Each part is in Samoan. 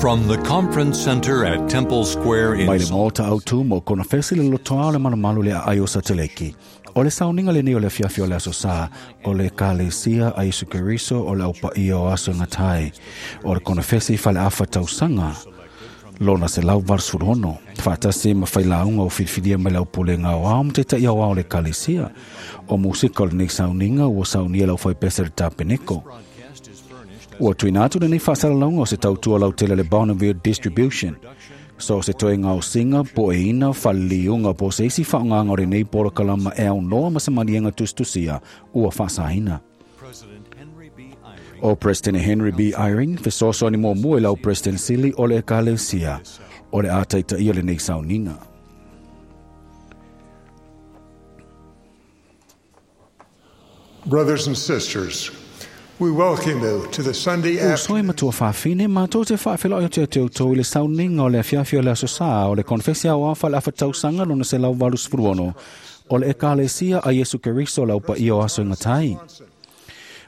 From the Conference Center at Temple Square in Mai le Maota Autu mo konofesi le lotoa o le malumalu le aai o Sateleki. O le sauniga lenei o le afiafi o le Aso Sa, o le Ekalesia a Iesu Keriso o le Au Paia o Aso e Gata ai, o le konofesi faleafa tausaga lona 186, faatasi ma failauga o filifilia mai le aupulega aoao ma taitai aoao o le Ekalesia. O musika o lenei sauniga ua saunia le aufaipese le Tapeneko. Ua tuuina atu lenei faasalalauga o se tautua lautele a le Bonneville Distribution. So se toega o singa, poeina, faleliuga po o se isi faaaogaga o lenei polokalama e aunoa ma se maliega tusitusia ua faasaina. O President Henry B. Eyring, fesoasoani muamua i lau President Sili o le Ekalesia, o le a taitaia lenei sauniga. Brothers and sisters, we welcome you to the Sunday Uso e afternoon. matua fafine, mātou te whaawhela o te te outou i le sauniga o le afiafi o le Aso Sa o le konfesi aoao faleafa tausaga lona 186 o le Ekalesia a Iesu Keriso le Au Paia o Aso e Gata ai.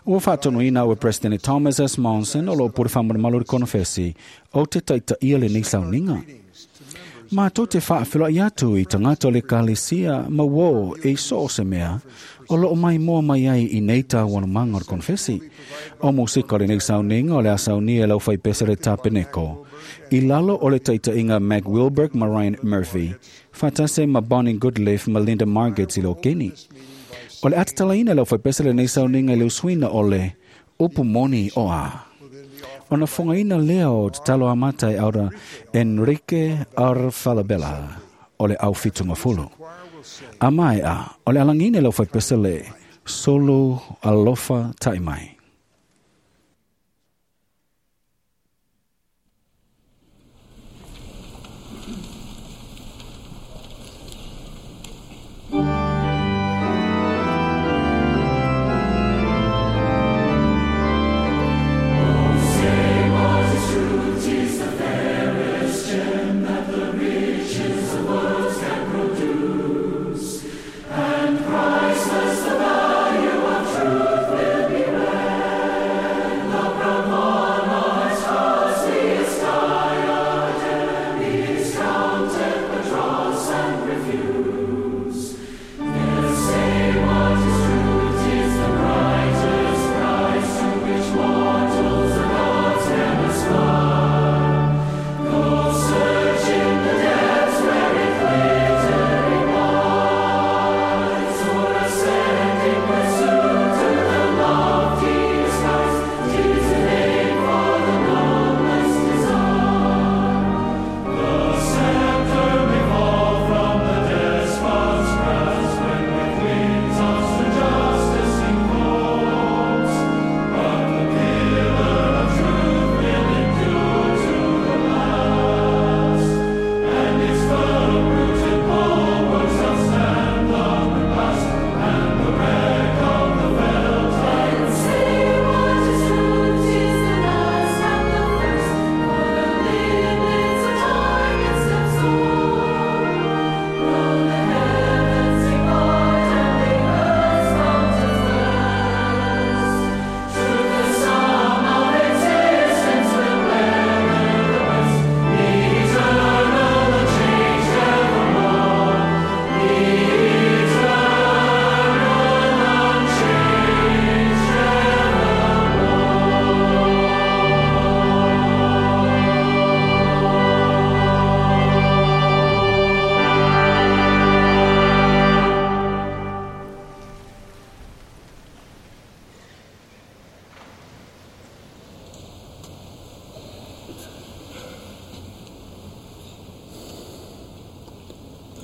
Ua faatonuina au e President Thomas S. Monson o loo pule faamalumalu i le konofesi o te taitaia lenei sauniga. Mātou te whaawhela atu i tagata o le Ekalesia ma uō e so o se mea o loo mai moa mai ai i nei tāuanumaga o le konofesi. O musika o lenei sauniga o le a saunia e lau faipese le Tapeneko. I lalo o le taitaiga Mac Wilberg ma Ryan Murphy, faatasi ma Bonnie Goodleaf ma Linda Margets i lo keni. O le atatalaina e lau faipese lenei sauniga i le usuina o le upu moni o a. Ona fogaina lea o tatalo amata e aura Enrique R. Falabella o le au fitungafulu. A mai a, o le alangina e lau faipese le Solo Alofa Taimai.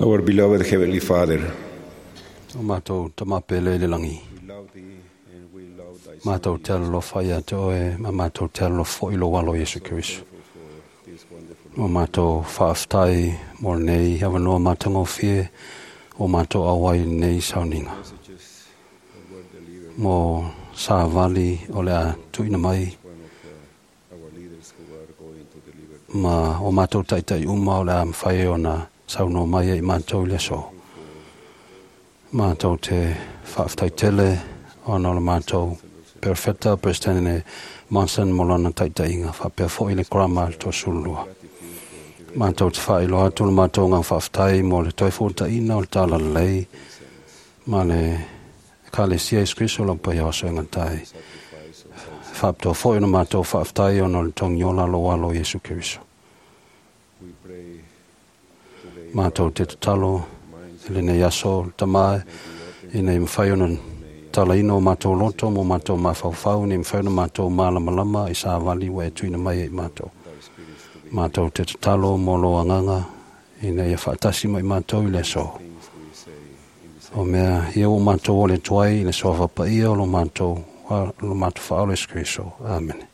Our beloved Heavenly Father, O mātou tamapele i le langi. we love thee and we love thy Son Mātou te alofa ia te oe, ma mātou te alofa i lo walo Iesu Keriso. for this wonderful O mātou whaaftai mō nei awanoa mātangofie o mātou awai nei sauniga. messages that were delivered Mō sa vali o le a tuina mai one of our leaders who are going to deliver them. ma o mātou taitai uma o le a mwhai o na saunoa mai e i mātou i le aso. Mātou te whaaftai tele o na o le mātou Perofeta Peresetene Monson mo lona taitaiga faapea foʻi le Korama le 32. Matou te faailoa atu le matou agaga faafetai mo le toe fuataʻina o le talalelei ma le Ekalesia Iesu Keriso lau paia o aso e gata ai. Faapitoa foʻi ona matou faafetai ona o le togiola lou alo Iesu Keriso. Matou te tatalo i lenei aso le Tamā ina ia mafai ona talaina o matou loto ma o matou mafaufau, ina ia mafai ona matou malamalama i savali ua e tuuina mai ai i matou. Matou te tatalo mo lou agaga ina ia faatasi ma i matou i le aso. O mea ia ua matou ole atu ai i le suafa paia o lo matou Faaola Iesu Keriso. Amene.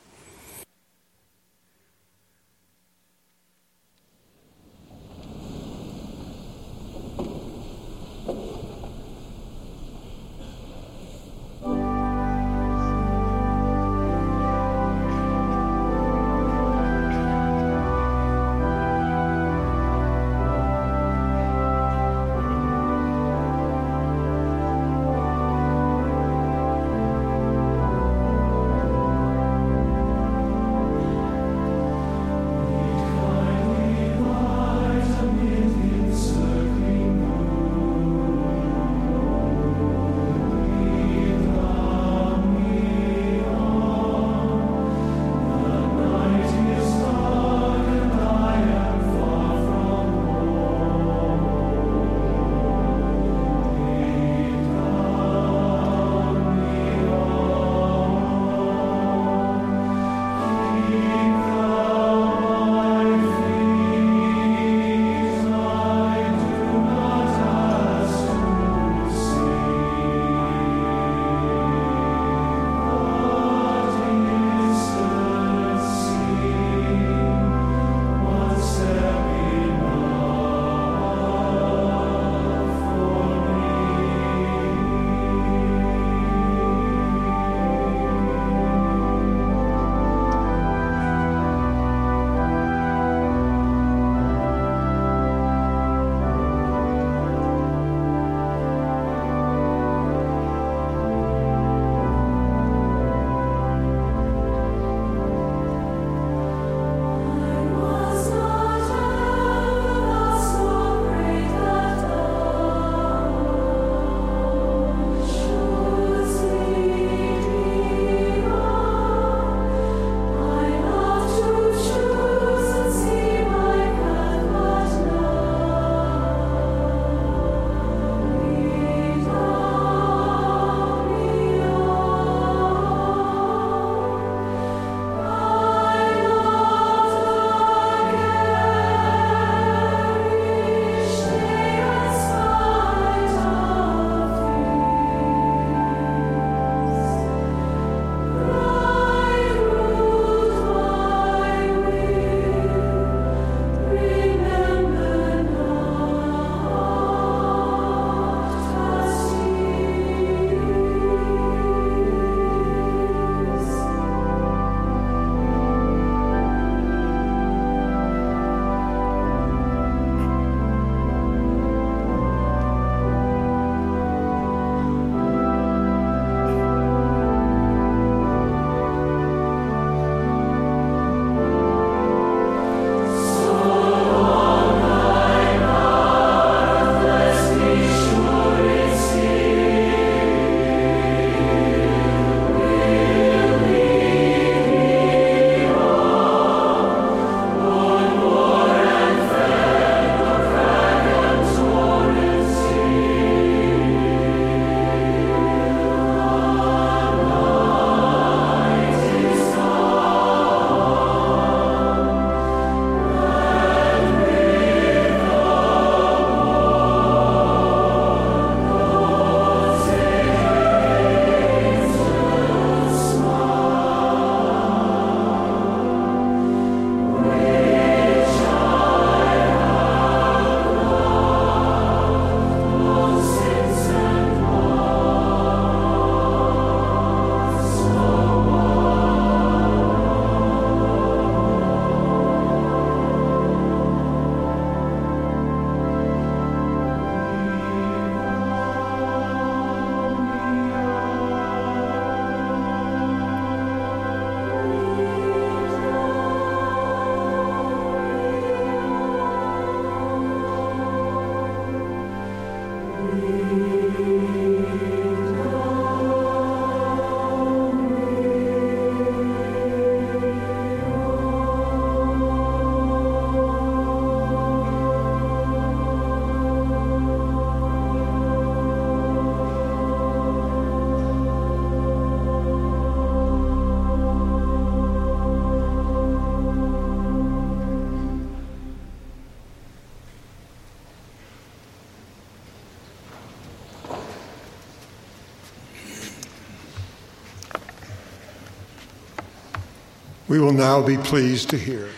We will now be pleased to hear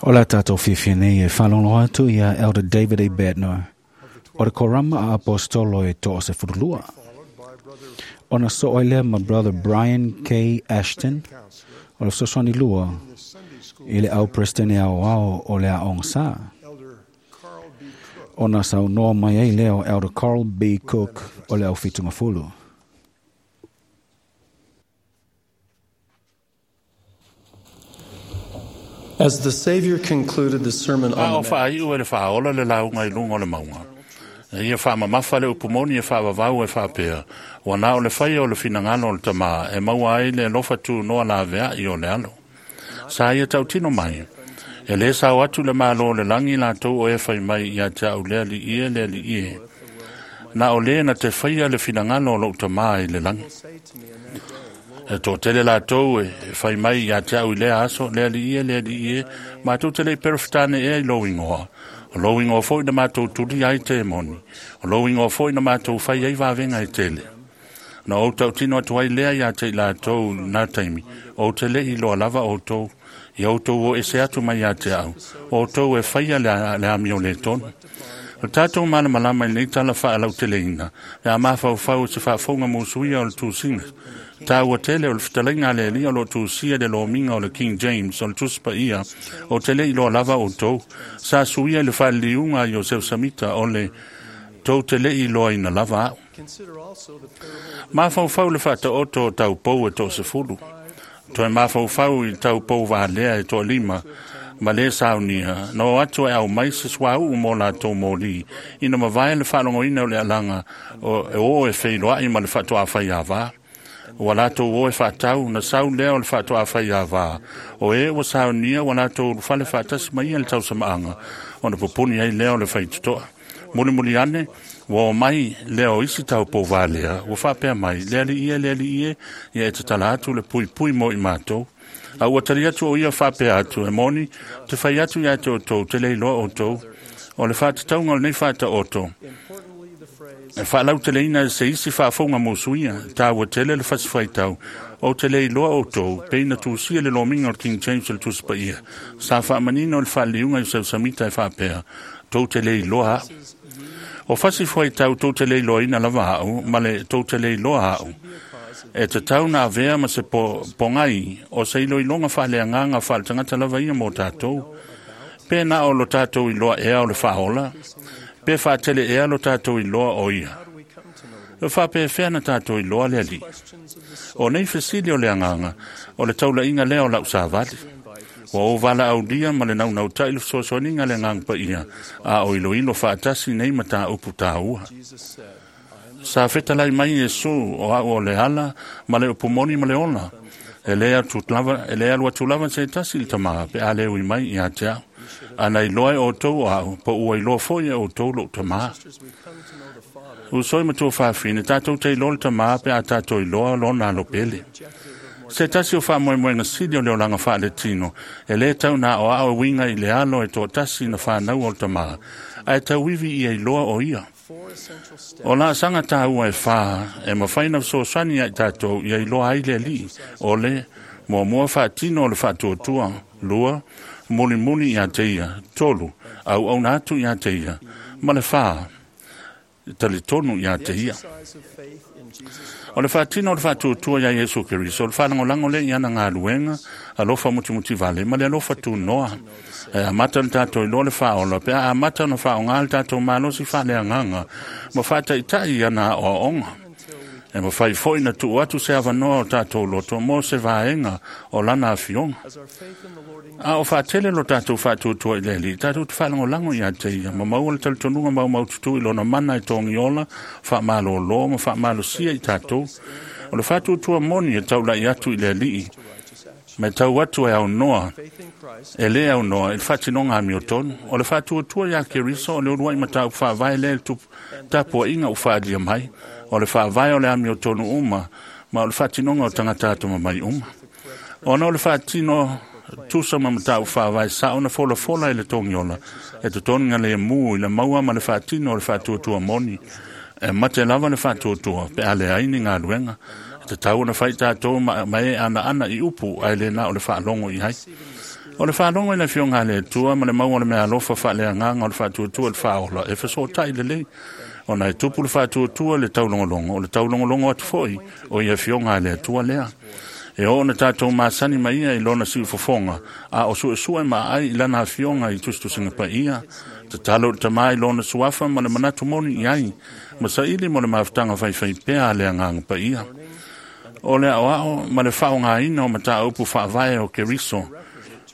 O la tātou fiafia nei e whalongo atu ia Elder David A. Bednar o le korama a apostolo e tō o se furulua. Ona so oi lea ma Brother Brian K. Ashton o le sosoni lua i le au presidente au ao o le aonga sa. Ona sau noa mai ai lea o Elder Carl B. Cook o le au fitunga fulu. As the Savior concluded the Sermon A on o the Mount, whaaiu e le whaola le launga i lunga o le maunga. E ia whaamamafa le upumoni e whaavavau e whaapea. Ua nā o le whaia o le whinangalo o le tamā e maua ai le lofa tū noa la vea i o le alo. Sa ia tautino mai. E le sao atu le malo le langi la tau o e whai mai ia te au lea li ie lea li ie. Na o le na te whaia le whinangalo o lou tamā i le langi. E tō tele la tau e whai mai ia te au i lea aso, lea li ie, lea li ie, mātou te lei perewhitane ea i lou ingoa. O lou ingoa foi na mātou turi ai te moni. O lou ingoa foi na mātou whai ai vāvenga i tele. Na o tau tino atu ai lea ia te i la tau nā taimi. O te le i loa lava o tau. I o tau o ese atu mai ia te au. O tau e whaia le ami o le tonu. O tātou mana malama i nei tala wha alau te leina. Le a mawhau whau se whaafonga mō suia o le tūsinga. Tā ua tele o le fitalinga le lia o lo tūsia le lominga o le King James o le tuspa ia o te le iloa lava o tau. Sa suia i le whaliliunga i o seu samita o le tau te le iloa ina lava au. consider also the parable of Mawhau le whata o tō tau pou e tō se fulu. Toe mawhau i tau pou wālea e tō lima. Ma le saunia, no atu e au mai se sua u mō la tō mōli. Ina mawai le whalongo ina o le alanga o e o e wheiloa i ma le whatua whai a vā. Ua latou o e whaatau, na sau lea o le whaatua whai a vā. O e ua saunia, ua latou whale whaatasi mai e le tausamaanga. O na pupuni ai lea o le whaitutoa. Muli muli ane, ua o mai lea o isi tau pō vālea, ua whaapea mai, lea li ia, lea li ia, ia e te tala atu le pui pui mo i mātou. A ua tali atu o ia whaapea atu, e moni, te whai atu ia te o tau, te leiloa o tau, o le whaatataunga o lenei whaata o tau. importantly the phrase E whaalau te leina se isi whaafonga mō suia, tā ua tele le whasiwhaitau, o te leiloa o tau, peina tūsia le lominga o le King James o le Tusipa ia. Sa whaamanino le whaaliunga i seu samita e whaapea, tau te leiloa au. O whasiwhaitau tau te leiloa ina lava au, ma le tau te leiloa au. E te tau nā vea ma se po, pongai, o se ilo ilonga whaalea nganga whaale tangata lava ia mō tātou. Pēnā o lo tātou i loa ea o le whaola, pe whaatele ea lo tātou i loa o ia. how do we come to know the E whapea whea na tātou i loa lea li. questions of the soul O nei fesili o le anganga, o le taula inga lea o lau sāvali. invite Ua o vala au lia ma le naunau tai le fesoasoaniga le agaga paia, a o iloilo faatasi nei ma tāupu tāua. Jesus said, I am the Sa fetalai mai Iesu o au o le ala ma le upumoni ma le ola. E le atu lava, e le alu atu lava se tasi i le tamā pe a le ui mai ia te au. Ana iloa e outou o au, po ua iloa foi e outou lou tamā. sisters, we come to know the Father, Usoi ma tua whawhine, tātou te iloa le tamā pe a tātou iloa lona alo pele. objective of Se tasi o whaamoemoenga sili o le olanga whaale tino, e le tau nā o ao winga i le alo e tō tasi na whānau o le tamā, a e tau iwi ia iloa o ia. four essential steps O la sanga tāua e whā, e mawhaina sosani ai tātou ia iloa ai le li, o le mua mua whaatino o le whaatuatua, lua, muli muli ia te ia, tolu, au au nātu ia te ia, ma le whā, tali tonu ia te ia. exercise of faith in Jesus O le whaatino o le whaatuatua ia Yesu Keriso, o le whalangolango le ia na ngā luenga, alofa mutimuti vale, ma le alofa tū noa. E amata le tātou i loa le whaola, pe a amata na whaonga le tātou malosi whale anganga, ma whaataitai ia na o onga. E mafai fo'i na tuu atu se avanoa o tatou loto mo se vaega o lana afioga. A o faatele lo tatou faatuatua i le Alii, tatou te faalagolago iā te ia, ma maua le talitonuga maumaututu i lona mana e togiola, faamalōlō ma faamalosia i tatou. O le faatuatua moni e taula'i atu i le Alii, ma e tau atu e aunoa, e lē aunoa i le faatinoga amiotonu. O le faatuatua iā Keriso o le uluai mataupu faavae lea i le tapuaʻiga ua faaalia mai, o le faavae o le amiotonu uma, ma o le faatinoga o tagata atamamai uma. Ona o le faatino tusa ma mataupu faavae sa'o na folafola i le togiola, e totogi lemu i le maua ma le faatino o le faatuatua moni. E mate lava le faatuatua pe a leai ni galuega. E tatau ona fai tatou ma e anaana i upu ae le na o le faalogo i ai. O le faalogo i le afioga a le Atua ma le maua o le meaalofa faaleagaga o le faatuatua i le faaola e fesootai lelei, ona e tupu le faatuatua i le taulogologo, o le taulogologo atu foi o ia afioga a le Atua lea. E oo na tatou masani mai ia i lona siufofoga, a o suesue ma ai i lana afioga i tusitusiga paia. Tatalo i le Tamā i lona suafa ma le manatu moni i ai, ma saili mo le mafutaga faifaipea a le Agaga Paia. O le aoao ma le faaaogaina o mataupu faavae o Keriso,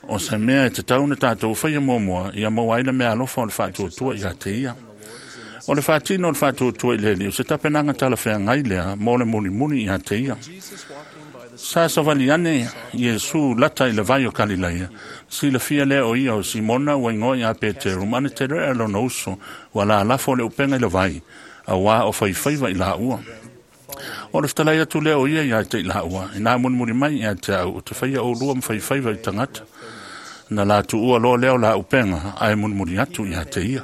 o se mea e tatau na tatou faia muamua, ia maua ai le meaalofa o le faatuatua iā te ia. O le faatino o le faatuatua i le Alii, o se tapenaga talafeagai lea mo le mulimuli iā te ia. Sa savali ane Iesu lata i le vai o Kalilaia, silafia lea o ia o Simona ua igoa iā Peteru ma Aneterea lona uso, ua lalafo le upega i le vai, auā o faifaiva i laua. O le fetalai atu lea o ia iā te i laua, inā mulimuli mai iā te au, o te faia oulua ma faifaiva i tagata. Na latuua loa lea o la upega, ae mulimuli atu iā te ia.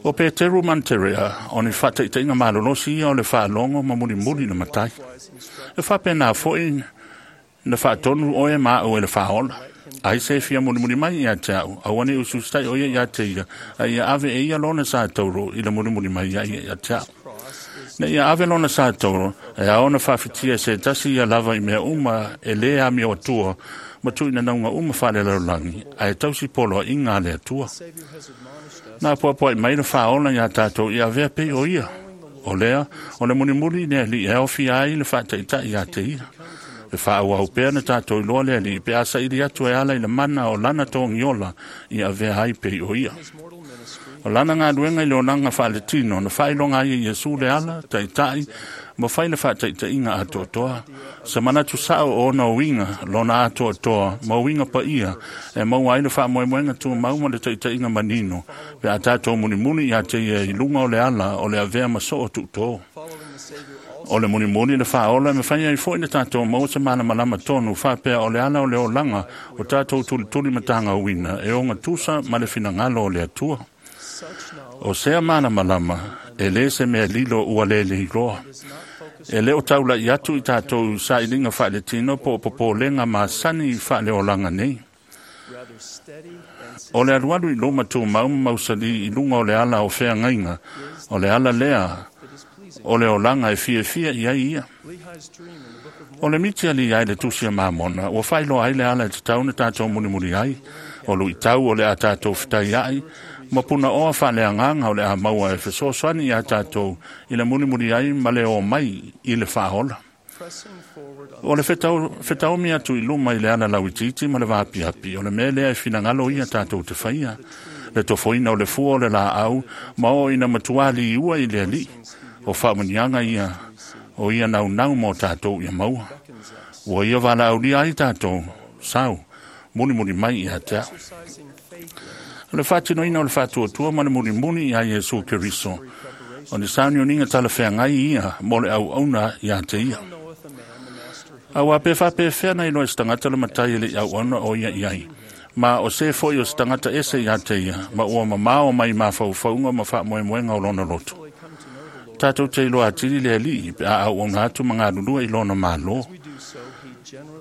O Peteru ma Aneterea, o ni faataitaiga malolosi ia o le faalogo ma mulimuli le Matai. E faapena fo'i na faatonu oe ma a'u e le faaola. Ai se fia mulimuli mai iā te a'u, aua ne i usiusitai o ia iā te ia, a ia ave e ia lona sa tauro i le mulimuli mai ia iā te a'u. Na ia ave lona sa tauro, e ao ona faafitia e se tasi ia lava i mea uma e lē amio atua, ma tuuinanauga uma faalelalolagi, ae tausi poloaʻiga a le Atua. Na apoapoaʻi mai le faaola iā tatou ia avea pei o ia. O lea, o le mulimuli i le Alii e aofia ai le faataitaʻi iā te ia. E faaauau pea na tatou iloa le Alii pe a saili atu e ala i le mana o lana togiola ia avea ai pei o ia. O lana galuega i le olaga faaletino na faailoga ai e Iesu le ala, taitaʻi, ma fai le faataitaiga atoatoa. Se manatu sa'o o ona uiga, lona atoatoa, ma uiga paia, e maua ai le faamoemoega tumau ma le taitaiga manino, pe a tatou mulimuli iā te ia i luga o le ala o le avea ma soo tuutō. O le mulimuli le faaola e mafai ai fo'i na tatou maua se malamalama tonu faapea o le ala o le olaga o tatou tulituli matagauina e ogatusa ma le finagalo o le Atua. O sea malamalama, e lē se mea lilo ua lē leiloa. E lē o taulaʻi atu i tatou sailiga faaletino po o popolega masani faaleolaga nei. O le alualu i luma tumau ma mausalī i luga o le ala o feagaiga, o le ala lea o le olaga e fiafia i ai ia. O le miti alii ai le tusi a Mamona, ua faailoa ai le ala e tatau na tatou mulimuli ai, o luitau o le a tatou fetaiaʻi, ma punaoa faaleagaga o le a maua e fesoasoani iā tatou i le mulimuli ai ma le o mai i le faaola. O le fetaomi atu i luma i le ala lauitiiti ma le vaapiapi, o le mea lea e finagalo ia tatou te faia. Le tofoina o le fua o le laau ma oo ina matuā liua i le Alii. O faamuniaga ia o ia naunau mo tatou ia maua. Ua ia valaaulia ai tatou, sau, mulimuli mai iā te a'u. O le faatinoina o le faatuatua ma le mulimuli iā Iesu Keriso, o ni sauniuniga talafeagai ia mo le auauna iā te ia. Auā pe faapefea na iloa e se tagata le Matai e leʻi auauna o ia i ai, ma o se fo'i o se tagata ese iā te ia, ma ua mamao mai mafaufauga ma faamoemoega o lona loto. Tatou te iloa atili le Alii pe a auauna atu ma galulue i lona mālō.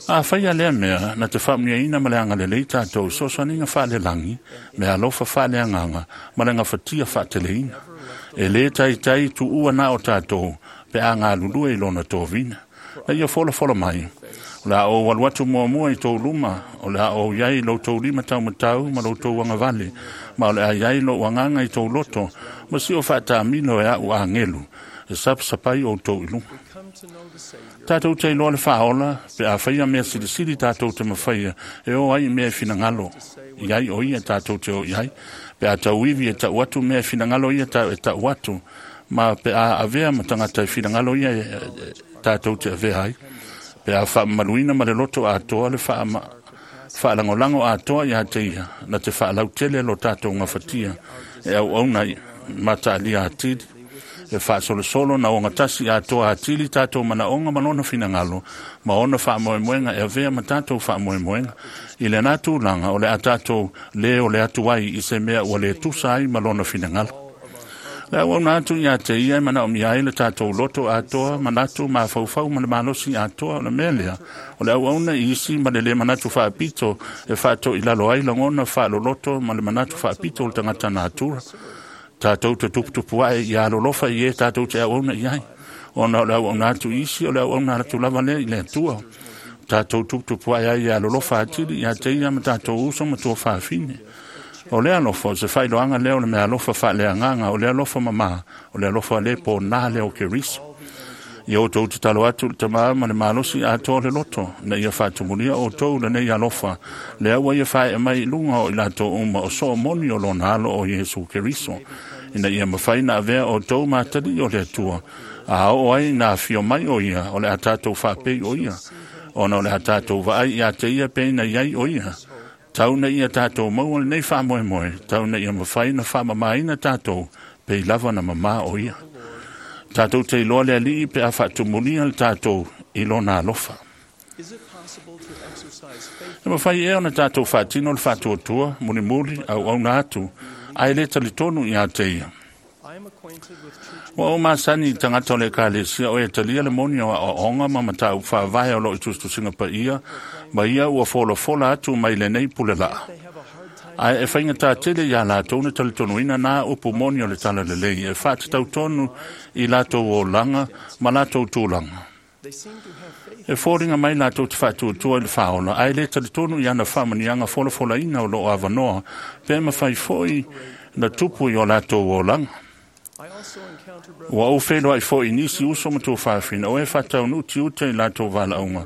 A faia lea mea, na te faamuniaina ma le agalelei tatou sosoaniga faalelagi, meaalofa faaleagaga, ma le gafatia faateleina. E lē taitai tuua na o tatou pe a galulue i lona tovina. Na ia folafola mai, o le a ou alu atu muamua i tou luma, o le a ou iai i loutou lima taumatau ma loutou agavale, ma o le a iai lou agaga i tou loto, ma si o faatamilo e aʻu agelu, e sapasapai outou i luga. Tatou te iloa le faaola pe a faia mea silisili tatou te mafaia e o ai i mea e finagalo i ai o ia tatou te o i ai, pe a tauivi e tau atu mea e finagalo ia e tau atu, ma pe a avea ma tagata e finagalo ia tatou te avea ai, pe a faamamaluina ma le loto atoa le faalagolago atoa iā te ia na te faalautele lo tatou gafatia e auauna mataalia atili, e faasolosolo na ogatasi atoa atili tatou manaoga ma lona finagalo ma ona faamoemoega e avea ma tatou faamoemoega. I lena tulaga o le a tatou lē o le atu ai i se mea ua lē tusa ai ma lona finagalo. Le auauna atu iā te ia e manaomia ai le tatou loto atoa, manatu, mafaufau ma le malosi atoa. O le mea lea o le auauna i isi ma le lē manatu faapito e faatoilalo ai lagona faaloloto ma le manatu faapito o le tagata natura. Tatou te tuputupu ae ia alolofa i e tatou te auauna i ai, ona o le auauna atu i isi o le auauna atu lava lea i le Atua. Tatou tuputupu ae ai ia alolofa atili iā te ia ma tatou uso ma tuafafine. O le alofa o se faailoaga lea o le meaalofa faaleagaga, o le alofa mamā, o le alofa lē pōnā lea o Keriso. Ia outou tatalo atu i le Tamā ma le malosi atoa o le loto, ina ia faatumulia outou lenei alofa, lea ua ia faaee mai i luga o i latou uma o soomoni o lona alo o Iesu Keriso, ina ia mafai na avea outou ma atalii o le Atua, a oo ai ina afio mai o ia, o le a tatou faapei o ia, ona o le a tatou vaai iā te ia pe ina iai o ia. Tau na ia tatou maua lenei faamoemoe, tau na ia mafai na faamamaina tatou, pei lava na mamā o ia. Tatou te iloa le Alii pe a faatumulia le tatou i lona alofa. E mafai ea ona tatou faatino le faatuatua, mulimuli, auauna atu, ae lē talitonu iā te ia. Ua ou masani i tagata o le ekalesia o e talia le moni o aoaoga ma mataupu faavae o loo i tusitusiga paia, ma ia ua folafola atu mai lenei pulelaa. Ae e faigatā tele iā latou na talitonuina nā upu moni o le talalelei e faatatau tonu i latou olaga ma latou tulaga. E foliga mai latou te faatuatua i le faaola, ae lē talitonu i ana faamanuiaga folafolaina o loo avanoa pe mafai foi na tupu i o latou olaga. Ua ou feiloai foi i nisi uso ma tuafafine o e faataunuu tiute i latou valaauga,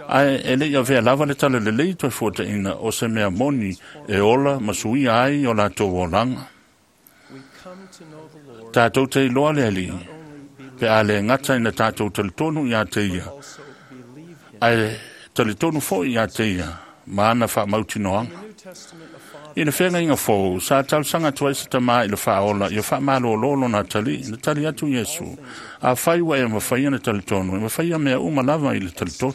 ae e lei avea lava le talalelei toe fuataina o se mea moni e ola ma suia ai o latou olaga. Tatou te iloa le Alii pe a le gata ina tatou talitonu iā te ia, ae talitonu foi iā te ia ma ana faamautinoaga. I le feagaiga fou, sa talosaga atu ai se tamā i le faaola ia faamalōlō lona atalii. Na tali atu Iesu, afai ua e mafaia na talitonu, e mafaia mea uma lava i le talitonu.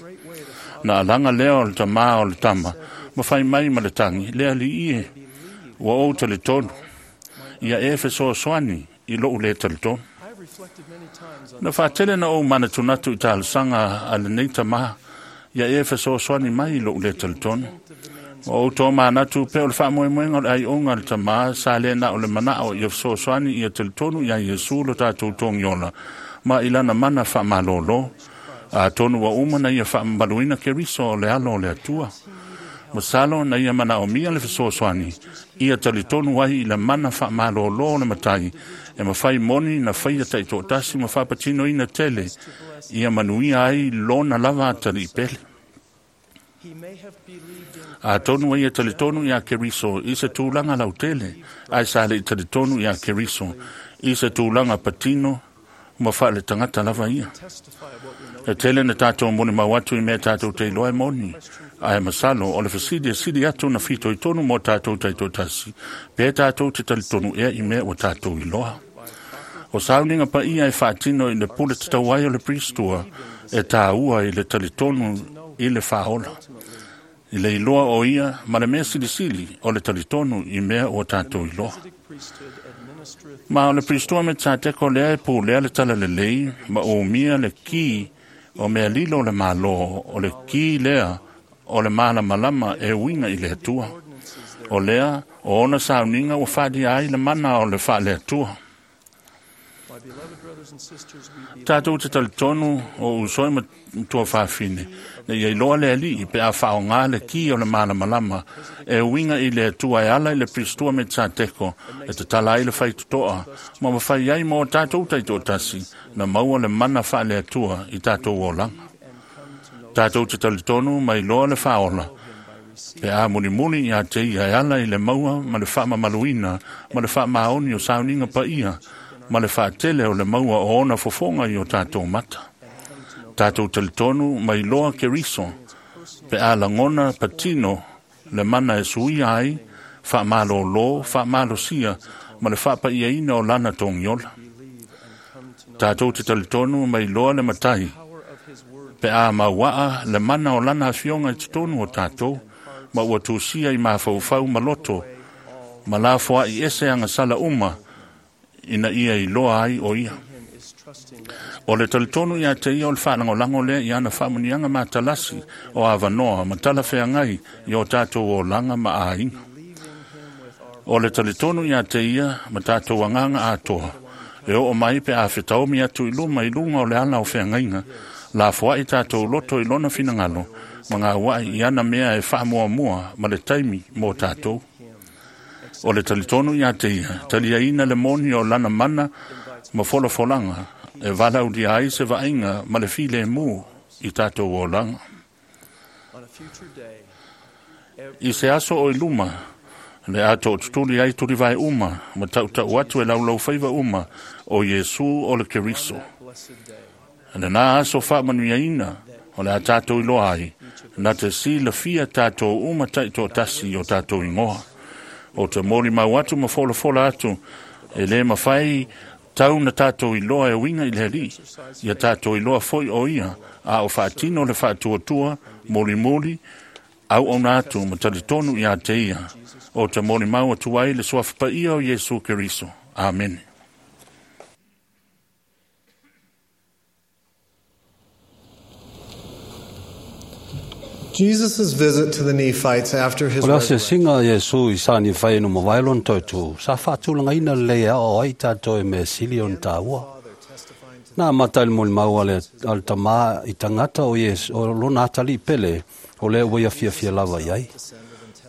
Na alaga lea o le tamā o le tama, ma fai mai ma le tagi, le Alii e, ua ou talitonu, ia e fesoasoani i lou lē talitonu. Na faatele na ou manatunatu i talosaga a lenei tamā, ia e fesoasoani mai i lou lē talitonu. Ua ou tomanatu pe o le faamoemoega o le aioga a le tamā sa lē na o le manao ia fesoasoani ia talitonu iā Iesu lo tatou togiola ma i lana mana faamalōlō. Atonu ua uma na ia faamamaluina Keriso o le alo o le Atua. Masalo na ia manaomia le fesoasoani ia talitonu ai i le mana faamalōlō o le Matai e mafai moni na faia taitoatasi ma faapatinoina tele ia manuia ai lona lava atalii pele. Atonu ai ia talitonu iā Keriso i se tulaga lautele, ae sa le'i talitonu iā Keriso i se tulaga patino ma faaletagata lava ia. E tele na tatou molimau atu i mea tatou te iloa e moni, ae masalo o le fesili e sili atu na fitoitonu mo tatou taitoatasi, pe tatou te talitonu ea i mea ua tatou iloa. O sauniga paia e faatino i le pule tatau ai o le Pristua e tāua i le talitonu i le faaola, i le iloa o ia ma le mea silisili o le talitonu i mea ua tatou iloa. Ma o le Pristua me Tsateko lea e pulea le talalelei ma umia le ki o mea lilo o le Mālō, o le ki lea o le malamalama e uiga i le Atua. O lea o ona sauniga ua faalia ai le mana o le faaleatua. Tātou te talitonu o usoe ma tua whawhine, ne ia iloa le alii pe a whaonga le ki o le malamalama, e uinga i le atua e ala i le pristua me tsa teko, e te tala ai le whaitutoa, ma mawhai ai mō tātou taito tasi, na maua le mana wha le atua i tātou o langa. Tātou te talitonu mai loa le whaola, pe a mulimuli ia te ia e ala i le maua ma le whaamamaluina, ma le whaamaoni o sauninga pa ia, ma le whaatele o le maua o ona fofonga i o tātou mata. Tātou talitonu mai loa Keriso, pe a langona patino le mana e suia ai, whaamalolo, whaamalosia, ma le whaapaiaina o lana tongiola. Tātou te talitonu mai loa le matai, pe a mauaa le mana o lana afionga i totonu o tātou, ma ua tūsia i mafaufau maloto, ma la foa i ese anga sala uma, ina ia i loa ai o ia. O le talitonu ia te ia o le whaalangolango lea i ana whaamunianga matalasi o awanoa ma tala wheangai i o tātou o langa ma āinga. O le talitonu ia te ia ma tātou anganga atoa. E o mai pe a whitaomi atu i luma i lunga o le ala o wheangainga, la foa i tātou loto i lona whinangalo, ma ngā wai i ana mea e whaamuamua ma le taimi mō tātou. O le talitonu ia te ia, taliaina le moni o lana mana ma folafolanga, e vala udia ai se vainga ma le file mū i tātou o langa. I se aso o i luma, le ato o tutuli ai turi vai uma, ma tautau atu e laulau whaiva uma o Iesu o le Keriso. Le nā aso whaamanuiaina o le a tātou i loa ai, nā te si le fia tātou uma taito tasi o tātou ingoa. O te mori mau atu ma folafola atu, e le mawhai tau na tātou i loa e winga i le heli, ia tātou i loa foi o ia, a o whaatino le whaatuatua, mori mori, au o nā atu ma talitonu i a te ia, o te mori mau atu ai le suafa ia o Iesu Keriso. Amen. Jesus' visit to the Nephites after his O le ase resurrection. singa Iesu i sa ni whai no mawailon tautu, sa whaatulanga ina le a o ai tātou e mea sili o tāua. Nā mata il moli mau ale, ale tamā i tangata o Iesu, o lona atali pele, o lea ua ia fia fia lava i ai.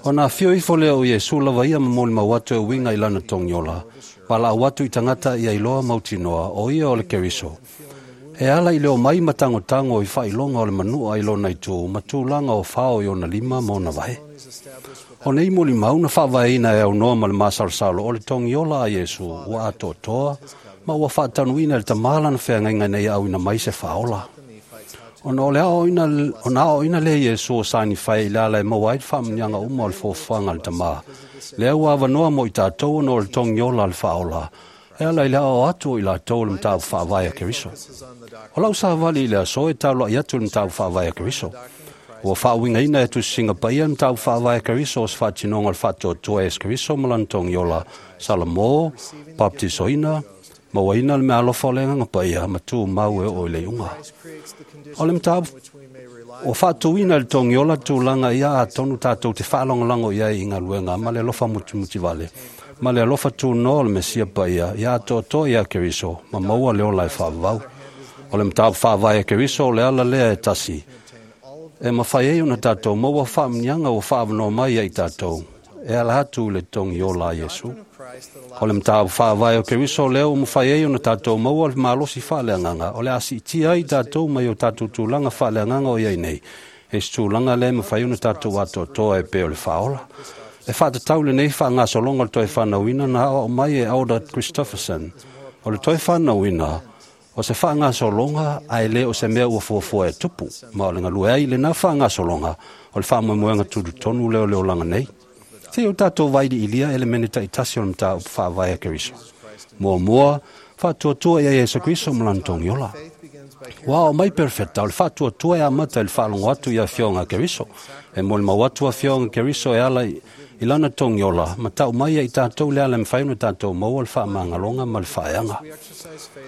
O nā fio ifo lea o Iesu lava ia ma moli mau atu e winga i lana tongiola, pa la atu i tangata ia iloa mautinoa, o ia o le Keriso. E ala i leo mai matango tango i whailonga o le manua i lona i tū, matulanga o whao i ona lima ma ona vae. O nei moli mau na whaavaeina e au noa ma le masalosalo o le tongiola a Iesu, ua atoatoa, ma ua whaatanuina le tamala na wheangainga nei au ina mai se whaola. Ona o le ao ina, ona ao ina le Iesu o sani whai i le ala e maua ai le whaamanianga uma o le fōfuanga le tamā. Le au awanoa mo i tātou ona o le tongiola le whaola. E ala i le ao atu o i lātou le mtāu whaavae a Keriso. O lau sa wali i le aso e taulo i atu le mtāu whaavae a Keriso. Ua whaawinga ina e tusinga paia mtāu whaavae a Keriso o se whaatinonga le whaatoatoa e Keriso malantongi ola Salamo, baptisoina, mauaina le mea alofa o le nganga paia, ma tū mau e o i le unga. O le mtāu o whaatuina le tongiola tūlanga ia a tonu tātou te whaalongolango ia i ngā luenga, ma le alofa mutimuti vale. Ma le alofa tū no le mesia paia, ia atoatoa ia Keriso, ma maua le ola e whaavau. O le mtāu whaavae a Keriso o le ala lea e tasi. E mawhai ei ona tātou, maua whaamnianga o whaavanoa mai ai tātou. E ala atu le tongiola a Iesu. O le mtāu whaavae o Keriso leo o mawhai ei ona tātou maua le malosi whaaleanganga. O le asi tia ai tātou mai o tātou tūlanga whaaleanganga o iai nei. E se tūlanga le mawhai ona tātou atoatoa e pe o le whaola. E whaatatau le nei wha ngā solonga le toi whanauina na o mai e Alda Christopherson. O le toi whanauina, o se wha ngā solonga a e le o se mea ua fuafua e tupu. Ma o le ngalue ai le nā wha ngā solonga o le whaamoemoenga tūru tonu leo leo langa nei. Te o tātou vairi ilia ele mene ta itasi o le mta whaavae a Keriso. Mua mua, whaatuatua ia Iesu Kristo malantongi ola. Ua o mai perfecta, o le whaatuatua e amata i le whaalongo atu ia fionga Keriso. E moli mau atu a fionga Keriso e ala i lana tongiola, ma tau mai i tātou le ala mwhai no tātou maua le whaamangalonga ma le whaeanga.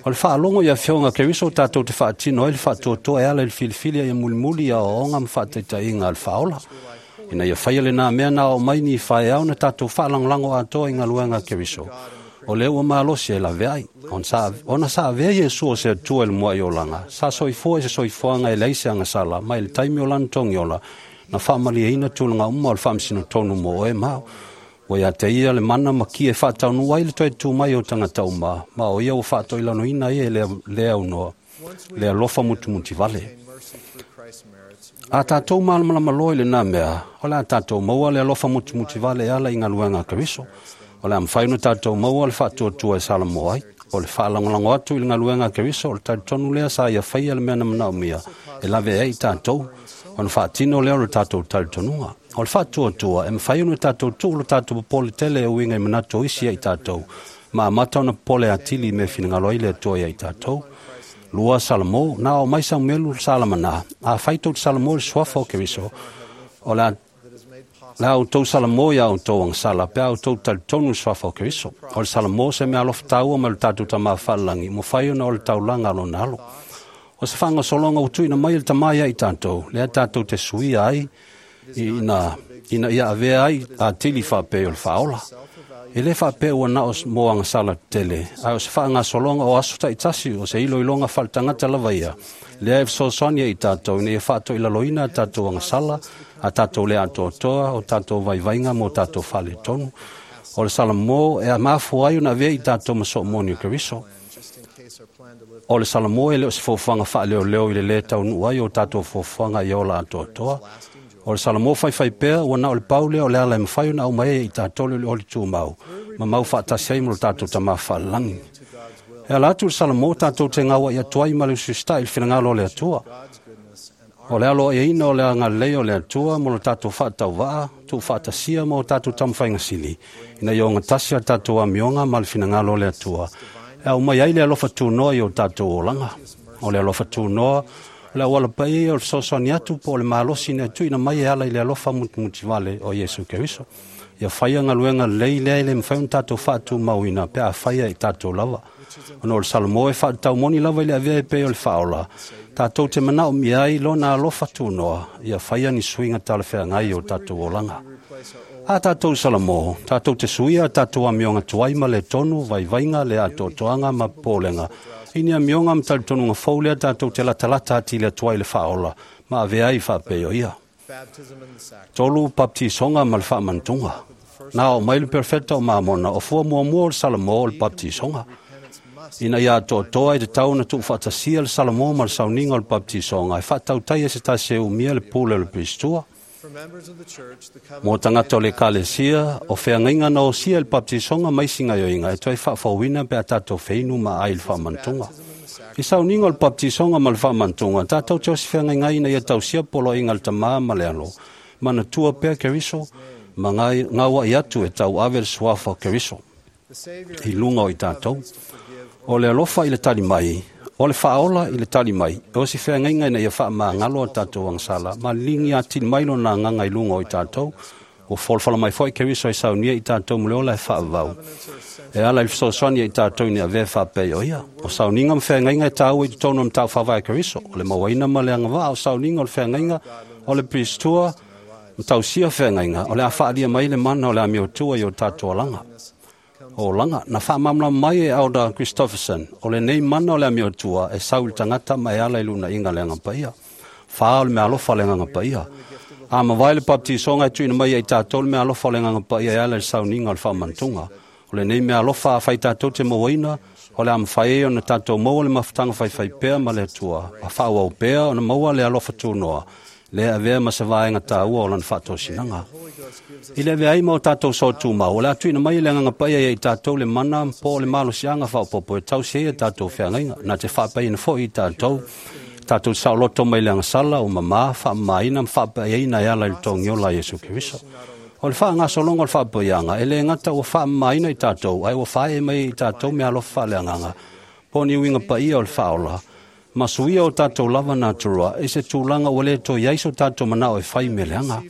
O le whaalongo ia fionga Keriso tātou te whaatino ai le whaatuatua e ala i le filifili ia mulimuli ia oonga ma whaataitainga le whaola. Ina ia whaia le nā mea nā o mai ni whaeau na tātou whaalanglango atoa i ngā luenga Keriso. O lea ua malosi e laveai. Ona sa avea Iesu o se Atua i le mua'i olaga, sa soifua i se soifuaga e leai se agasala, ma i le taimi o lana togiola, na faamalieina tulaga uma o le faamasino mo oe ma au. Ua ia te ia le mana ma ki e faataunuu ai le toe tu mai o tagata uma, ma o ia ua faatoilaloina ai e lea aunoa, le alofa mutumutivale. A tatou malamalama loa i lenā mea, o le a tatou maua le alofa mutumutivale e ala i galuega a Keriso. O le a mafai ona tatou maua le faatuatua e salamo ai. O le faalagolago atu i le galuega a Keriso, o le talitonu lea sa ia faia le mea na manaomia e lavea ai i tatou, ona faatino lea o le tatou talitonuga. O le faatuatua e mafai ona tatou tuu lo tatou popole tele e uiga i manatu o isi ia i tatou, ma amata ona popole atili i mea e finagalo ai le Atua ia i tatou. 2 Salamo, na o mai Samuelu Salamana, a fai tou te salamo i le suafa o Keriso, o le a outou salamo ia outou agasala, pe a outou talitonu i le suafa o Keriso. O le salamo se mea alofa taua mai lo tatou Tamā faalelagi, mafai ona o le taulaga a lona alo. O se faagasologa ua tuuina mai e le Tamā ia i tatou, lea tatou te suia ai ina ia avea ai atili faapei o le faaola. E le faapea ua na o mo agasala tetele, ae o se faagasologa o aso taitasi o se iloiloga faaletagata lava ia, lea e fesoasoani ai i tatou ina ia faatoilaloina a tatou agasala, a tatou le atoatoa, o tatou vaivaiga ma o tatou faaletonu. O le salamo e mafua ai ona avea i tatou ma soomoni o Keriso. O le salamo e le o se foafoaga faaleoleo i le lē taunuu ai o tatou foafoaga ia ola atoatoa. O le salamo faifai pea ua na o le pau lea o le ala e mafai ona aumai ai i tatou le olioli tumau, ma mau faatasi ai ma lo tatou Tamā faalelagi. E ala atu le salamo tatou te gaua'i atu ai ma le usiusitai i le finagalo o le Atua. O le aloaiaina o le agalelei o le Atua ma lo tatou faatauvaa, tuufaatasia ma o tatou taumafaiga sili, ina ia ogatasi a tatou amioga ma le finagalo o le Atua, e aumai ai le alofa tunoa i o tatou olaga. O le alofa tunoa, o le auala paia ia o le fesoasoani atu po o le malosi ina tuuina mai e ala i le alofa mutumutivale o Iesu Keriso. Ia faia galuega lelei lea e le mafai ona tatou faatumauina pe a faia i tatou lava. Ona o le salamo e faataumoni lava i le avea e pei o le faaola, tatou te manaomia ai lona alofa tunoa, ia faia ni suiga talafeagai o tatou olaga. A tatou salamo, tatou te suia a tatou amioga tuai ma le tonu, vaivaiga, le atoatoaga ma popolega. I ni amioga ma talitonuga fou lea tatou te latalata atili atu ai le faaola, ma avea ai faapei o ia. 3 Baptisoga ma le faamantuga. Na oo mai le perofeta o Mamona, o fua muamua o le salamo o le baptisoga. Ina ia atoatoa e tatau ona tuufaatasia le salamo ma le sauniga o le baptisoga, e faatautai e se tasi e umia le pule o le pistua. Mo tagata o le ekalesia, o feagaiga na osia i le baptisoga ma isi gaoioiga e toe faafouina pe a tatou feinu ma aai i le faamantuga. I sauniga o le baptisoga ma le faamantuga, tatou te osi feagaiga ai ina ia tausia poloaiga a le Tamā ma le Alo, manatua pea Keriso, ma gaua'i atu e tauave le suafa o Keriso i luga o i tatou. O le alofa i le tali mai, o le faaola i le tali mai, e osi feagaiga ina ia faamagalo a tatou agasala, ma ligi atili mai lona agaga i luga o i tatou. Ua folafala mai foi Keriso e saunia i tatou ma le ola e faavavau, e ala i le fesoasoani ia i tatou ina avea faapei o ia. O sauniga ma feagaiga e taua i totonu o le mataupu faavae a Keriso, o le mauaina ma le agavaa o sauniga o le feagaiga o le pistua ma tausia feagaiga, o le a faalia mai le mana o le amiotua i o tatou alaga. Olaga, na faamalamalama mai e Elder Christofferson, o lenei mana o le amiotua e sau i le tagata ma e ala i lunaiga le agaga paia. 4 o le meaalofa o le agaga paia. A mavae le baptisoga e tuuina mai ia i tatou le meaalofa o le agaga paia e ala i le sauniga o le faamantuga. O lenei meaalofa a fai tatou te mauaina, o le a mafai ai ona tatou maua le mafutaga faifai pea ma le Atua, a faaauau pea ona maua le alofa tunoa, lea avea ma se vaega taua o lana faatosinaga. I le avea ai ma o tatou soatumau, o le a tuuina mai e le agaga paia ia i tatou le mana po o le malosiaga faaopoopo e tausi ai a tatou feagaiga, na te faapaiina foi i tatou, tatou saoloto mai le agasala o mamā, faamamaina ma faapaiaina e ala i le togiola a Iesu Keriso. O le faagasologa o le faapaiaga, e le gata ua faamamaina i tatou, ae ua faaee mai i tatou meaalofa faaleagaga, po o ni uiga paia o le faaola, ma suia o tatou lava natura i se tulaga ua le toe ai so tatou manao e fai mea leaga.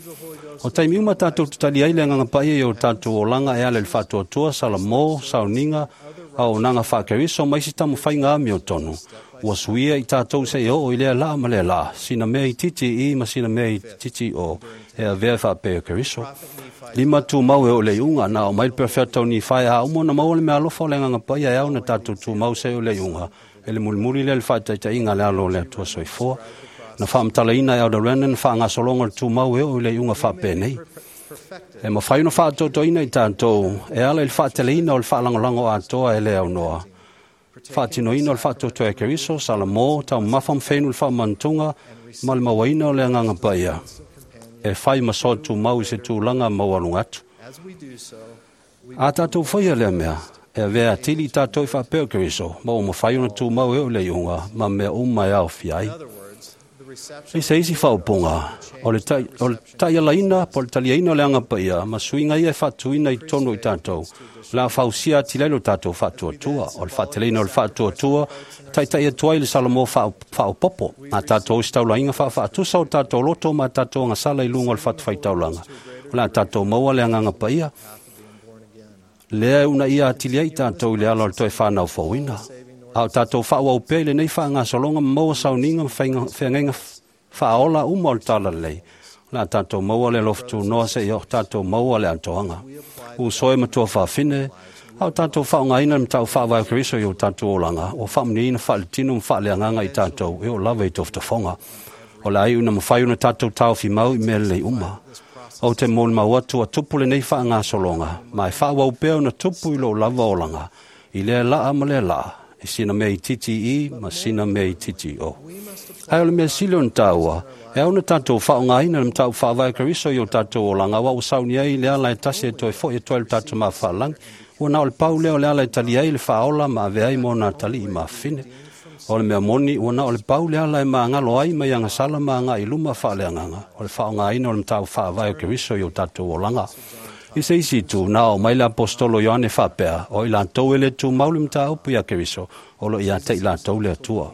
O taimi uma tatou te tali ai le agaga paia i o tatou olaga e ala i le faatuatua, salamo, sauniga, auaunaga faakeriso ma isi taumafaiga amiotonu. Ua suia i tatou seia oo i lea laa ma lea laa, sina mea itiiti i i ma sina mea itiiti i o, e avea e faapea o Keriso. Lima tumau e o le iuga na o mai le perofeta o Nifai a uma ona maua le meaalofa o le Agaga Paia e ao na tatou tumau se o le iuga e le mulimuli lea le faataitaiga a le alo o le Atua soifua. Na faamatalaina e Elder Rennan le faagasologa o le tumau e oo i le iuga faapenei. E mafai ona faatoatoaina i tatou e ala i le faateleina o le faalagolago atoa e le aunoa. Faatinoina o le faatoatoa e Keriso, Salamo, taumamafa ma fenu le faamantuga ma le mauaina o le Agaga Paia. E fai ma soa tumau i se tulaga maualuga atu. A tatou faia lea mea, e avea atili i tatou i faapea o Keriso, ma ua mafai ona tumau e oo i le iuga ma mea uma e aofia ai. I se isi faaupuga, o le taialaina po o le taliaina o le Agaga Paia ma suiga ia e faatuina i totonu o i tatou, o le a fausia atili ai lo tatou faatuatua. O le faateleina o le faatuatua, e taitai atu ai le Salamo faaopoopo, a tatou ositaulaina faafaatusa o tatou loto ma tatou agasala i luga o le fatafaitaulaga. O le a tatou maua le Agaga Paia, lea e uunaia atili ai tatou i le ala o le toe fanau fouina. A o tatou faaauau pea i lenei faagasologa ma maua sauniga ma feagaiga faaola uma o le talalelei, o le a tatou maua le alofa tunoa seia o tatou maua le atoaga. Uso e matua faafine, a o tatou faaaogaina le matau faavae o Keriso i o tatou olaga, ua faamuniaina faaletino ma faaleagaga i tatou e oo lava i tofotofoga. O le a iu ina mafai ona tatou taofi mau i mea lelei uma. Ou te molimau atu ua tupu lenei faagasologa, ma e faaauau pea ona tupu i lou lava olaga, i lea laa ma lea laa, i sina mea itiiti i ma sina mea itiiti o. Ae o le mea sili ona taua, e ao ona tatou faaaogaina le mataupu faavae o Keriso i o tatou olaga, aua ua sauni ai le ala e tasi e toe foi atu ai le tatou mafaalagi. Ua na o le pau lea o le ala e tali ai le faaola ma ave ai mo na atalii mafine. O le mea moni, ua na o le pau le ala e magalo ai mai agasala ma agai i luma faaleagaga, o le faaaogaina o le mataupu faavae o Keriso i o tatou olaga. I se isi itu, na oo mai le apostolo Ioane faapea, o i latou e le tumau le mataupu ia Keriso, o lo ia te i latou le Atua.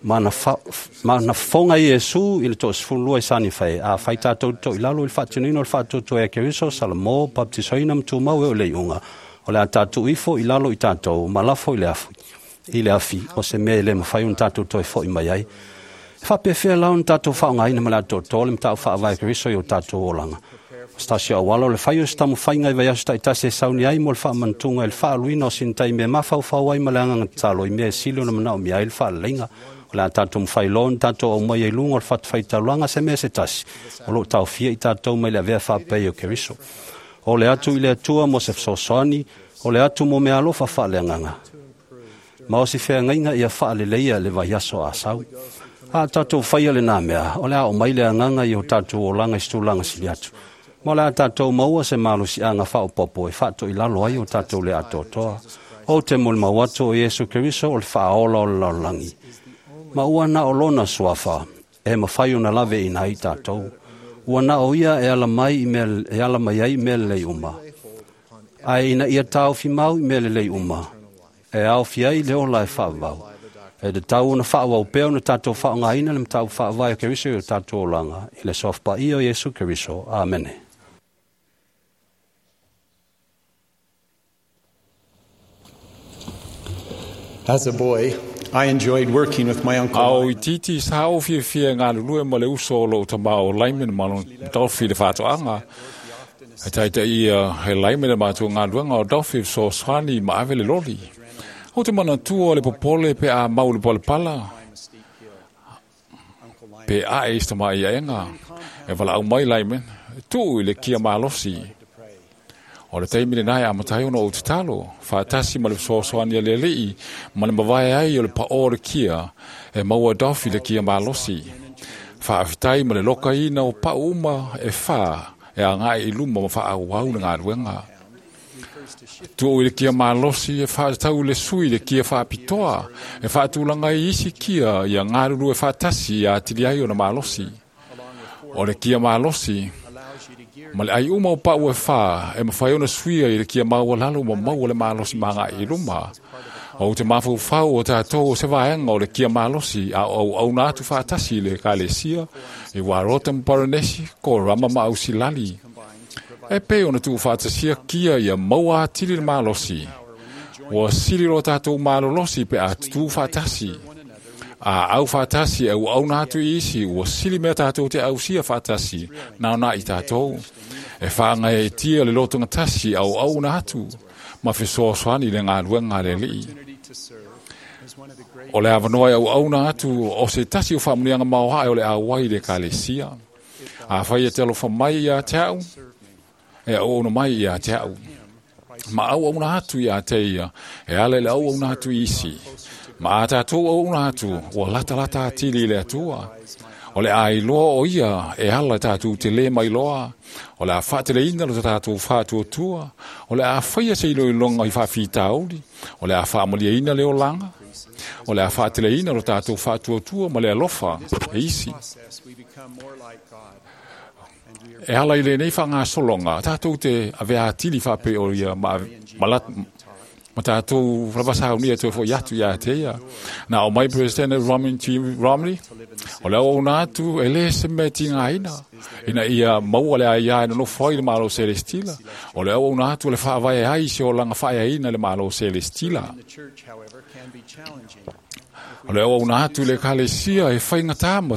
Ma na fofoga Iesu i le 12 i Sanifai, a fai tatou to i lalo i le faatinoina o le faatuatua e Keriso, Salamo, baptisoina ma tumau e o le iuga, o le a tatou ifo i lalo i tatou, ma lafo i le afi. I le afi, o se mea e le mafai ona tatou toe foi mai ai. E faapefea la ona tatou faaaogaina ma le atoatoa le mataupu faavae o Keriso i o tatou olaga. O se tasi o auala o le fai o se taumafaiga i vaiaso taitasi e sauni ai mo le faamanatuga i le faaluina o sina taimi e mafaufau ai ma le agaga tatalo i mea e sili ona manaomia ai le faaleleiga. O le a tatou mafai loa ona tatou aumaia i luga o le fatafaitaulaga se mea se tasi o loo taofia i tatou mai le avea faapea o Keriso. O le atu i le Atua mo se fesoasoani, o le atu mo meaalofa faaleagaga. Ma o si feagaiga ia faaleleia le vaiaso a sau. A tatou faia lena mea, o le a aumai le agaga i o tatou olaga i se tulaga sili atu. Ma o le a tatou maua se malosiaga faaopoopo e faatoilalo ai o tatou le atoatoa. Ou te molimau atu o Iesu Keriso o le faaola o le lalolagi. Ma ua na o lona suafa e mafai ona laveina ai tatou. Ua na o ia e ala mai ai i mea lelei uma. Ae ina ia taofi mau i mea lelei uma, e aofia ai le ola e faavavau. E tatau ona faaauau pea ona tatou faaaogaina le mataupu faavae o Keriso i o tatou olaga, i le suafa paia o Iesu Keriso. Amene. As a boy, I enjoyed working with my uncle. A o itiiti sa o fiafia galulue ma le uso o lou tamā o Lyman ma lona Dolphy le faatoaga. E taitai ia he Lyman e matou galuega o Dolphy fesoasoani ma ave le loli. O te manatua o le popole pe a mau le palepala, pe ae i se tamai aega, e valaau mai Lyman, tuu i le kia malosi. O le taimi lenā e amatai ona ou tatalo, faatasi ma le fesoasoani a le alii, ma le mavae ai o le paʻō o le kia, e maua Dolphy le kia malosi. Faafetai ma le lokaina o pau uma e fā, e agaʻi i luma ma faaauau le galuega. Tuu i le kia malosi e faatatau i le sui le kia faapitoa, e faatulaga ai isi kia ia galulue faatasi ia atili ai ona malosi. O le kia malosi, ma le ai uma o pau e fā, e mafai ona suia i le kia maualalo ma maua le malosi maagaʻi i luma. O te mafaufau o tatou o se vaega o le kia malosi a o auauna atu faatasi i le ekalesia, i Warota ma Paranesi, Korama ma Ausilali. E pei ona tuufaatasia kia ia maua atili le malosi. Ua sili lo tatou malolosi pe a tutū faatasi. A au faatasi e auauna atu i isi, ua sili mea tatou te ausia faatasi, na ona i tatou. E whaangai e tia le lotonga tasi au au na atu, ma fesoasoani i le galuega a le Alii. O le avanoa e auauna atu o se tasi o faamanuiaga maoae o le auai i le ekalesia. Afai e te alofa mai ia te au, e auauna mai ia te au. Ma auauna atu ia te ia, e ala i le auauna atu i isi. Ma a tatou auauna atu, ua latalata atili i le Atua. O le ailoa o ia e ala tatou te le mailoa. O le a faateleina lo tatou faatuatua. O le a faia se iloiloga i faafitauli. O le a faamaliaina le olaga. O le a faateleina lo tatou faatuatua ma le alofa e isi. E ala i lenei faagasologa, tatou te avea atili faapei o ia ma tatou lava saunia toe fo'i atu ia te ia. Na o mai President Romney, o le auauna atu e le se mea tigaina, ina ia maua le aia e nonofo ai le Malo Selestila. O le auauna atu o le faavae ai se olaga faaeaina le Malo Selestila. O le auauna atu i le ekalesia e faigata ma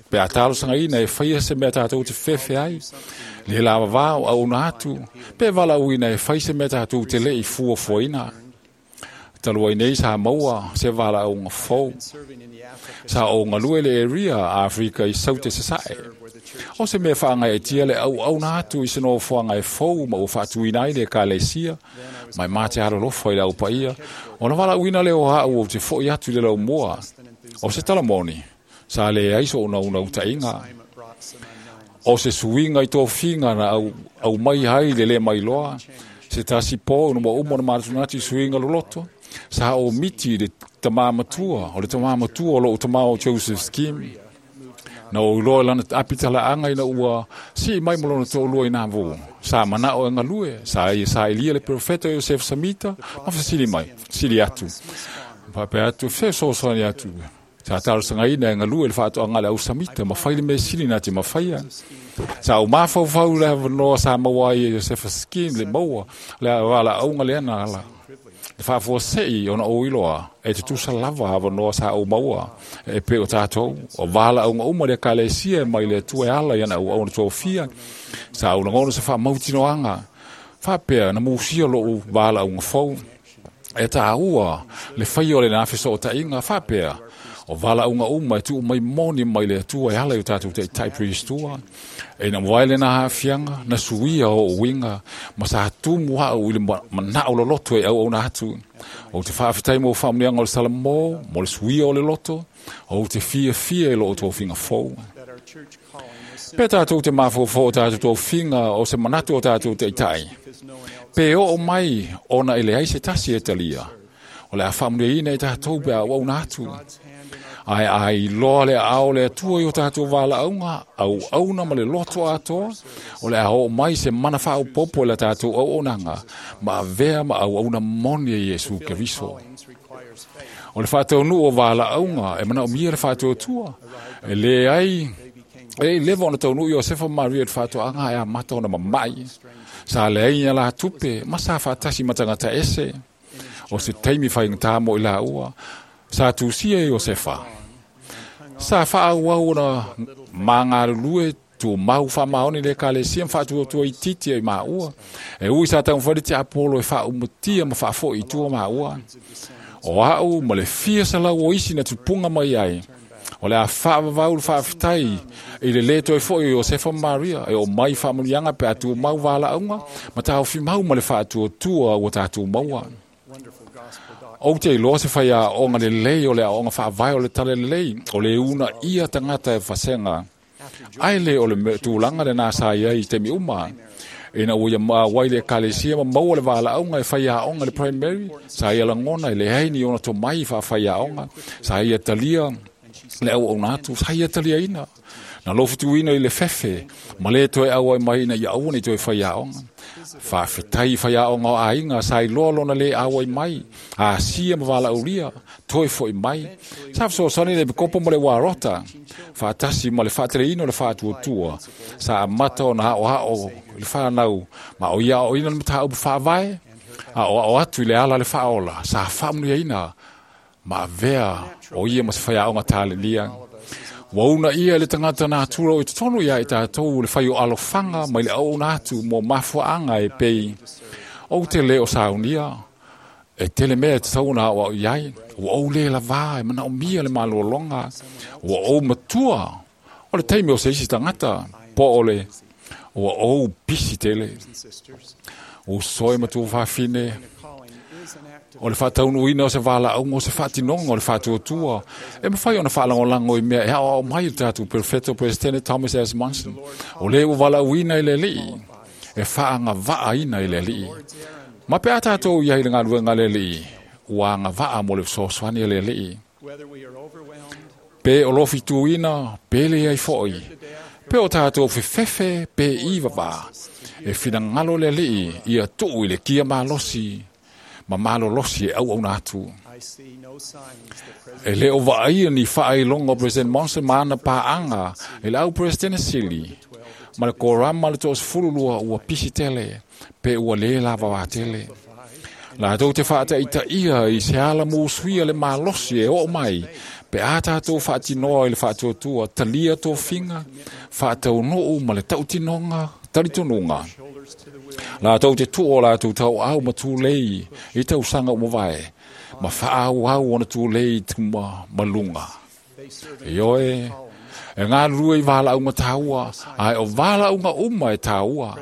pe a talosagaina e faia se mea tatou te fefe ai. Le lavavā o auauna atu, pe valaauina e fai se mea tatou te le i fuafuaina. Talu ai nei sa maua se valaauga fou. Sa ou galue le area Afrika i Saute Sasae. O se mea faagaeetia le auauna atu i se nofoaga e fou ma ua faatuina ai le ekalesia, mai ma te alolofa i le aupaia. O na valaauina lea o au ou te fo'i atu i le laumua. O se talamoni, sa le ai so unauna utaiga. O se suiga i tofiga na au mai ai le le mailoa. Se tasi po no mo umo na manatunatu i suiga loloto. Sa o miti le tamā matua, o le tamā matua o lou tamā o Joseph Skim. Na o iloa lana apitalaanga ina ua sii mai ma lona toʻalua i Nauvoo. Sa manao e galue, sa ia saʻilia le profeta Joseph Samita, ma fesili mai, fesili atu. Faapea atu, fesoasoani atu. Sa talosagaina e galue le faatoaga le au Samita, ma fai le mea sili na te mafaia. Sa ou mafaufau le avanoa sa maua ai e Josefa Skim le maua, le valaauga lea na ala. Le faafuasei ona ou iloa, e tutusa lava avanoa sa ou maua, e pe o tatou, o valaauga uma le ekalesia e mai le Atua e ala i ana auauna tofia. Sa ou lagona se faamautinoaga, faapea na musia lou valaauga fou. E tāua le faia o le na fesootaiga, faapea, o valaauga uma e tuu mai moni mai le Atua e ala i o tatou taitai Pristua. E na wae le na haafiaga, na suia o uiga, ma sa tumu au i le manao loloto e auauna atu. O te faafetai mo faamanuiaga o le Salamo, mo le suia o le loto, o te fiafia i loo tofiga fou. Pe tatou te mafaufau o tatou tofiga o se manatu o tatou taitai. Pe oo mai ona e leai se tasi e talia. O le a faamanuiaina e tatou pe a auauna atu. Ae ai loa le aao le Atua i o tatou valaauga, auauna ma le loto atoa, o le a oo mai se mana faaopoopo i la tatou auaunaga, ma avea ma auauna moni e Iesu Keriso. O le faataunuu o valaauga e manaomia le faatuatua. E le ai, e leva ona taunuu Iosefa ma Maria i le faatoaga e amata ona mama'i. Sa leai la tupe, ma sa faatasi ma tagata ese. O se taimi faigata mo i laua, sa tusia e Iosefa. Sa faaauau ona magalulue tumau faamaoni le ekalesia ma faatuatua itiiti ai maua. E ui sa taumafai le tiapolo e faaumatia ma faafo'i i tua maua. O au ma le fia salau o isi na tupuga mai ai. O le a faavavau le faafetai i le lē toe fo'i o Iosefa ma Maria e o mai faamanuiaga pe a tumau valaauga ma taofimau ma le faatuatua ua tatou maua. Ou te iloa se faiaoga lelei o le aoga faavae o le tala lelei, o le uunaia tagata e fasega. Ae le o le tulaga lenā sa i ai i taimi uma. Ina ua ia maauai le ekalesia ma maua le valaauga e faiaoga le primary, sa ia lagona e leai ni ona tomai faafaiaoga, sa ia talia le auauna atu, sa ia taliaina. Na lofutuina i le fefe, ma le toe auai mai ina ia aua nei toe faiaoga. Faafetai faiaoga o aiga, sa iloa lona le auai mai, asia ma valaaulia, toe fo'i mai. Sa fesoasoani le pikopo ma le uarota, faatasi ma le faateleina o le faatuatua. Sa amata ona aoao i le fanau, ma o ia aoaoina le mataupu faavae, aoao atu i le ala le faaola, sa faamanuiaina ma avea o ia ma se faiaoga talelia. Ua uunaia e le tagata natura o i totonu ia i tatou le fai o alofaga mai le auauna atu mo mafuaaga e pei, ou te lē o saunia, e tele mea e tatau ona aoao i ai, ua ou lē lavā e manaomia le malologa, ua ou matua, o le taimi o se isi tagata, po o le ua ou pisi tele. Uso e ma tuafafine, o le faataunuuina o se valaauga o se faatinoga o le faatuatua, e mafai ona faalagolago i mea e aoao mai le tatou Perofeta Peresetene Thomas S. Monson, o lē ua valaauina e le Alii, e faagavaaina e le Alii. Ma pe a tatou iai le galuega a le Alii, ua agavaa mo le fesoasoani a le Alii. Pe o lofituina, pe leai foʻi, pe o tatou fefefe pe i vavā, e finagalo le Alii ia tuu i le kia malosi ma malolosi e auauna atu. E lē o vaaia ni faailoga o President Monson ma ana paaga i le au Peresetene sili ma le korama le 12 ua pisi tele pe ua lē lavavā tele. Latou te faataitaia i se ala musuia le malosi e oo mai pe a tatou faatinoa i le faatuatua talia tofiga faataunuu ma le tautinoga talitonuga. Latou te tuu o latou tauau ma tulei i tausaga ua mavae ma faaauau ona tulei i tuma ma luga. Ioe, e galulue i valaauga taua, ae o valaauga uma e taua.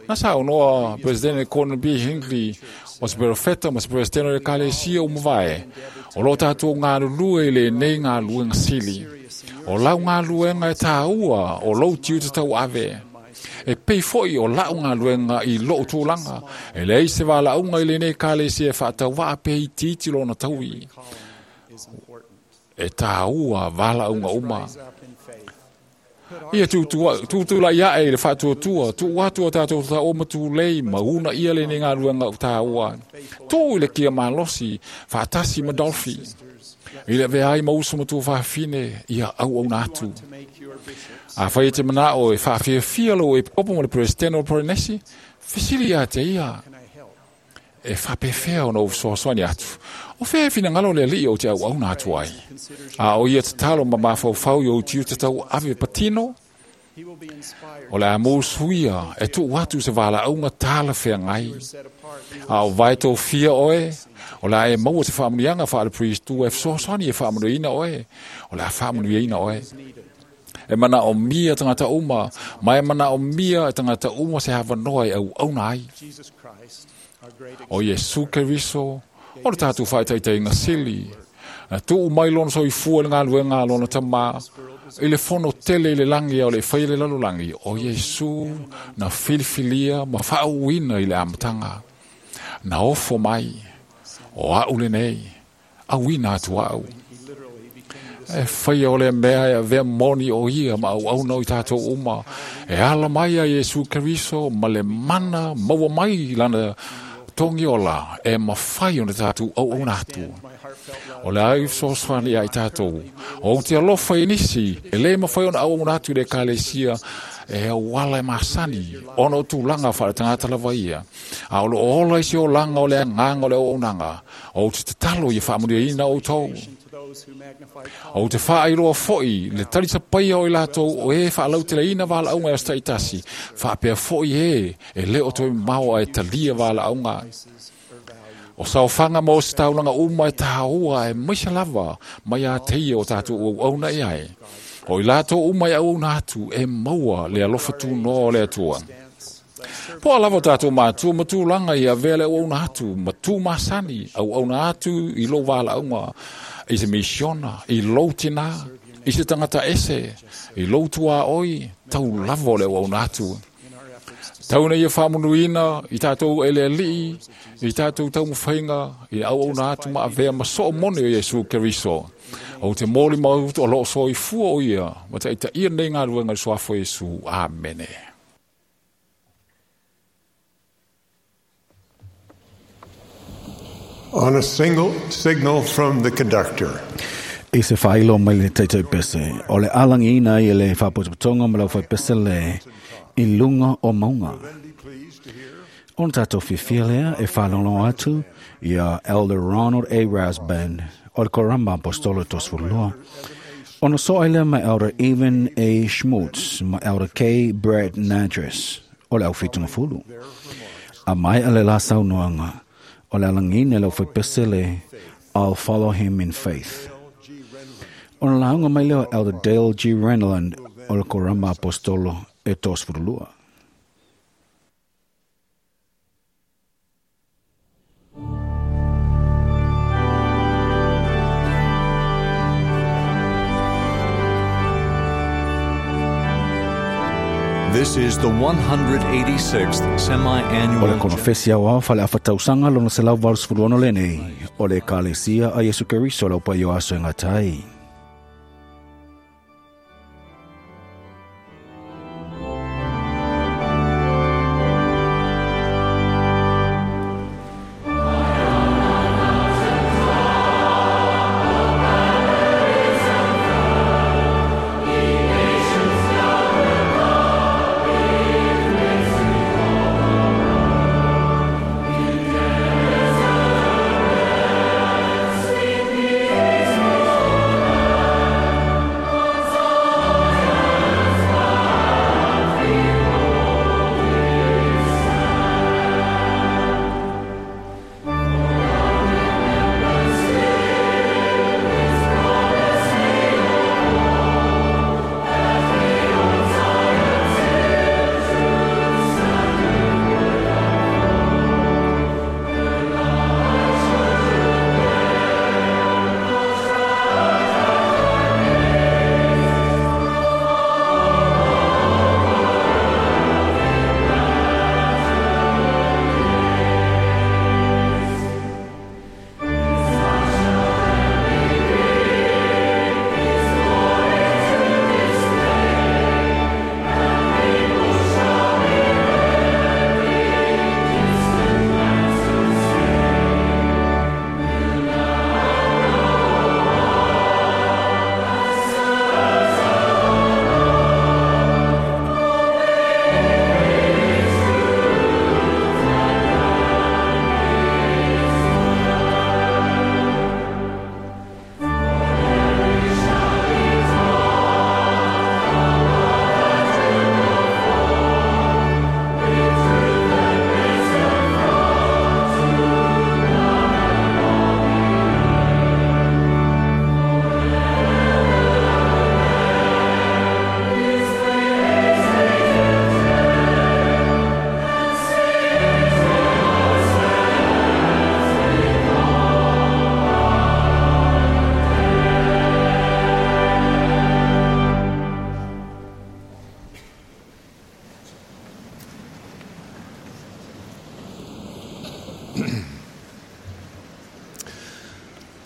Na saunoa Presidente Gordon B. Hinckley o se perofeta ma se presidente o le Ekalesia ua mavae, o loo tatou galulue i lenei galuega sili. O lau galuega e taua o lou tiute tauave. E pei foʻi o laʻu galuega i loʻu tulaga, e leai se valaauga i lenei Ekalesia e faatauvaa pe itiiti lona taui. E taua valaauga uma. Ia tutulai aʻe i le faatuatua, tuu atu o tatou taoa ma tulei ma uunaia lenei galuega taua. Tuu i le kia malosi, faatasi ma Dolphy. I le avea ai ma uso ma tuafafine, ia auauna atu. Afai e te manao e faafiafia lou epikopo ma le Peresetene o Polenesi, fesili ia te ia, e faapefea ona ou fesoasoani atu. O fea e finagalo le Alii ou te auauna atu ai. A o ia tatalo ma mafaufau i ou tiute tauave patino, o le a musuia e tuu atu se valaauga talafeagai. A o vae tofia oe, o le a e maua se faamanuiaga faale-priest e fesoasoani e faamanuiaina oe, o le a faamanuiaina oe. E manaomia tagata uma, ma e manaomia e tagata uma se avanoa e auauna ai. O Iesu Keriso, o le tatou faataitaiga sili, na tuu mai lona soifua i le galuega a lona tamā, i le fono tele i le lagi ao le faia le lalolagi, o Iesu na filifilia ma faauuina i le amataga. Na ofo mai, o aʻu lenei, auina atu aʻu. E faia o le mea e avea moni o ia ma auauna o i tatou uma, e ala mai a Iesu Keriso ma le mana maua mai lana togiola e mafai ona tatou auauna atu. O le ai fesoasoani ia i tatou, o ou te alofa i nisi, e lē mafai ona auauna atu i le Ekalesia e auala e masani, ona o tulaga faaletagata lava ia. A o loo ola i se olaga o le agaga o le auaunaga, o ou te tatalo ia faamanuiaina outou. O te faailoa foʻi le talisapaia o i latou o e faalauteleina valaauga e aso taitasi, faapea foʻi e e lē o toe mamao ae talia valaauga. O saofaga ma ositaulaga uma e taua e maise lava mai a teia o tatou auauna i ai. O i latou uma e auauna atu e maua le alofa tunoa o le Atua. Po o lava o tatou matua ma tulaga i avea le auauna atu ma tu masani auauna atu i lou valaauga i se misiona, i lou tinā, i se tagata ese, i lou tuaoi, tau lava o le auauna atu. Tau ina ia faamanuina i tatou e le Alii, i tatou taumafaiga, i le auauna atu ma avea ma soo moni o Iesu Keriso. Ou te molimau o loo soifua o ia, ma taitaia lenei galuega i le suafa o Iesu. Amene. On a single signal from the conductor. I se whailo mai le taitai pese, o le alangiina i le whapotopotonga ma lau whai pese le i lunga o maunga. Ona tātou fiafia lea e whalongo atu ia Elder Ronald A. Rasband o le Korama Apostolo 32. Ona soa ai lea mai Elder Evan A. Schmutz ma Elder K. Brad Nadres o le au whitungafulu. A mai a le la saunoanga o le alangine le au whaipesele I'll follow him in faith. Ona launga mai leo Elder Dale G. Renlund o le Korama Apostolo e tosfurulua. This is the 186th O le semi-annual konofesi au ao fale afatausaga lona 186 lenei o le Ekalesia a Iesu Keriso lau paio aso e gatai.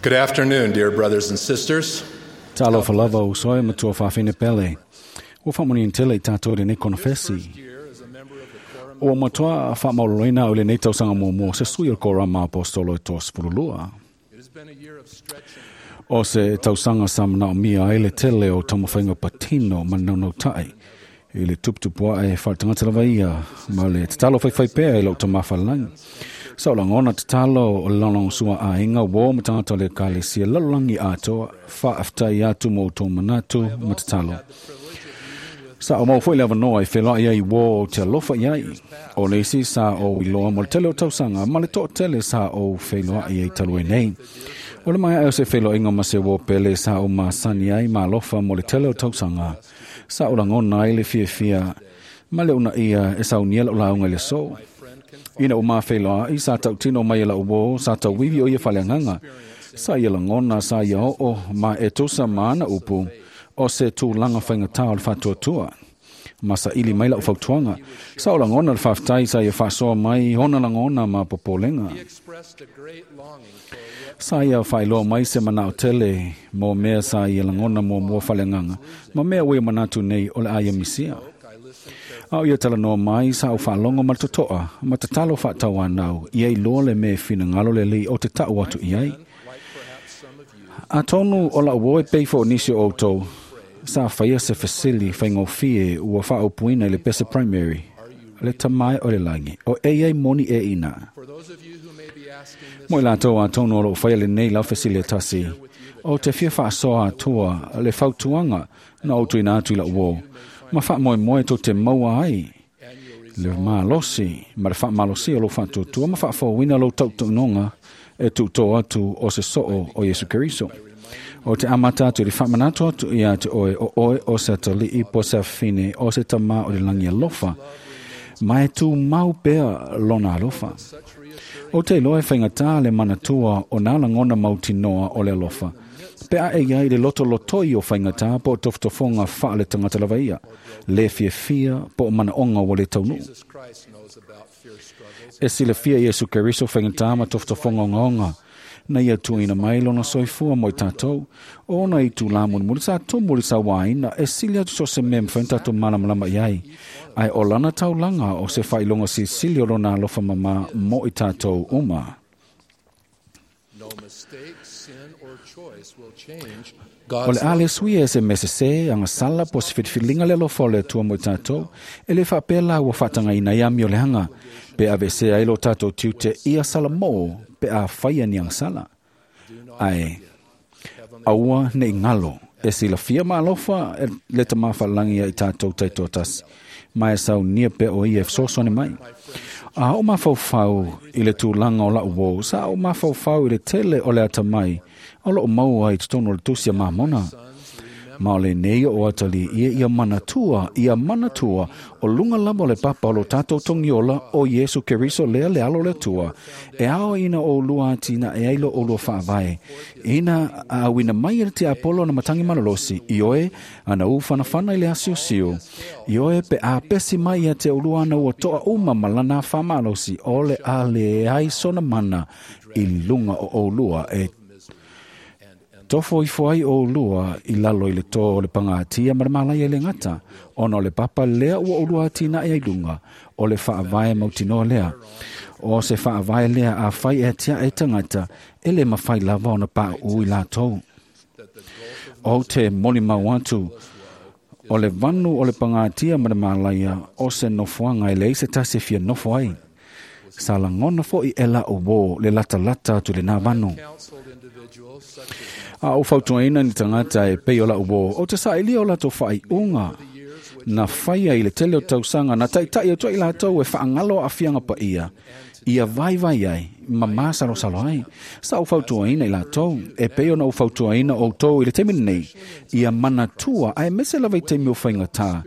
Good afternoon, dear brothers and sisters. Talofa lava o soe matua whawhine pele. Ua whamoni tele i tātou le nei konofesi. Ua matua whamauroloina o le nei tausaga muamua se sui o le Korama Apostolo e tosefululua. O se tausaga sa manaomia ai le tele o taumafaiga patino ma naunautai i le tuputupuaʻe faletagata lava ia ma le tatalo faifai pea i lou tamafalelagi. Sa o lagona tatalo o le lagolagosua aiga uō ma tagata o le Ekalesia lalolagi atoa faafetai atu mo outou manatu ma tatalo. Sa o mau foi le avanoa e feloai ai uō o te alofa i ai. O le isi sa o iloa mo le tele o tausaga ma le toʻatele sa o feiloai ai talu ai nei. O le maea o se feloaiga ma se uō pele sa o masani ai ma alofa mo le tele o tausaga. Sa o lagona ai le fiafia ma le unaia e saunia lau lauga i le aso. Ina ua mafeiloai sa tautino mai e lau uō sa tauivi o ia faleagaga. Sa ia lagona sa ia oo ma e tusa ma ana upu o se tulaga faigatā o le faatuatua. Ma saili mai lau fautuaga. Sa o lagona le faafetai sa ia faasoa mai ona lagona ma popolega. Sa ia faailoa mai se manao tele mo mea sa ia lagona muamua faleagaga ma mea ua ia manatu nei o le a ia misia. A o ia talanoa mai sa o faalogo ma le totoa ma tatalo faatauanau ia iloa le mea e finagalo lelei o te taʻu atu i ai. Atonu o lau uō e pei fo o nisi o outou sa faia se fesili faigofie ua faaupuina i le pese primary le tamae o le lagi o e ai moni e ina. Mo i latou atonu o loo faia lenei lau fesili e tasi, o te fia faasoa atua le fautuaga na ou tuuina atu i la'u uō, ma faamoemoe tou te maua ai le malosi ma le faamalosia o lou faatuatua ma faafouina lou tautaunoga e tuutō atu o se soo o Iesu Keriso. O te amata atu i le faamanatu atu ia te oe o oe o se atalii po se afine o se tamā o le lagi alofa, ma e tumau pea lona alofa. O te iloa e faigata le manatua o nā lagona mautinoa o le alofa, pe a e iai le lotolotoi o faigata po o tofotofoga faale tagata lava ia, le fiafia po o manaoga ua le taunuu. E silafia Iesu Keriso faigata ma tofotofoga ogaoga, na ia tuuina mai lona soifua mo i tatou, ona i tūlā mulimuli sa tumu le sauāina e sili atu so se mea mafai ona tatou malamalama i ai, ae o lana taulaga o se faailoga silisili o lona alofa mamā mo i tatou uma. O le a le suia e se mea sesē agasala po o se filifiliga le alofa o le Atua mo i tatou, e lē faapea la ua faatagaina ai amio leaga, pe aveesea ai lo tatou tiute ia salamō pe a faia ni agasala. Ae aua nei galo e silafia ma alofa le Tamā Faalagi ia i tatou taitoatasi, ma e saunia pea o ia e fesoasoani mai. A o mafaufau i le tulaga o la'u uō, sa o mafaufau i le tele o le atamai o loo maua i totonu o le tusi a Mamona. Ma o lenei o atalii ia ia manatua, ia manatua o luga lava o le papa o lo tatou togiola o Iesu Keriso lea le alo o le Atua, e ao ina oulua atinae ai lo oulua faavae, ina auina mai e le tiapolo na matagi malolosi, ioe ana ufanafana i le asiosio, ioe pe a pesi mai ia te oulua ana ua toa uma ma lana faamalosi o le a leai sona mana i luga o oulua e tofo ifo ai oulua i lalo i le tō o le pagatia ma le malaia i le gata, ona o le papa lea ua oulua atinae ai luga, o le faavae mautinoa lea. O se faavae lea a fai e atiae tagata, e le mafai lava ona pauu i latou. O te molimau atu, o le vanu o le pagatia ma le malaia o se nofoaga e leai se tasi e fia nofo ai. Sa lagona fo'i e la'u uō le latalata atu i lenā vanu. A o fautuaina ni tagata e pei o la'u uō, o te saʻilia o latou faaiuga na faia i le tele o tausaga na taʻitaʻi atu ai latou e faagalo aafiaga paia, ia vaivai ai ma masalosalo ai. Sa ou fautuaina i latou, e pei ona ou fautuaina outou i le taimi lenei, ia manatua ae mese lava i taimi o faigatā,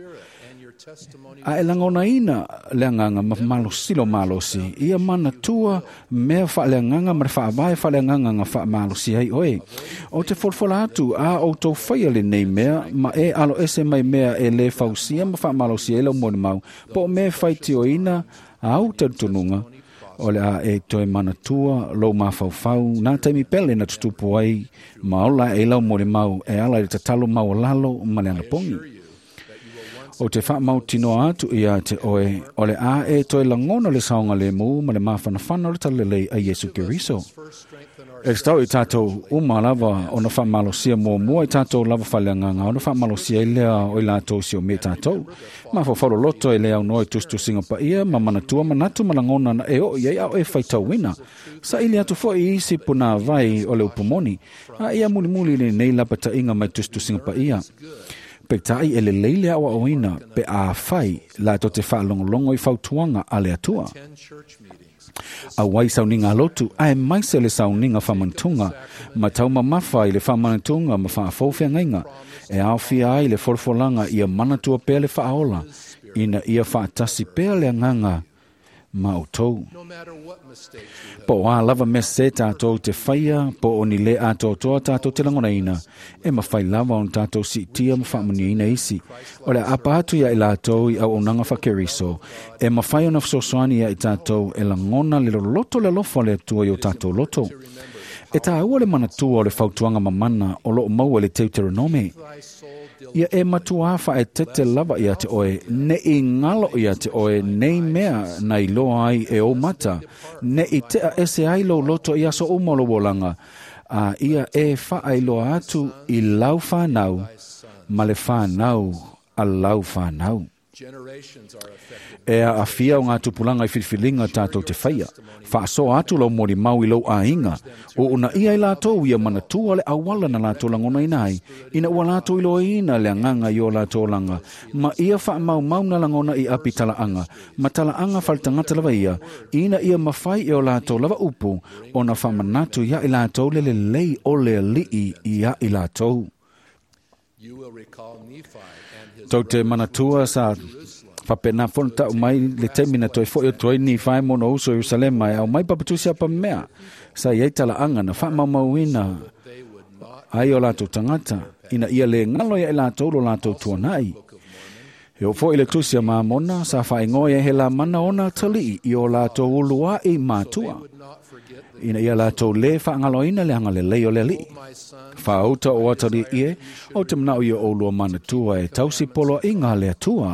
a e lagonaina le agaga ma malosilo malosi, ia manatua mea faaleagaga ma le faavae faaleagaga na faamalosi ai oe. O te folafola atu a outou faia lenei mea, ma e alo ese mai mea e lē fausia ma faamalosi ai lau molimau, po o mea e faitioina au talitonuga, o le a e toe manatua lou mafaufau nā taimi pele na tutupu ai ma ola e lau molimau e ala i le tatalo maualalo ma le anapogi. O te faamautinoa atu ia te oe, o le a e toe lagona le saogalemu ma le mafanafana o le talalelei a Iesu Keriso. E tatau i tatou uma lava ona faamalosia muamua i tatou lava faaleagaga ona faamalosia ai lea o i latou siomia tatou. Mafaufau loloto e le aunoa i tusitusiga paia ma manatua manatu ma lagona na e oo i ai a o e faitauina. Saili atu foi i isi punāvai o le upumoni, a ia mulimuli lenei lapataiga mai tusitusiga paia. Peitai e lelei le aoaoina pe a fai latou te faalogologo i fautuaga a le Atua. Auai sauniga alotu ae maise le sauniga faamanatuga ma taumamafa i le faamanatuga ma faafou feagaiga e aofia ai le folafolaga ia manatua pea le faaola ina ia faatasi pea le agaga ma outou. Po o a lava mea sesē tatou te faia po o ni lē atoatoa tatou te lagonaina, e mafai lava ona tatou siitia ma faamanuiaina isi. O le aapa atu ia i latou i auaunaga faakeriso, e mafai ona fesoasoani ia i tatou e lagona le loloto le alofa o le Atua i o tatou loto. E tāua le manatua o le fautuaga mamana o loo maua i le Teuteronome. Ia e matuā faaetete lava ia te oe, ne i galo ia te oe nei mea na iloa ai e ou mata, ne i tea ese ai lou loto i aso uma o lou olaga, a ia e faailoa atu i lau whanau ma le whanau a lau whanau. E aafia o ngā tupulanga i filifiliga tātou te whaia. Whaasoa atu lau molimau i lou aiga, o una ia i lātou ia manatua le auala na lātou lagona ina ai, ina ua lātou iloaina le agaga i o lātou olaga, ma ia faamaumau na lagona i api talaaga, ma talaaga faletagata lava ia, ina ia mafai e o lātou lava upu, ona faamanatu ia i lātou le lelei o le Alii ia i lātou. Tou te manatua sa faapena fono ta'u mai le taimi na toe fo'i atu ai Nifai mo ona uso Ierusalema e aumai papatusi apa mea sa iai tala'aga na fa'amaumauina ai o latou tagata ina ia lē galo ia i latou lo latou tuana'i. E oo fo'i le tusi a Mamona sa fa'aigoa ai he lamana ona tali'i i o latou ulua'i matua ina ia latou lē fa'agaloina le agalelei o le Ali'i. Fāuta o atali'i e, o te mana'o ia oulua manatua e tausi poloa'iga a le Atua.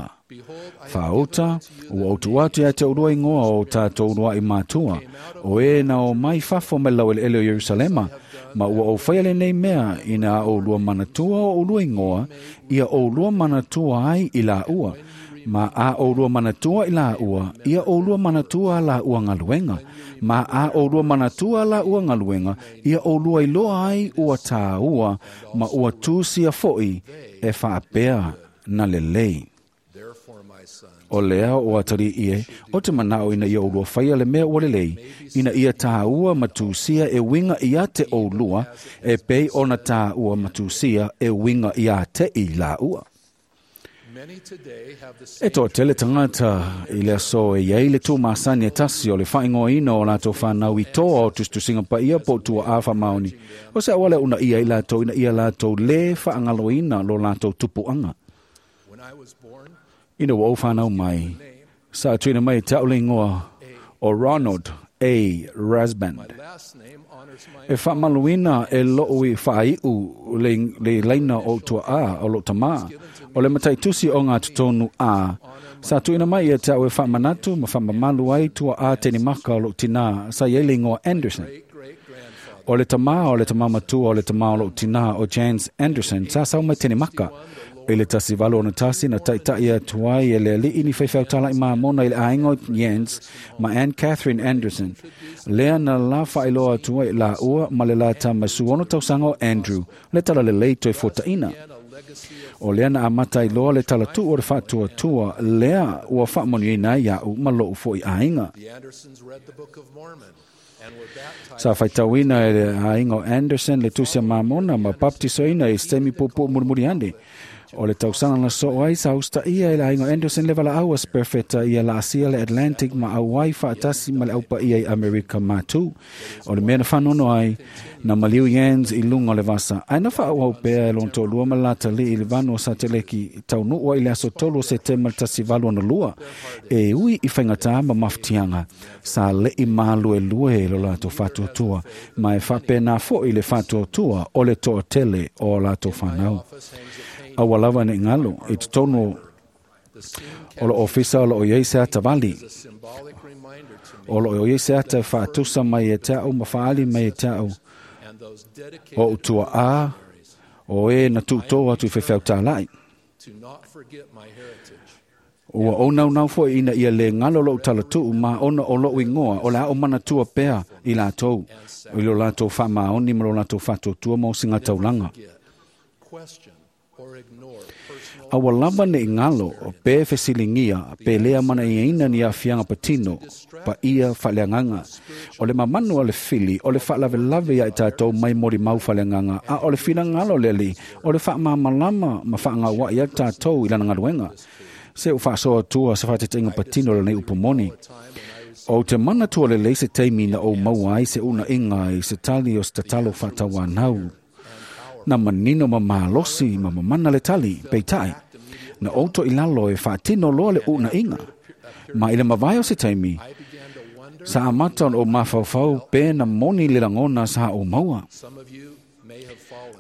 Fāuta, ua ou tuu atu ia te oulua igoa o tātou ulua'i matua, o e na o mai fafo mai laueleele o Ierusalema, ma ua ou faia lenei mea ina a oulua manatua o oulua igoa, ia oulua manatua ai i laua, ma a oulua manatua i laua, ia oulua manatua laua galuega, ma a oulua manatua laua galuega, ia oulua iloa ai ua tāua, ma ua tusia fo'i e faapea na lelei. O lea o atalii e, o te manao ina ia oulua faia le mea ua lelei, ina ia tāua ma tusia e uiga ia te oulua, e pei ona tāua ma tusia e uiga ia te i laua. E toatele tagata i le aso e iai le tūmasani e tasi o le faaigoaina o latou fanau i toa o tusitusiga paia po o tuaā faamaoni. O se auala e uunaia ai latou ina ia latou lē faagaloina lo latou tupuaga. Ina ua ou fanau mai, sa tuuina mai e te au le igoa o Ronald A. Rasband. E faamaluina e lo'u i faai'u le, le laina o tua'a o lo'u tamā, o le mataitusi o ngā totonu a, sa tuuina mai ia te au e faamanatu ma faamamalu ai tua'a tenimaka o lo'u tinā, sa iai le igoa Anderson. O le tamā o le tamā matua o le tamā o lo'u tinā o Jans Anderson sa sau mai Tenimaka. I le 1861 na ta'ita'i atu ai e le ali'i ni faifeau tala'i mamona i le aiga o Jans ma Ann Catherine Anderson. Lea na la fa'ailoa atu ai lāua ma le la tama 16 tausaga o Andrew le talalelei toe fuata'ina. O lea na amata ai loa le talatu'u o le fa'atuatua lea ua fa'amanuiaina ai ia'u ma lo'u fo'i aiga. Sa faitauina e le aiga o Anderson le tusi a Mamona ma baptisoina i se taimi puupuu mulimuli ane. O le tausaga na soo ai sa usitaia e le aiga o Anderson le valaau a se perofeta ia laasia le Atlantic ma auai faatasi ma le aupaia i Amerika Matū. O le mea na faanono ai, na maliu Jans i luga o le vasa, ae na faaauau pea e lona toalua ma le latalii i le vanu o Sateleki taunuu ai i le aso 3 o Setema le 1862, e ui i faigata ma mafatiaga, sa le'i maluelue lo latou faatuatua, ma e faapena fo'i le faatuatua o le toatele o latou fanau. Aua lava ne'i galo i totonu o lo ofisa o loo iai se ata vali. O loo iai se ata e faatusa mai e te au ma faali mai e te au o utua a o e na tuutō atu i faifeau tāla'i. Ua ou naunau fo'i ina ia lē galo lo'u talatu'u ma ona o lo'u igoa o le a ou manatua pea i latou i lo latou faamaoni ma lo latou faatuatua ma osigataulaga. Aua lava ne'i galo pe fesiligia pe lē amana'iaina ni aafiaga patino paia faaleagaga. O le mamanu a le fili o le faalavelave ia i tatou mai molimau faaleagaga, a o le finagalo o le Alii o le faamalamalama ma faagaua'i ai tatou i lana galuega. Se u faasoa atua se faataitaiga patino o lenei upu moni. Ou te manatua lelei se taimi na ou maua ai se uuna'iga i se tali o se tatalo faatauanau. Na manino ma malosi ma mamana le tali, peitai, na ou to'ilalo e faatino loa le uuna'iga. Ma i le mavae o se taimi, sa amata ona ou mafaufau pe na moni le lagona sa ou maua.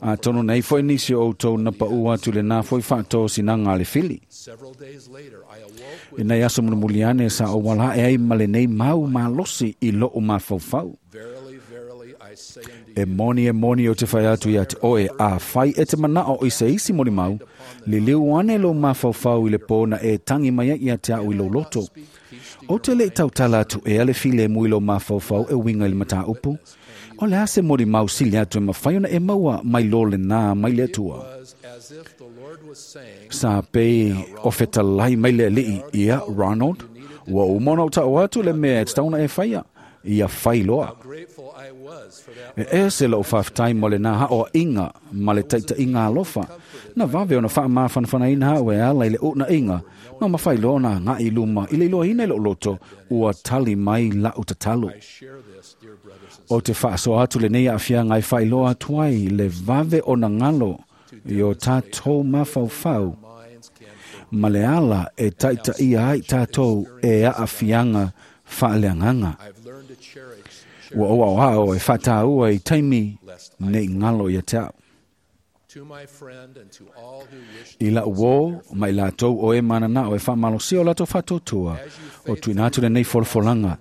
Atonu nei fo'i nisi o outou na pa'u atu i lenā fo'i fa'atosinaga a le fili. I nei aso mulimuli ane sa ou ala'e ai ma lenei mau malosi i lo'u mafaufau. E moni o te whai atu ia te oe a whai e te manao i se isi moni mau, li liu ane lo mafaufau i le pōna e tangi mai ia te au i lo loto. O te le tautala atu e ale file mui lo mafaufau e winga i le mata upu. O le ase mori mau sili atu e mawhaiona e maua mai lo le nā mai le atua. Sa pei o fetalai mai le alii ia Ronald, ua umona o tau atu le mea e tauna e whaia, ia whai loa. E ese lau whawhtai mo le nā hao inga ma le taita inga alofa, na wawe ona wha mawhanwhana ina hao e ala i le una inga, ma mawhai loa na ngā i luma i le iloa ina i lo loto, ua tali mai la utatalo. O te whaaso atu le nei awhia ngai whai loa atuai le wawe o na ngalo i o tātou mawhauwhau. Ma le ala e taita ia ai tātou e a awhianga whaaleanganga. Ua oa o hao e whataua i taimi nei ngalo ia te au. I la uo, mai lātou o e manana o e whamalosia o lātou whatotua, o tuina atu le nei folafolanga.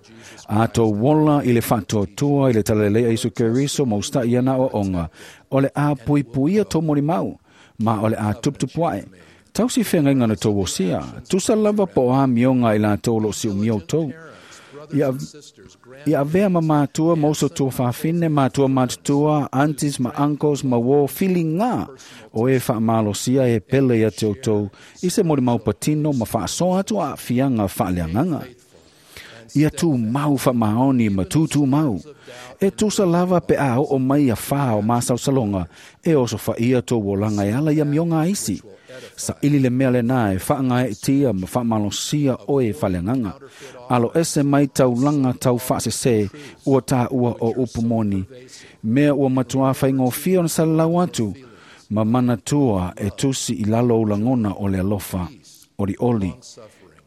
A tō wola i le whatotua i le talalelei a Isu Keriso mausta i ana o onga, o le a puipuia tō mori mau, ma o le a tuptupuae. Tau si whenga ngana tō wosia, tusa lava po a mionga i lātou lo si umio tō. Ia avea ma mātua, mauso tua whawhine, mātua mātutua, aunties, ma uncles, ma wō, whili ngā o e whaamalosia e pele ia te outou, i se mori mau patino ma whaasoa atu a whianga whaaleanganga. Ia tū mau whamaoni ma tūtū mau. E tusa lava pe a o mai a wha o māsau salonga, e oso whaia tō wolanga e ala ia mionga isi. Sa ili le mea le nā e whaanga e tia ma whaamalosia o e whaleanganga. Alo ese mai taulanga tau whaasese ua tā ua o upumoni. Mea ua matua whaingofia ona salalau atu, ma manatua e tusi i lalo ulangona o le alofa, ori oli,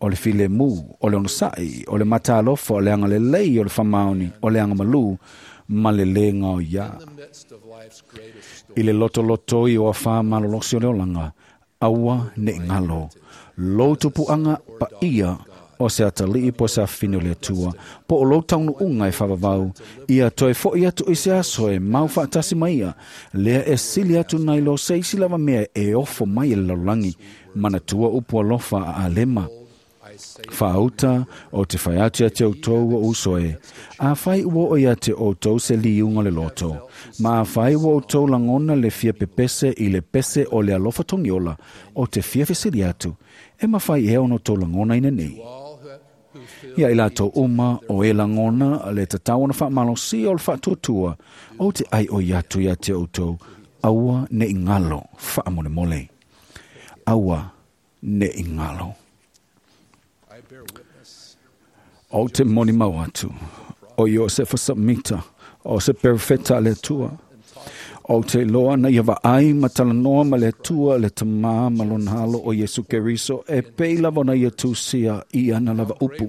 o le file mu, o le onosai, o le matalofa, o le anga lelei, o le whamaoni, o le anga malu, ma le lenga o ia. I le loto loto i o a wha malolosi o le olanga, aua ne ngalo. Lo tupu anga pa ia o se atalii po se awhine o le atua, po o lo taunu unga e whawawau, ia toe fo i atu i se aso e mau whaatasi mai ia, lea e sili atu nai lo se isi lava mea e ofo mai e lalolagi, manatua upu alofa a alema. Whaauta o te whai atu ia te outou o usoe, a whai ua o ia te outou se liunga le loto, ma a whai ua outou langona le fia pepese i le pese o le alofa tongiola o te fia fesili atu, e mawhai e ono tō langona ina nei. Ia i lātou uma o e langona le tatau ona whaamalosia o le whaatuatua o te ai o iatu ia te outou, aua ne ingalo whaamolemole. Aua ne ingalo. O te moni mau atu, o Iosefa Samita, o se perfeta le atua, o te loa na ia vaai matalanoa ma le atua le tamā ma lona alo o Iesu Keriso e pei lava na ia tusia i ana lava upu.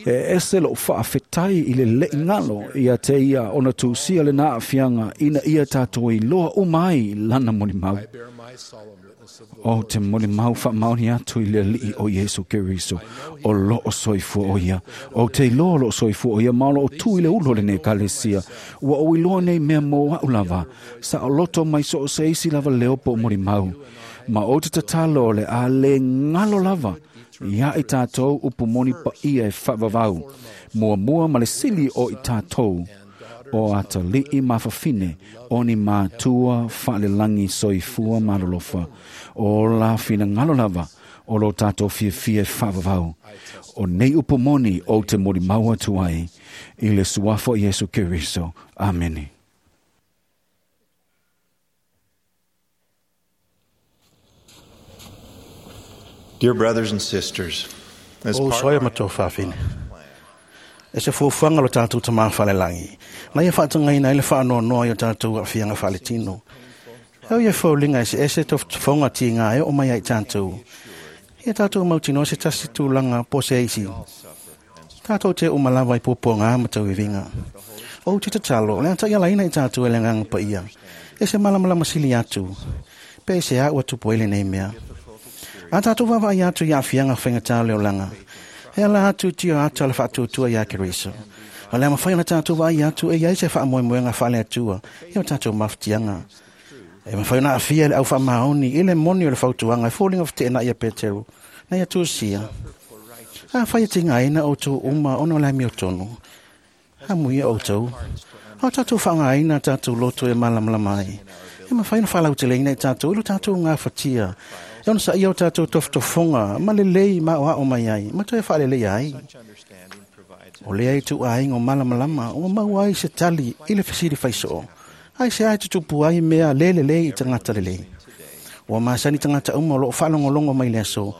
E ese lo whaafetai i le lei ngalo ia te ia ona tusia le nā awhianga ina ia tātou i loa umai lana moni mau. O te moni mau whaamaoni atu i le alii o Iesu Keriso, o loo soifua o ia, o te loa loo soifua o ia, ma o loo tu i le ulo le ne kalesia, ua o iloa nei mea mō au lava, sa o loto mai so o se isi lava leo po moni mau, ma o te tatalo o le a le ngalo lava, ia i tātou upu moni pa ia e whaavavau, mua mua ma le sili o i tātou, o atalii mawhawhine, o ni mātua whaalelangi soifua malolofa, o la whina ngalo lava, o lo tātou whiawhia e whaavavau. O nei upu moni o te mori mau atu ai, i le suafo Iesu Keriso. Amene. Dear brothers and sisters, as O part soia of our matou whawhine. E se fuafuaga lo tatou tamā falelagi na ia faatagaina ai le faanoanoa i o tatou aafiaga faaletino. E au ia fauliga eseese tofofoga tiga e oo mai ai tatou. Ia tatou mautinoa se tasi tulaga po se isi. Tatou te uma lava i puapuagā ma tauiviga. O te tatalo, le ataʻi alaina i tatou e le agaga paia. E se malamalama sili atu. Pe e se a ua tupu ai lenei mea. A tatou vaavaai atu i aafiaga faigatā o le olaga. E ala atu tio atu le faatuatua iā Keriso. O le a mafai ona tatou vaai atu e iai se faamoemoega faaleatua i o tatou mafatiaga. E mafai ona aafia le au faamaoni i le moni o le fautuaga e foliga feteenai ia Peteru na ia tusia. Afai e tigaina outou uma ona o le amiotonu, amuia outou. O tatou faaaogaina tatou loto e malamalama ai. E mafai ona faalauteleina i tatou i lo tatou gafatia e ona saia o tatou tofotofoga ma lelei ma aoao mai ai ma toe faaleleia ai. O lea ituaiga o malamalama ua maua ai se tali i le fesili faisoo, ai se ai tutupu ai mea le lelei i tagata lelei. Ua masani tagata uma o loo faalogologo mai le aso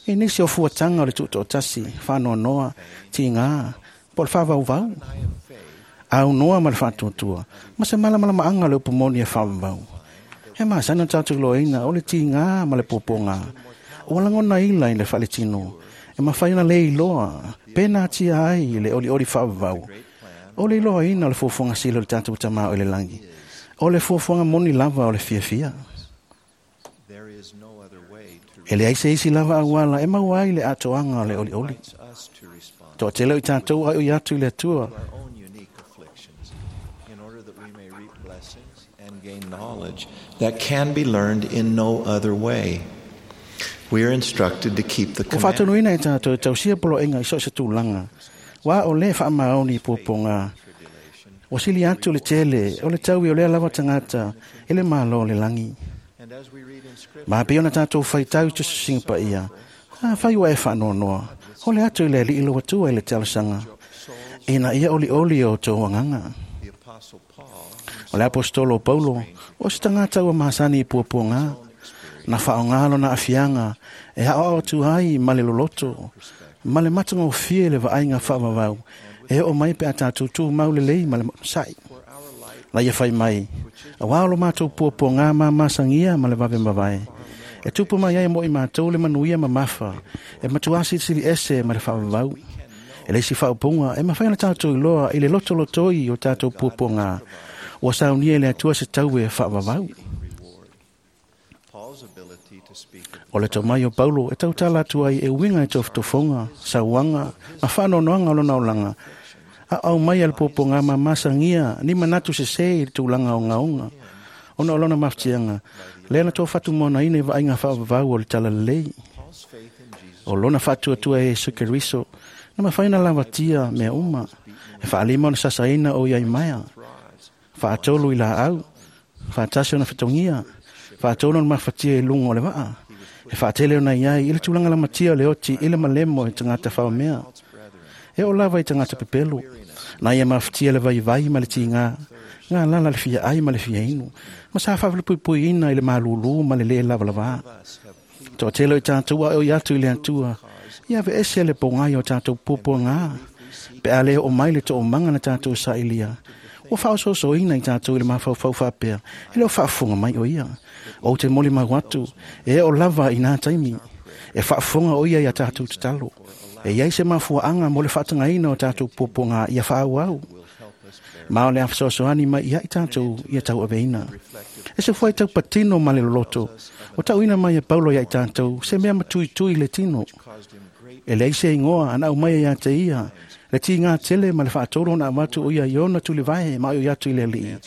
i nisi o fuataga o le tutoatasi, faanoanoa, tiga, po o le faavauvau, aunoa ma le faatuatua, ma se malamalamaaga o le upu moni e faavavau. E masani ona tatou iloaina o le tiga ma le puapuaga ua lagonaina i le faaletino, e mafai ona le iloa pe natia ai le olioli faavavau. O le iloaina o le fuafuaga sili o le tatou Tamā o i le lagi, o le fuafuaga moni lava o le fiafia. E leai se isi lava auala e maua ai le atoaga o le olioli. Toatele o i tatou ai o i atu i le Atua and gain knowledge that can be learned in no other way. We are instructed to keep the Ua commandments. faatonuina e tatou e tausia poloaiga i so o se tulaga, ua o lē faamaoni i puapuaga. Ua sili atu le tele o le taui o lea lava tagata i le malo o le lagi. Ma pei ona tatou faitau i tusitusiga paia, afai ua e faanoanoa, o le atu i le Alii lou Atua i le talosaga, ina ia olioli o outou agaga. O le apostolo o Paulo, o se tagata ua masani i puapuaga, na faaaoga lona aafiaga e aoao atu ai ma le loloto, ma le matagofie le vaaiga faavavau, e oo mai pe a tatou tumau lelei ma le onosai. Na ia fai mai, auā o lo matou puapuaga mamasagia ma le vave mavae, e tupu mai ai mo i matou le manuia mamafa, e matuā silisili ese ma le faavavau. E le isi faaupuga e mafai ona tatou iloa i le lotolotoi o tatou puapuaga, ua saunia e le Atua se taue faavavau. O le tomai o Paulo e tautala atu ai e uiga i tofotofoga, sauaga ma faanoanoaga o lona olaga, a aumai a le puapuaga mamasagia ni manatu sesē i le tulaga ogaoga, ona o lona mafatiaga, lea na tofatumonaina i vaaiga faavavau o le talalelei. O lona faatuatua e Iesu Keriso, na mafai ona lavatia mea uma, e faalima ona sasaina o iai maea, faatolu i laau, faatasi ona fetogia, faatolu ona mafatia i luga o le vaa, e faatele ona iai i le tulaga lamatia o le oti i le malemo i tagata faomea. E oo lava i tagata pepelu, na ia mafatia le vaivai ma le tiga, galala le fia ai ma le fia inu, ma sa faavalupuipuiina i le malūlū ma le lē lavalavā. Toatele o i tatou a o i atu i le Atua, ia aveese le pogai o tatou puapuaga, pe a le oo mai le toomaga na tatou sailia, ua faaosoosoina i tatou i le mafaufau faapea, e le o faafofoga mai o ia. Ou te molimau atu, e oo lava i nā taimi, e faafofoga o ia ia tatou tatalo. E iai se mafuaaga mo le faatagaina o tatou puapuaga ia faaauau. Ma o le a fesoasoani mai ia i tatou ia tauaveina. E se fuai tau patino ma le loloto, o tauina mai e Paulo ia i tatou, se mea matuitui le tino. E leai se igoa ana aumai ia te ia, le tiga tele ma le faatolu ona avatu o ia i ona tulivae ma o i atu i le Alii.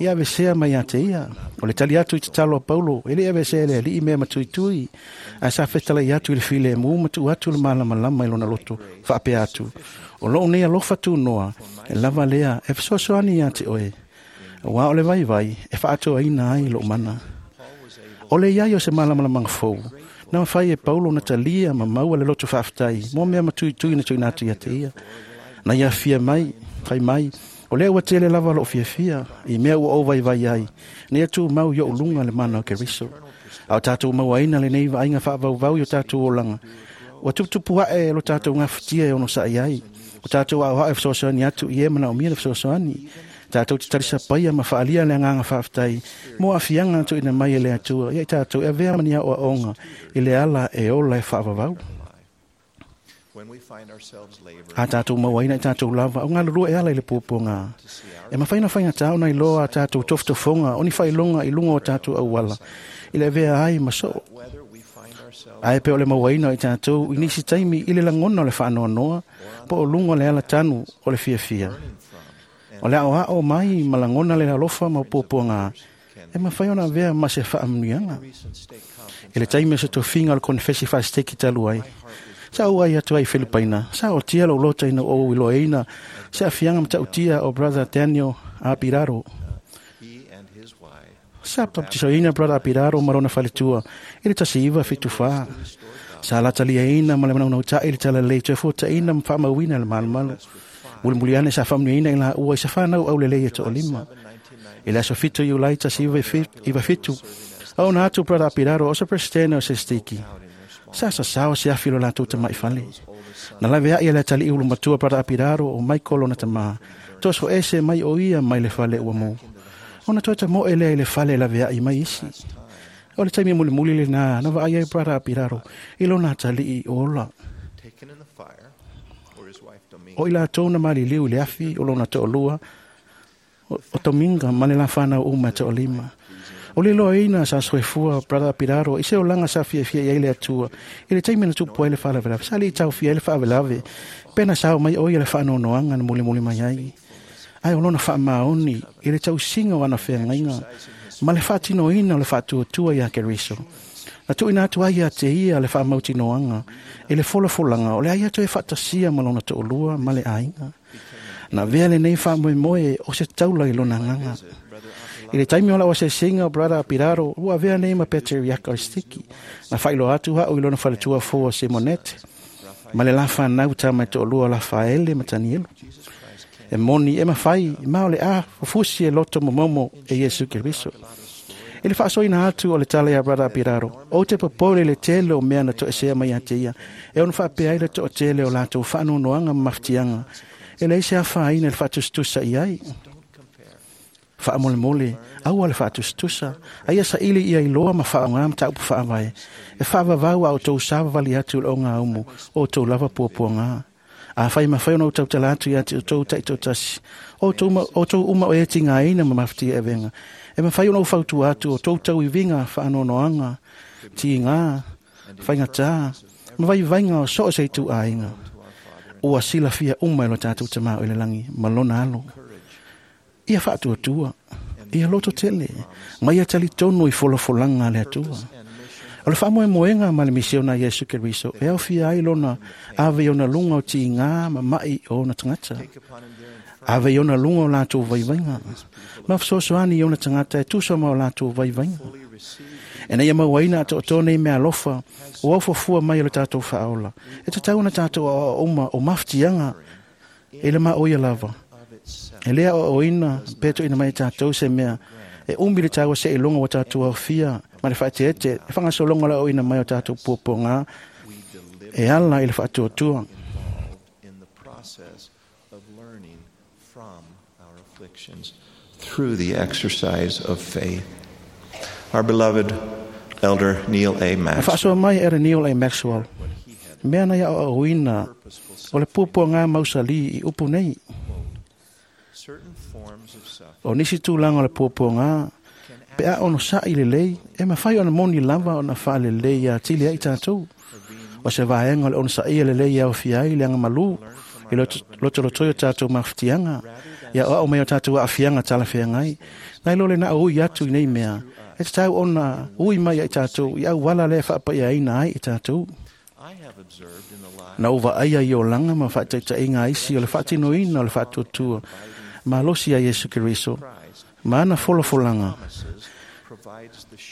Ia avesea mai ia te ia. O le tali atu i tatalo a Paulo, e le avesea e le Alii mea matuitui, ae sa fetalai atu i le filemu ma tuu atu le malamalama i lona loto, faapea atu, o lou nei alofa tunoa, e lava lea e fesoasoani ia te oe. Auā o le vaivai e faatoaina ai lou mana. O le iai o se malamalamaaga fou, na mafai e Paulo na talia ma maua le loto faafetai mo mea matuitui na tuuina atu ia te ia. Na ia afia mai, fai mai, o lea ua tele lava lou fiafia, i mea ua ou vaivai ai, na ia tumau i ou luga le mana o Keriso. A o tatou mauaina lenei vaaiga faavauvau i o tatou olaga, ua tuputupu ae lo tatou gafatia e onosai ai, o tatou aoao e fesoasoani atu i e manaomia le fesoasoani. Tatou te talisapaia ma faalia le agaga faafetai mo aafiaga na tuuina mai e le Atua ia i tatou e avea ma ni aoaoga i le ala e ola e faavavau. A tatou mauaina i tatou lava o galulue e ala i le puapuaga, e mafai ona faigata ona iloa a tatou tofotofoga o ni faailoga i luga o tatou auala i le avea ai ma soo. Ae pe o le mauaina o i tatou i nisi taimi i le lagona o le faanoanoa po o luga o le alatanu o le fiafia. O le aoao mai ma lagona le alofa ma puapuaga e mafai ona avea ma se faamanuiaga. I le taimi o se tofiga o le konefesi faasiteki talu ai, sa ou ai atu ai i Filipaina, sa otia lou loto ina ua ou iloaina se afiaga matautia o Brother Daniel Apiraro. Sa baptisoina Brother Apiraro ma lona faletua i le 1974. Sa lataliaina ma le manaunautai le talalelei toe fuataina ma faamauina le malumalu. Mulimuli ane sa faamanuiaina i laua i se fanau aulelei e toalima. I le aso 7 Iulai 1997, aona atu Brother Apiraro o se presidente o se stiki. Sa sasao se afi lo latou tamaifale. Na lave ai le atalii ulumatua Brother Apiraro o Michael lona tamā. Toso ese mai o ia mai le fale ua mou. Ona toe tamoe lea i le fale lave ai mai isi. O le taimi mulimuli lenā na vaai ai Brother Apiraro i lona atalii o ola. O i latou na maliliu i le afi o lona toalua o Tominga ma le la whanau uma e toalima. O le loaina sa soifua Brother Apiraro i se olaga sa fiafia i ai le Atua i le taimi na tupu ai le faalavelave. Sa le taofia ai le faalavelave pe na sao mai o ia le faanoanoaga na mulimuli mai ai. Ae o lona faamaoni i le tausiga o ana feagaiga ma le faatinoina o le faatuatua ia Keriso. Na tuuina atu ai ia te ia le faamautinoaga i le folafolaga o le ai atu e faatasia ma lona toalua ma le aiga. Na avea lenei faamoemoe o se taula i lona agaga. I le taimi o lau asiasiga o Brother Apiraro, ua avea nei ma Peteriaka o le stiki. Na faailoa atu a'u i lona faletua fou o Simonete, ma le la fanau tama e toalua o Lafaele ma Tanielu. E moni e mafai, ma o le a fufusi e loto momomo e Iesu Keriso. I le faasoaina atu o le tala ia Brother Apiraro, ou te popole i le tele o mea na toesea mai ia te ia, e ono faapea ai le toatele o latou faanoanoaga ma mafatiaga, e leai se afaina i le faatusatusa i ai. Faamolemole, aua le faatusatusa, aia saili ia iloa ma faaaogā mataupu faavae, e faavavau a outou savavali atu i le ogaumu o outou lava puapuagā. Afai mafai ona ou tautala atu ia te outou taitoatasi, o outou uma o e tigaina ma mafatia e avega, e mafai ona ou fautua atu o outou tauiviga faanoanoaga, tigā, faigatā, ma vaivaiga o so o se ituaiga. Ua silafia uma e lo tatou tamā o i le lagi ma lona alo. Ia faatuatua, ia loto tele, ma ia talitonu i folafolaga a le Atua. O le faamoemoega ma le misiona a Iesu Keriso e aofia ai lona ave i ona luga o tigā ma ma'i o ona tagata. Ave i ona luga o latou vaivaiga, ma fesoasoani i ona tagata e tusa ma o latou vaivaiga. Ina ia mauaina atoatoa nei mea alofa ua aufuafua mai o le tatou faaola, e tatau ona tatou aoao uma o mafatiaga i le maoia lava. E le aoaoina pe tuuina mai e tatou se mea e umi le taua seʻiloga ua tatou aofia ma le faaeteete e faagasologa o le aoaoina mai o tatou puapuagā e ala i le faatuatua. Through the exercise of faith. Our beloved Elder Neil A. Na Maxwell faasoa mai e Neil A. Maxwell, mea na ia aoaoina o le puapuagā mausali i upu nei. O nisi tulaga o le puapuagā, pe a ono sa'i lelei, e mafai ona moni lava ona faalelei ia atili ai tatou. O se vaega o le onosaia lelei e aofia ai le agamalu i lotolotoi o tatou mafatiaga, ia oa'o mai o tatou aafiaga talafeagai. Nai lo le na ui atu i nei mea, e tatau ona ui mai ai tatou i auala lea e faapaiaina ai i tatou. Na ou vaaia i olaga ma faataitaiga aisi o le faatinoina o le faatuatua malosi a Iesu Keriso ma ana folafolaga.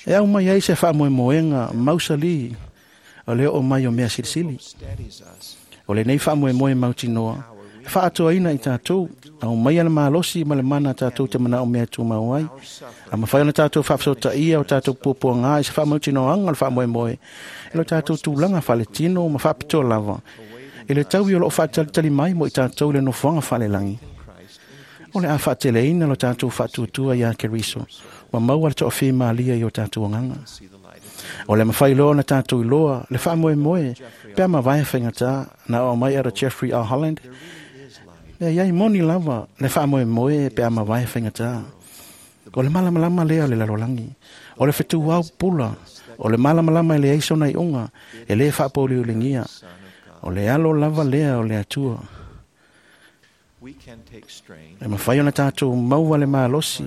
E au mai ai se faamoemoega mausali o le oo mai o mea silisili. O lenei faamoemoe mautinoa, e faatoaina i tatou, au mai le malosi ma le mana tatou te manao mea tumau ai. A mafai ona tatou faafasotaia o tatou puapuagā i se faamautinoaga o le faamoemoe, e lo tatou tulaga faaletino ma faapitoa lava, i le taui o loo faatalitali mai mo i tatou i le nofoaga faalelagi. O le a faateleina lo tatou faatuatua ia Keriso, ma maua le toafimalie i o tatou agaga. O le mafai loa ona tatou iloa le faamoemoe pe a mavae faigatā na oo mai ara Jeffrey R. Holland. E iai moni lava le faamoemoe pe a mavae faigatā. O le malamalama lea o le lalolagi, o le fetuau pula, o le malamalama e leai sona iuga, e lē faapouliuligia, o le alo lava lea o le Atua. E mafai ona tatou maua le malosi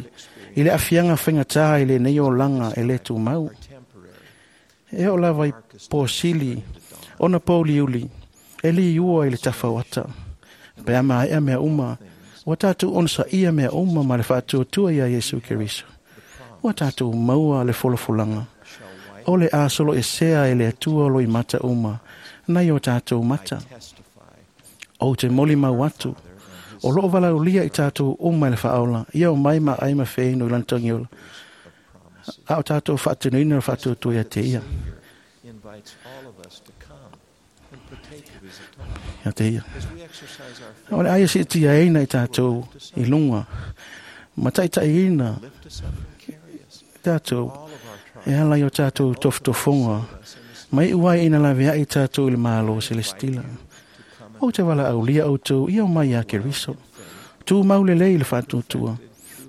i le aafiaga faigata i lenei olaga e lē tumau. E oo lava i posili ona pouliuli e liua i le tafauata. Pe a maea mea uma, ua tatou onosaia mea uma ma le faatuatua iā Iesu Keriso. Ua tatou maua le folafolaga o le a soloesea e le Atua loimata uma nai o tatou mata. Ou te molimau atu, o loo valaulia i tatou uma e le Faaola, ia o mai ma ai ma feinu i lana tagiola, a o tatou faatinoina le faatuatua ia te ia. Ia te ia. O le aia siitia aina i tatou i luga, ma taitaiina tatou e ala i o tatou tofotofoga, ma iu ai ina laveai tatou i le Malo Selestila. Ou te valaaulia outou ia o mai iā Keriso. Tumau lelei le faatuatua,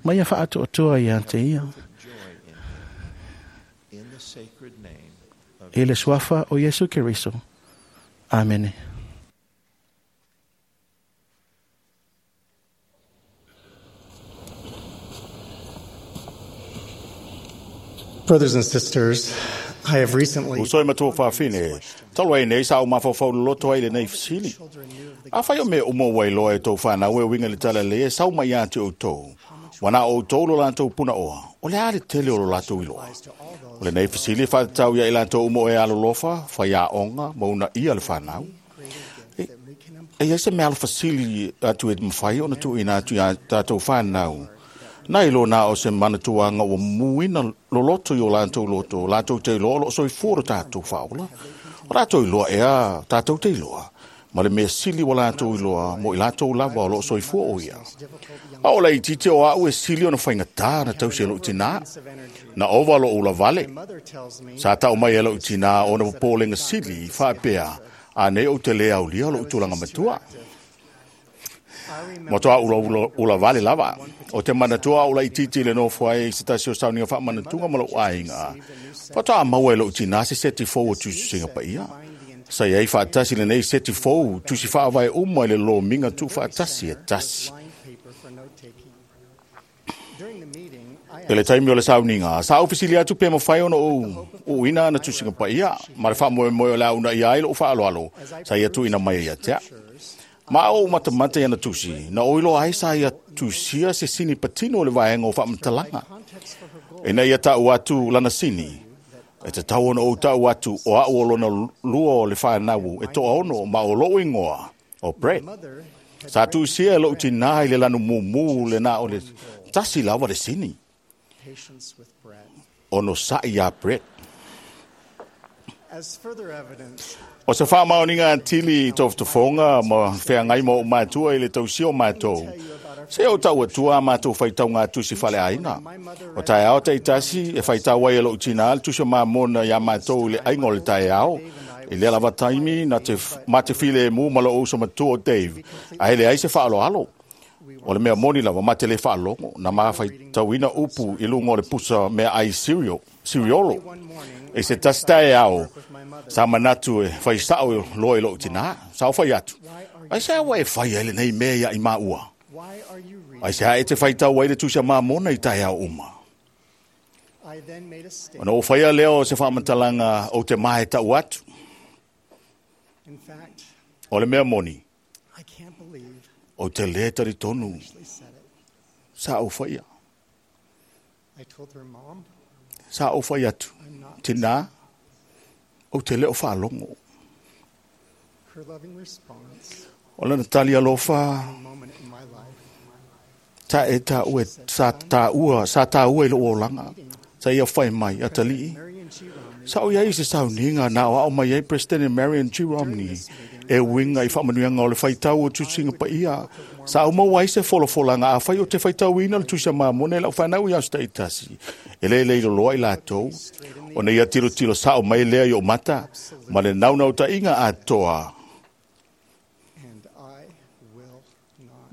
ma ia faatoatoa ia te ia. I le suafa o Iesu Keriso. Amene. Brothers and sisters, I have recently Uso e matua whawhine, talu ai nei sa o mawhawhau loto ai le nei fisili. A whai o me umo wai loa e tau whanau e winga le tala le e sau mai atu o tau. Wana o tau lo lantou puna oa, o le ale tele o lo latou i loa. O le nei fisili whatatau ia i lantou umo e alolofa, whai a onga, mauna ia le whanau. E ia se mea alo fasili atu e mwhai o na tu ina atu ia tātou whanau. Nai lo nā o se manatuanga ua muina loloto i o lātou loto, lātou te iloa o lo soifua lo tātou whaola. O lātou iloa ea, tātou te iloa. Ma le mea sili wa lātou iloa, mo i lātou lava o lo soifua o ia. A o lai tite o au e sili ona whaingatā na tausi e lo tina. Na ova lo ula vale. Sa tau mai e lo tina o na pōlenga sili whaapea, a nei o te lea aulia lo utulanga matua. Mo toa ula, ula vale lava. O te manatua ula i titi le nofo ai se tasi o sauninga wha manatunga ma lo ainga. Whatoa maua e lo tina se seti fou o tusi singa pa ia. Sa iai whaatasi le nei seti fou tusi whaawai uma i le lo minga tu whaatasi e tasi. E le taimi o le sauninga, sa ofisili atu pe mawhai ona o ina na tusinga pa ia. Ma le wha moe moe o lau na ia ai lo whaaloalo. Sa ia tu ina mai ia tea. Ma o matamata ia na tusi, na oilo ai sa ia tusia se sini patino o le vaenga o whaamatalanga. E nei ia tau atu lana sini, e te tau ona o tau atu o au o lona lua o le whanau e toa ono ma o lou ingoa o Brett. Sa tusia e lou tina i le lanu mumu le na o le tasi lawa le sini. Ono sa ia Brett. O se whaamaoninga tili i toftofonga ma wheangai mo o mātua i le tausio mātou. Se o tau atua mātou whaitau ngā tusi whale aina. O tae ao te itasi e whaitau ai e lou tina le tusi o māmona ia mātou i le aingo le tae ao. I le lava taimi na te, ma te file e mū ma lo uso matua o Dave. A hele ai se whaaloalo. O le mea moni lava ma te le whaalongo na maa whaitauina upu i lunga o le pusa mea ai cereal, cereolo. E se tasi tae ao, sa manatu e whai sao e loa i lou tina, sa o whai atu. Ai se awa e whai ai le nei mea ia i maua. Ai se hae te whai tau ai le tusia mamona i tae ao uma. Ona o whaia leo se whaamatalanga o te mahe tau atu. O le mea moni, o te le tari tonu, sa o whaia. Sa o whai atu. Tina, o te leo whaalongo. O lana tali alofa, ta e ta ue, sa ta ua, sa ta ua i lo olanga. Sa ia whai mai, atalii. Sa o iai se sauninga na o ao mai ai President Marion G. Romney. E winga i whaamanuianga o le whaitau o tusinga pa ia. Sa o mau ai se folofolanga a whai o te whaitau ina le tusia mamone lau whanau i aso itasi. E le leilo loa i lātou. O nei ia tilo tilo sa o mai lea i o mata. Ma le naunau ta inga atoa.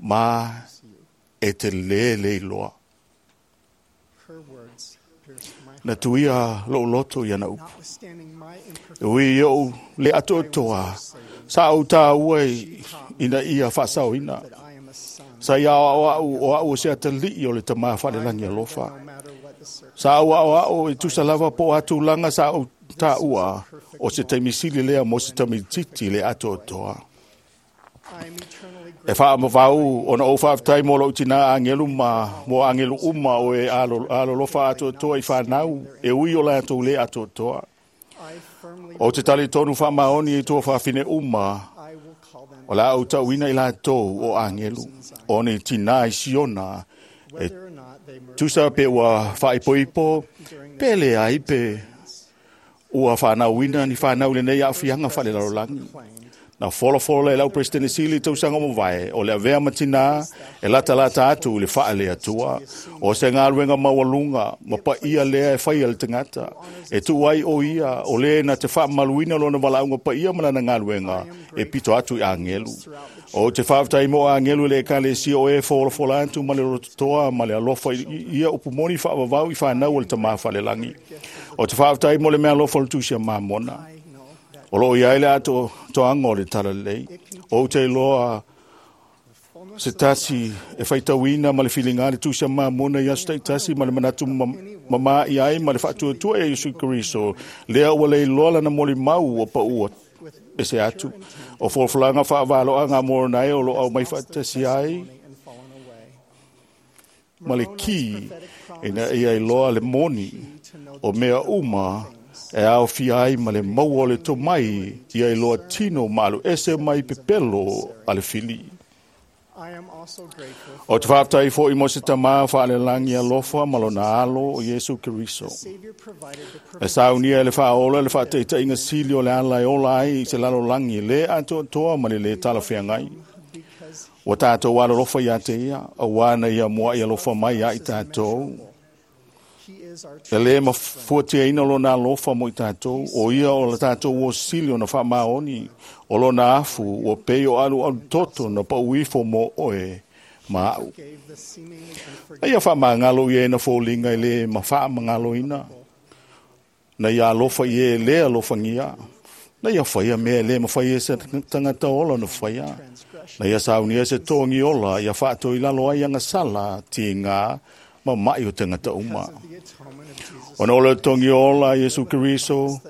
Ma e te le leiloa. Na tuia lou loto ia na upu. E ui ou le atoatoa, sa au tāua ina ia whaasaoina. Sa ia o au o au o se atalii o le tamā whalelangi alofa. Sa au au au e tusa lava po atulanga sa au tāua o se taimisili lea mo se tamititi le atoatoa. E whaamawau o na o whaaftai mō lau tina angelu ma mō angelu uma o e alolofa atoatoa i whanau e ui o lātou le atoatoa. O te tali tonu whaamaoni i tua whawhine uma o la au tauina i lātou o angelu o ni tina i siona e tusa pe ua whaipoipo pe le ai pe ua whanauina ni whanau le nei a whianga whale lalolangi. Na folofolo le lau President Sili tausaga mo vae o le avea matina e lata lata atu le wha le atua o se ngā maualunga ma pa ia lea e whai le tangata e tu ai o ia o le na te wha maluina lona walaunga pa ia mana ngā luenga e pito atu i angelu o te whaaftai mo angelu le ekalesia o e folofolo atu ma le rototoa ma le alofa ia upumoni whaavavau i whanau o le tamā whalelangi o te whaaftai mo le mea alofa le tusia mamona o lo ia ile ato toanga o le talalei. O te loa se tasi e whaitauina ma le whilinga le tusia mamona i aso tasi ma le manatu mama i ai ma le whaatuatua e Yesu Kristo. Lea ua lei loa lana moli mau o paua e se atu. O folfolanga whaavaloa ngā moronai o lo au mai whaatasi ai ma le ki ina ia i loa le moni o mea uma e ao fia ai ma le maua o le tomai ia i loa tino malu ese mai pepelo a le fili. O te whaaftai fo i mo se tamā whaalelangi alofa ma lona alo o Yesu Keriso. E saunia e le whaola le whaateitai sili o le ala e ola ai i se lalolangi le atoatoa ma le le talawhiangai. O tātou alolofa ia te ia, o wana ia mua i alofa mai ia i tātou. E le mafuatia ina lona alofa mo i tātou, o ia o la tātou o sili o na whaamaoni, o lona afu, o pei o alu alu toto na pauifo mo oe ma au. Na ia whaamangalo ia na fōlinga i le ma whaamangalo ina. Na ia alofa i e le alofangia. Na ia whaia mea le ma whaia se tangata ola na whaia. Na ia saunia se tongi ola, ia whaato i lalo ai anga sala, ti ngā, ma mai o tangata uma. Ona ole tongi ola Yesu Keriso,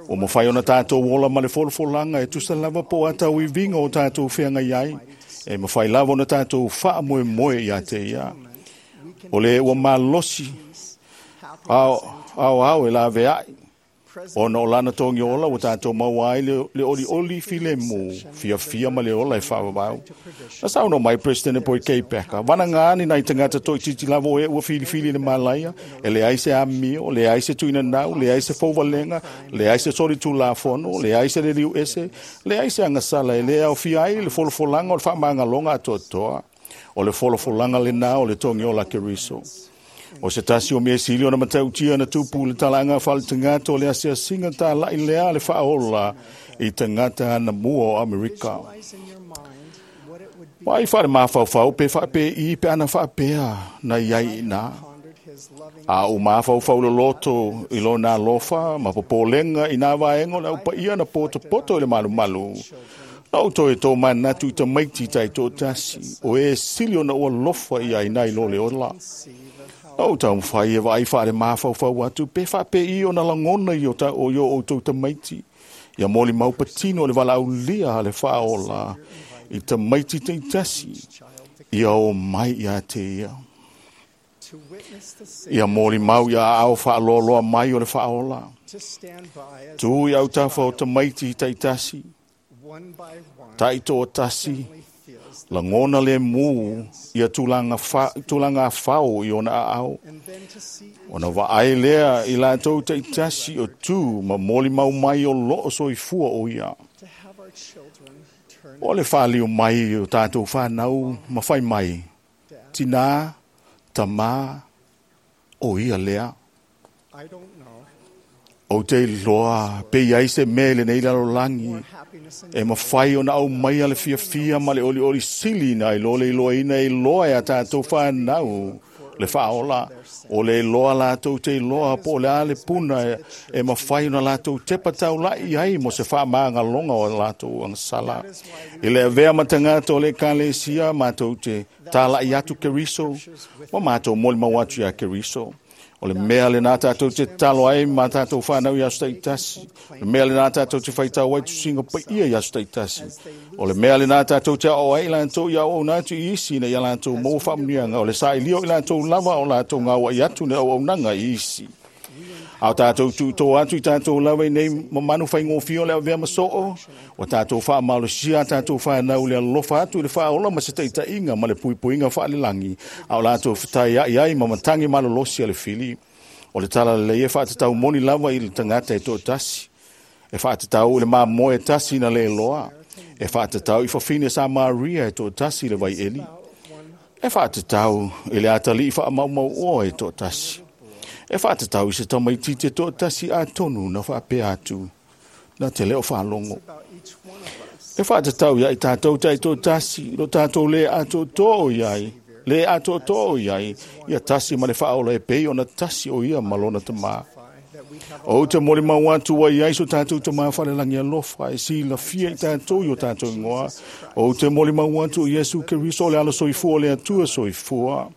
o mawhai ona tātou ola ma le folofolanga e tusa lava po atau i vinga o tātou whianga iai, e mawhai lava ona tātou wha moe moe ia te ia. O le ua malosi, ao ao ao e la veai, ona o lana tongi ola o tātou maua ai le oli oli file mō, fia fia ma le ola e whaawau. Na sauno mai President Boy K. Packer, wana ngāni nei tangata toi titi lavo e ua fili fili le malaia, e le ai se amio, le ai se tuina nau, le ai se fauvalenga, le ai se sori tūlafono, le ai se le liu ese, le ai se angasala, e le au fia ai le folofolanga o le whaamangaloga atoatoa, o le folofolanga le nā o le tongi ola Keriso. O se tasi o mea sili o na matautia na tupu le talanga whale tangata o le asiasinga tā lai lea le whaola i tangata na mua o Amerika. Wai whare māwhauwhau pe whape i pe ana whapea na iai ina. A o māwhauwhau le loto i lo nā lofa ma popolenga i nā vaengo le upa ia na poto poto i le malu malu. Na o toi tō manatu i ta maiti tai tō tasi o e sili o na ua lofa i ai nai lo le ola. O tau mwhai e vai whaare māwhauwhau atu, pe whape i o na langona i o ta o yo o tau tamaiti. Ia moli maupatino le wala aulia le whaola i tamaiti te tasi, ia o mai ia te ia. Ia moli mau ia au whaaloaloa mai o le whaola. Tu i au tawha o tamaiti i taitasi, taito o tasi, langona le mū ia tūlanga whao i ona au. Ona vaai lea i lātou taitasi o tū ma moli mau mai o loo soifua o ia. O le whālio mai o tātou whānau ma whai mai. Tina, tamā, o ia lea. O te loa, pe iai se mele nei lalolangi, e mawhai ona au mai a le fia fia ma le oli oli sili na i lole i loa ina i loa e a tātou whānau Le faaola o le iloa latou te iloa po o le a le puna e mafai ona latou tepa taula'i ai mo se faamagaloga o latou agasala. I le avea ma tagata o le ekalesia matou te tala'i atu Keriso ma matou molimau atu iā Keriso. O le mea lenā tatou te tatalo ai ma tatou fanau i aso taitasi. O le mea lenā tatou te faitau ai tusiga paia i aso taitasi. O le mea lenā tatou te aoao ai i latou ia auauna atu i isi ina ia latou maua faamanuiaga. O le sailia o i latou lava o latou gauai atu le auaunaga i isi. A o tatou tuutō atu i tatou lava i nei mamanu faigofie o le avea ma soo, ua tatou faamalosia a tatou fanau le alofa atu i le faaola ma se taitaiga ma le puipuiga faalelagi, a o latou fetaiai ai ma matagi malolosi a le fili. O le tala lelei e faatatau moni lava i le tagata e toatasi. E faatatau i le mamoe e tasi na le iloa. E faatatau i fafine Samaria e toatasi i le vaieli. E faatatau i le atalii faamaumauoa e toatasi. E faatatau i se tamaitiiti e toatasi atonu na faapea atu na te leo faalogo. E faatatau ia i tatou taitoatasi, lo tatou le atoatoa i ai, le atoatoa i ai, ia tasi ma le faaola e pei ona tasi o ia ma lona tamā. Ou te molimau atu ai ai so tatou tamā falelagi alofa e silafia i tatou i o tatou ingoa. Ou te molimau atu i Iesu Keriso o le alo soifua o le Atua soifua.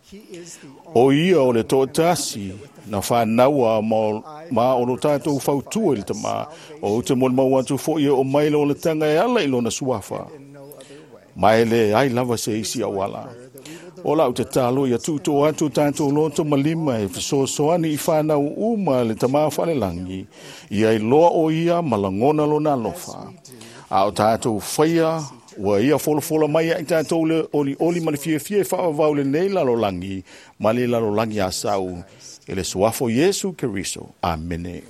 O ia o le toatasi na whānaua ma o lo tātou fautua i le tamā. O te molimau atu foi e o mai le olatanga e ala i lona suafa. Mai le ai lava se isi auala. O lau te talo ia tūtō atu tātou loto ma lima e fesoasoani i whānau uma le tamā whalelangi. Ia i loa o ia ma langona lona alofa. A o tātou whaia, ua ia folofola mai ai tātou le oli oli ma le fiafia e whaavau le nei lalolangi, ma le lalolangi a sau. E le suafo Iesu Keriso. Amene.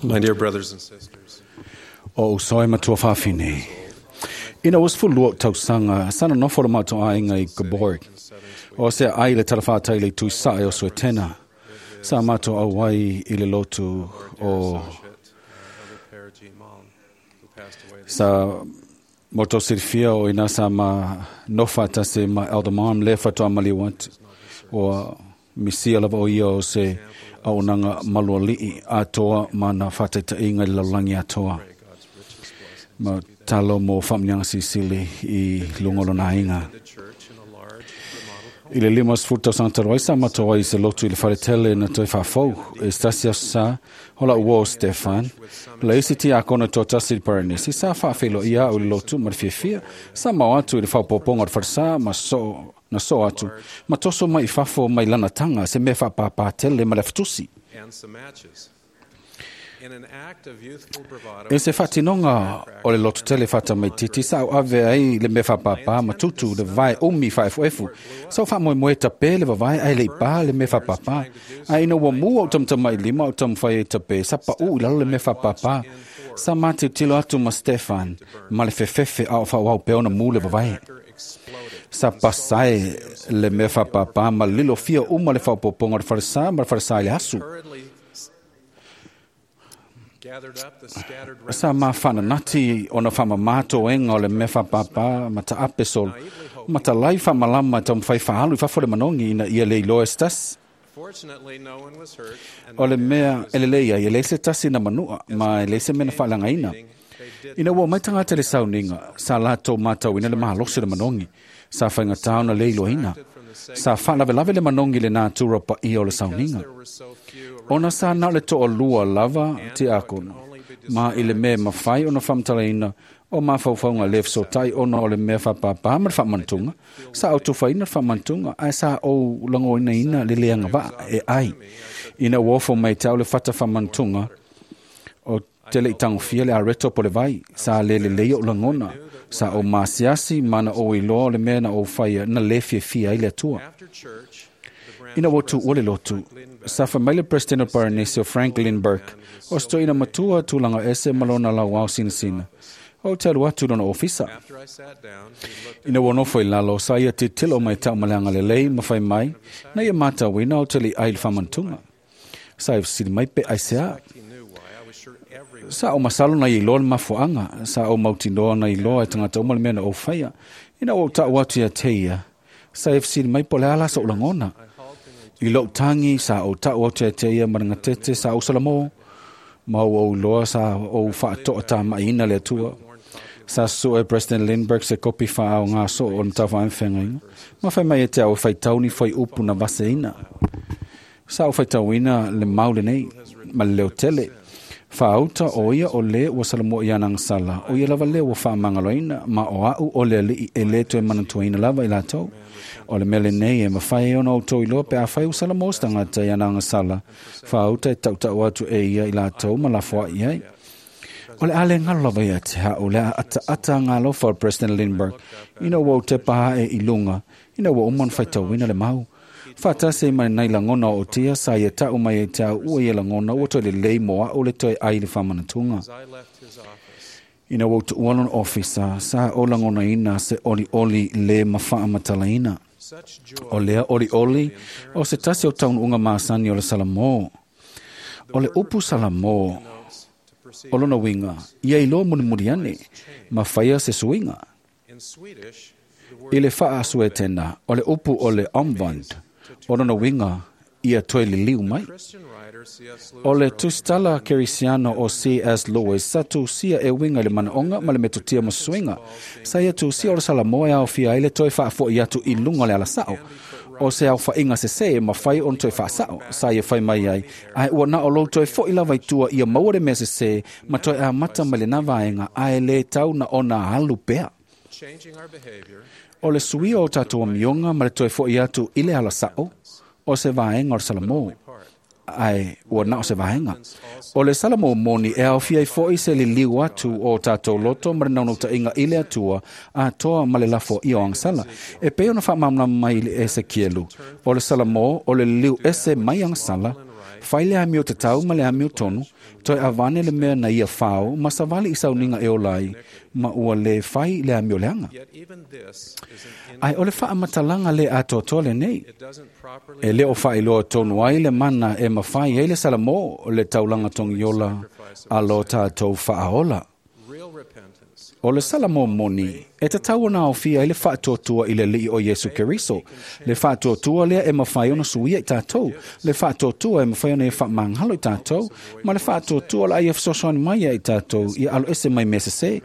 My dear brothers and sisters, O uso e matua whawhine. Ina was fu lua tausaga sana nofo le matou aiga i Gaborg. O se ai le talawhātai le tuisae o Suetena. Sa matou auai i le lotu o sa moto silifia o ina sa ma nofa tasi ma Elder Mom le fatoa maliu atu. O misia lava o ia o se auaunaga malualii atoa ma na faataitaiga i le lalolagi atoa. Ma talo mo faamanuiaga silisili i luga o lona aiga. I le 50 tausaga talu ai sa matou ai i se lotu i le faletele na toe faafou e se tasi aso sa o lau uo o Stefan le isi tiakono toatasi i le Paranesi sa faafeiloai au i le lotu ma le fiafia sa mao atu i le faaopoopoga o le falesa ma soo na soo atu ma toso mai i fafo mai lana taga se mea faapāpā tele ma le afatusi. and some matches. In an act of youthful bravado, E se faatinoga o le lotu tele faatamaititi sa au ave ai le mea faapāpā ma tutu le vavae umi faaefuefu. Sa o faamoemoe tapē le vavae ae le i pā le mea faapāpā. Ae ina ua mu au tamatamailima o taumafai ai tapē sa paʻu i lalo le mea faapāpā. Sa matilotilo atu ma Stefan ma le fefefe a o faaauau pea ona mu le vavae. Sa pasae le mea faapāpā ma lilo fia uma le faaopoopoga o le falesā ma le falesā i le asu. gathered up the scattered Sa mafananati ona faamamā toega o le mea faapāpā ma taape solo ma talai faamalama e taumafai faaalu i fafo le manogi ina ia le iloa e se tasi. Fortunately, no one was hurt, and O le mea e lelei ai e leai se tasi na manua ma e leai se mea na faaleagaina. Ina ua mai tagata i le sauniga, sa latou matauina le malosi o le manogi, sa faigatā ona le iloaina. Sa faalavelave le manogi i le natura paia o le sauniga. Ona sa na o le toalua lava tiakono, ma i le mea e mafai ona faamatalaina o mafaufauga le fesotai ona o le mea faapāpā ma le faamanatuga, sa ou tufaina le faamanatuga ae sa ou lagoinaina le le agavaa e ai. Ina ua ofo mai te au le fata faamanatuga, o te le i tagofia le areto po le vai, sa le lelei ou lagona, sa ou masiasi ma na ou iloa o le mea na ou faia na le fiafia ai le Atua. Ina ua tuua le lotu, sa fai mai le President o Paranesi o Frank Lindbergh, o se toeaina matua tulaga ese ma lona lauao sinasina. O te alu atu i lona ofisa. after I sat down, he looked Ina ua nofo i lalo, sa ia tilotilo mai tau ma le agalelei ma fai mai, na ia matauina o te le ai i le faamanatuga. Sa e fesili mai pe aisea. he knew why. I was sure everyone Sa o masalo na ia iloa le mafuaaga, sa o mautinoa na iloa e tagata uma le mea na ou faia. Ina ua ou taʻu atu ia te ia, sa e fesili mai po o le a la soʻu lagona. I lou tagi sa ou taʻu atu ia te ia ma le gatete sa ou salamō. Ma ua ou iloa sa ou faatoʻatamaʻiina le Atua. Sa sue e President Lindbergh se kopi faaaogā soo o le matafaaifeagaiga. Ma fai mai e te au e faitau ni fuaiupu na vaseina. Sa ou faitauina le mau lenei ma le leotele. Faauta o ia o le ua salamua i ana agasala, o ia lava lea ua faamagaloina, ma o a'u o le alii e lē toe manatuaina lava i latou. O le mea lenei e mafai ai ona outou iloa pe afai ua salamō se tagata i ana agasala, faauta e taʻutaʻu atu e ia i latou ma lafoaʻi ai. O le a le galo lava ia te a'u le a ataata agalofa o le President Lindbergh, ina ua ou tepa aʻe i luga, ina ua uma ona faitauina le mau. Faatasi ai ma lenei lagona o otia sa ia taʻu mai ai te au ua ia lagona ua toe lelei mo aʻu le toe ai i le faamanatuga. as I left his office, Ina ua ou tuua lona ofisa, sa ou lagonaina se olioli le mafaamatalaina. such joy O lea olioli o se tasi o taunuuga masani o le Salamō. O le upu Salamō, to proceed. o lona uiga, ia iloa mulimuli ane, ma faia se suiga. In Swedish, the word I le faasuetena, o le upu o le omvand, o lona uiga, ia toe liliu mai. Christian writer C.S. Lewis O le wrote, tusitala kerisiano o C.S. Lewis sa tusia e uiga i le manaoga ma le metotia ma suiga. Sa ia tusia o le Salamō e aofia ai le toe faafoʻi atu i luga o le alasaʻo. O se aofaʻiga sesē e mafai ona toe faasaʻo, sa ia fai mai ai, ae ua na o lou toe foʻi lava i tua ia maua le mea sesē ma toe amata mai lenā vaega ae lē tau na ona alu pea. changing our behavior O le suia o tatou amioga ma le toe foʻi atu i le alasaʻo, o se vaega o le Salamō, ae ua na o se vaega. O le Salamō moni e aofia ai foʻi se liliu atu o tatou loto ma le naunautaiga i le Atua atoa ma le lafoaia o agasala. E pei ona faamalamalama mai i le Esekielu, o le Salamō o le liliu ese mai agasala, Fai le amio tatau ma le amio tonu, toe avane le mea na ia fao, ma savali i sauniga e ola ai, ma ua lē fai le amio leaga. Ae o le faamatalaga lē atoatoa lenei. E lē o faailoa tonu ai le mana e mafai ai le salamō le taulaga togiola a lo tatou faaola. O le salamō moni e tatau ona aofia ai le faatuatua i le Alii o Iesu Keriso, le faatuatua lea e mafai ona suia i tatou, le faatuatua e mafai ona ia faamagalo i tatou, ma le faatuatua o le a ia fesoasoani mai ai i tatou ia aloese mai mea sesē.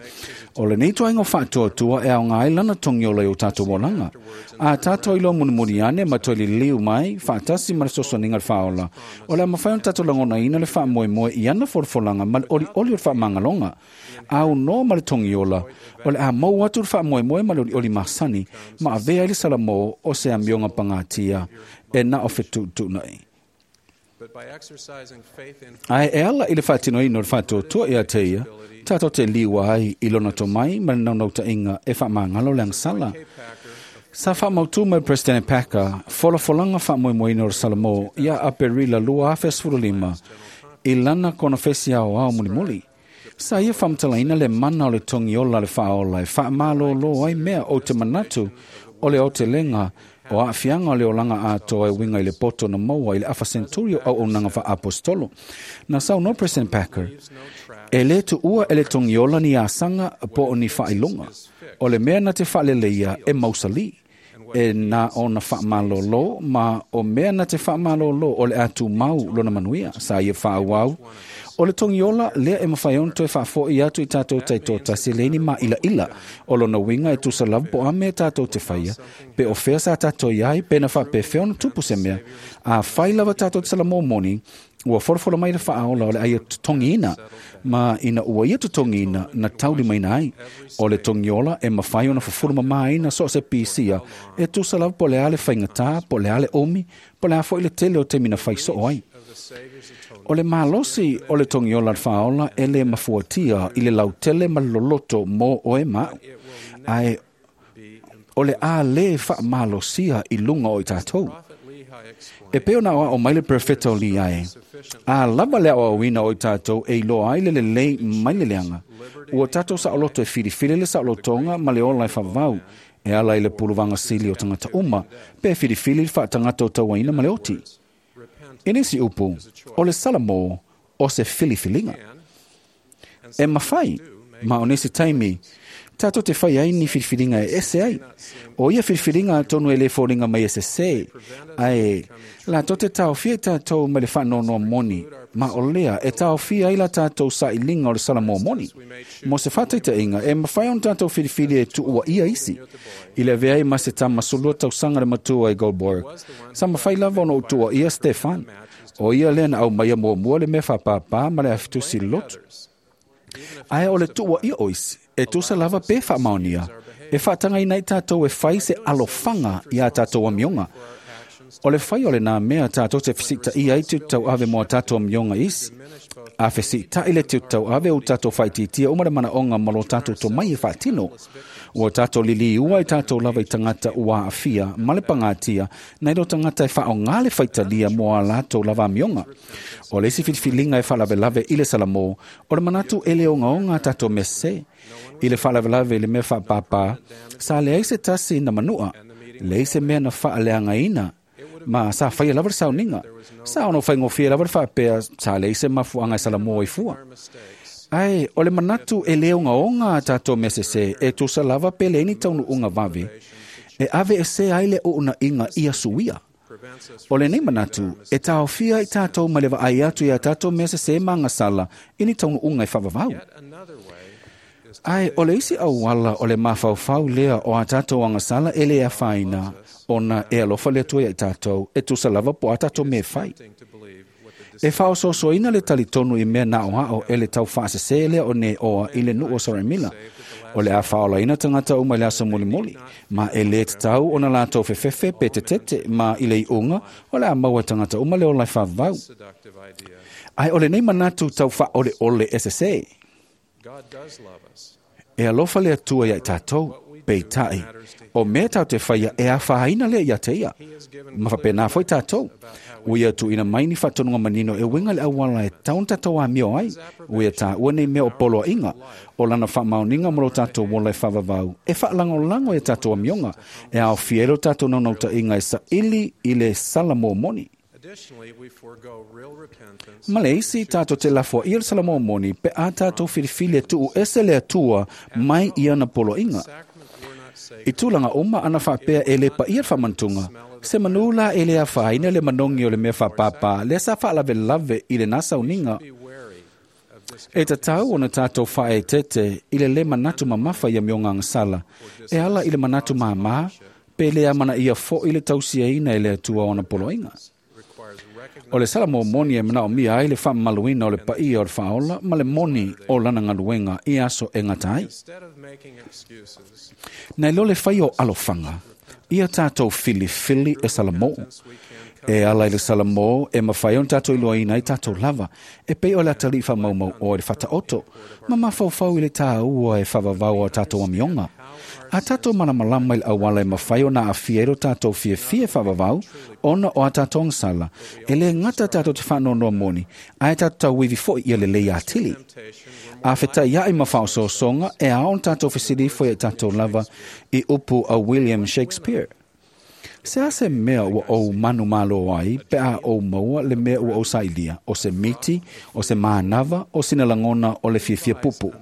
O lenei ituaiga o faatuatua e aoga ai lana togiola i o tatou olaga. A tatou iloa mulimuli ane ma toe liliu mai faatasi ma le fesoasoaniga o le faaola, o le a mafai ona tatou lagonaina le faamoemoe i ana folafolaga ma le olioli o le faamagaloga. Aunoa ma le togiola, o le a maua atu le faamoemoe ma le olioli masani ma avea ai le salamō o se amioga pagatia e na o fetuutuunai. Ae e ala i le faatinoina o le faatuatua ia te ia, tatou te liua ai i lona tomai ma le naunautaiga e faamagalo le agasala. Sa faamautū mai President Packer folafolaga faamoemoeina o le salamō ia Aperila 2015 i lana konofesi aoao mulimuli. Sa ia faamatalaina le mana o le togiola le faaola e faamalōlō ai mea ou te manatu o le aotelega o aafiaga o le olaga atoa e uiga i le poto na maua i le afa senturi o auaunaga faaapostolo. Na saunoa President Packer, e lē tuua e le togiola ni asaga po o ni faailoga. O le mea na te faaleleia e mausalī, e na ona faamalōlō ma o mea na te faamalōlō o le a tumau lona manuia. Sa ia faaauau, o le togiola lea e mafai ona toe faafo'i atu i tatou taitoatasi le ni maʻilaʻila o lona uiga e tusa lava po o a mea tatou te faia, pe o fea sa tatou iai pe na faapefea ona tupu se mea. A fai lava tatou te salamō moni, ua folafola mai le faaola o le aia totogiina, ma ina ua ia totogiina na taulimaina ai. O le togiola e mafai ona fufulu mamāina so o se pisia e tusa lava po o le a le faigatā, po o le a le umi, po o le a fo'i le tele o taimi na fai soo ai. O le malosi o le togiola le faaola e lē mafuatia i le lautele ma le loloto mo oe ma a'u, ae o le a lē faamalosia i luga o i tatou. E pei ona aoao mai le perofeta o Liae, a lava le aoaoina o i tatou e iloa ai le lelei mai le leaga, ua tatou saoloto e filifili le saolotoga ma le ola e faavavau, e ala i le puluvaga sili o tagata uma, pe filifili le faatagata o tauaina ma le oti. I nisi upu, o le salamō o se filifiliga. E mafai, ma o nisi taimi, tatou te fai ai ni filifiliga e ese ai. O ia filifiliga atonu e lē foliga mai e sesē, ae latou te taofia i tatou mai le faanoanoa moni, ma o lea e taofia ai la tatou sailiga o le salamō moni. Mo se faataitaiga, e mafai ona tatou filifili e tuuaia isi. I le avea ai ma se tama 12 tausaga le matua i Goldberg, sa mafai lava ona ou tuuaia Stefan. O ia lea na aumaia muamua le mea faapāpā ma le afitusi lotu. Ae o le tuuaia o isi, e tusa lava pe faamaonia, e faatagaina ai tatou e fai se alofaga iā tatou amioga. O le fai o lenā mea tatou te fesitaʻia ai tiute tauave mo a tatou amioga isi. A fesitaʻi le tiute tauave ua tatou faaitiitia uma le manaoga ma lo tatou tomai e faatino. Ua tatou liliua i tatou lava i tagata ua aafia ma le pagatia nai lo tagata e faaogā le faitalia mo a latou lava amioga. O le isi filifiliga e faalavelave i le salamō, o le manatu e le ogaoga a tatou mea sesē. I le faalavelave i le mea faapāpā, sa leai se tasi na manua, leai se mea na faaleagaina, ma sa faia lava le sauniga. Sa ono faigofie lava le faapea sa leai se mafuaaga e salamō ai fua. Ae o le manatu e le ogaoga a tatou mea sesē e tusa lava pe leai ni taunuuga vave, e aveesea ai le uunaʻiga ia suia. O lenei manatu e taofia i tatou mai le vaai atu iā tatou mea sesē ma agasala i ni taunuuga e faavavau. Ae o le isi auala o le mafaufau lea o a tatou agasala e lē afaina ona e alofa le Atua iā i tatou e tusa lava po o a tatou mea e fai. E faaosoosoina le talitonu i mea na aoao e le taufaasesē lea o Neoa i le nuu o Saramila. O le a faaolaina tagata uma i le aso mulimuli, ma e lē tatau ona latou fefefe pe tetete, ma i le iuga o le a maua e tagata uma le ola e faavavau. Ae o lenei manatu tau faaoleole e sesē. E alofa le Atua iā i tatou. Peitaʻi, o mea tatou te faia e afaina lea ia te ia. Ma faapena foi tatou. Ua ia tuuina mai ni faatonuga manino e uiga i le auala e tatau ona tatou amio ai. Ua ia taua nei mea o poloaiga, o lana faamaoniga ma lo tatou ola e faavavau, e faalagolago i a tatou amioga, e aofia ai lo tatou naunautaiga e saili i le salamo moni. Ma le isi, tatou te lafoaia le salamo moni pe a tatou filifili e tuu ese le Atua mai i ana poloaiga. I tulaga uma ana faapea e le paia le faamanatuga, se manu la e le afaina le manogi o le mea faapāpā lea sa faalavelave i lena sauniga. E tatau ona tatou faaeteete i le lē manatu mamafa i amioga agasala, e ala i le manatu māmā, pe le amanaia foʻi le tausiaina e le Atua o ona poloaiga. O le salamo moni e manaomia ai le faamamaluina o le paia o le faaola ma le moni o lana galuega i aso e gata ai. Nai lo le fai o alofaga, ia tatou filifili e salamo. E ala i le salamo e mafai ona tatou iloaina ai tatou lava, e pei o le atalii faamaumau oe i le fataoto, ma mafaufau i le tāua e faavavau o tatou amioga. A tatou malamalama i le auala e mafai ona aafia ai lo tatou fiafia e faavavau, ona o a tatou agasala, e lē gata tatou te faanoanoa moni, ae tatou tauivi foi ia lelei atili. A fetaiaʻi ma faaosoosoga, e ao ona tatou fesilifo ia i tatou lava i upu a William Shakespeare. Se a se mea ua ou manumalo ai pe a ou maua le mea ua ou sailia, o se miti, o se manava, o sina lagona o le fiafia pupu.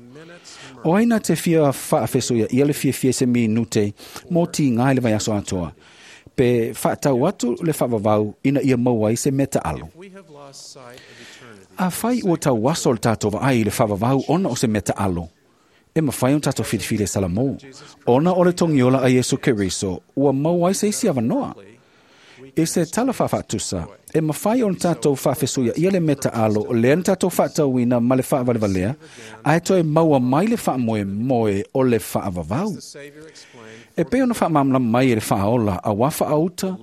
O ai na te fia faafesoiaʻia le fiafia i se minute mo tigā i le vaiaso atoa, pe faatau atu le faavavau ina ia maua ai se mea taalo. Afai ua tauaso le tatou vaai i le faavavau ona o se mea taalo, e mafai ona tatou filifili e salamo, ona o le togiola a Iesu Keriso ua maua ai se isi avanoa. I se tala faafaatusa, e mafai ona tatou faafesuiaʻia le mea taalo lea na tatou faatauina ma le faavalevalea, ae toe maua mai le faamoemoe o le faavavau. E pei ona faamalamalama mai e le faaola auā faauta,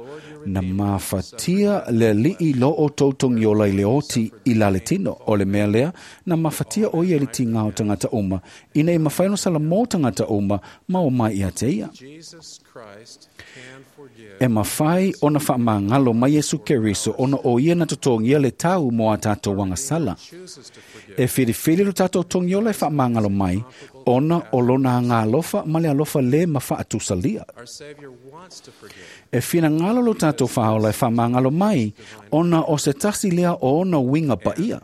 na mafatia le alii lo outou togiola i le oti i laletino. O le mea lea, na mafatia o ia i le tigā o tagata uma, ina ia mafai ona salamo tagata uma ma o mai ia te ia. E mafai ona faamagalo mai Iesu Keriso ona o ia na totogia le tau mo a tatou agasala. E filifili lo tatou togiola e faamagalo mai, ona o lona agalofa ma le alofa lē ma faatusalia. E finagalo lo tatou faaola e faamagalo mai, ona o se tasi lea o ona uiga paia.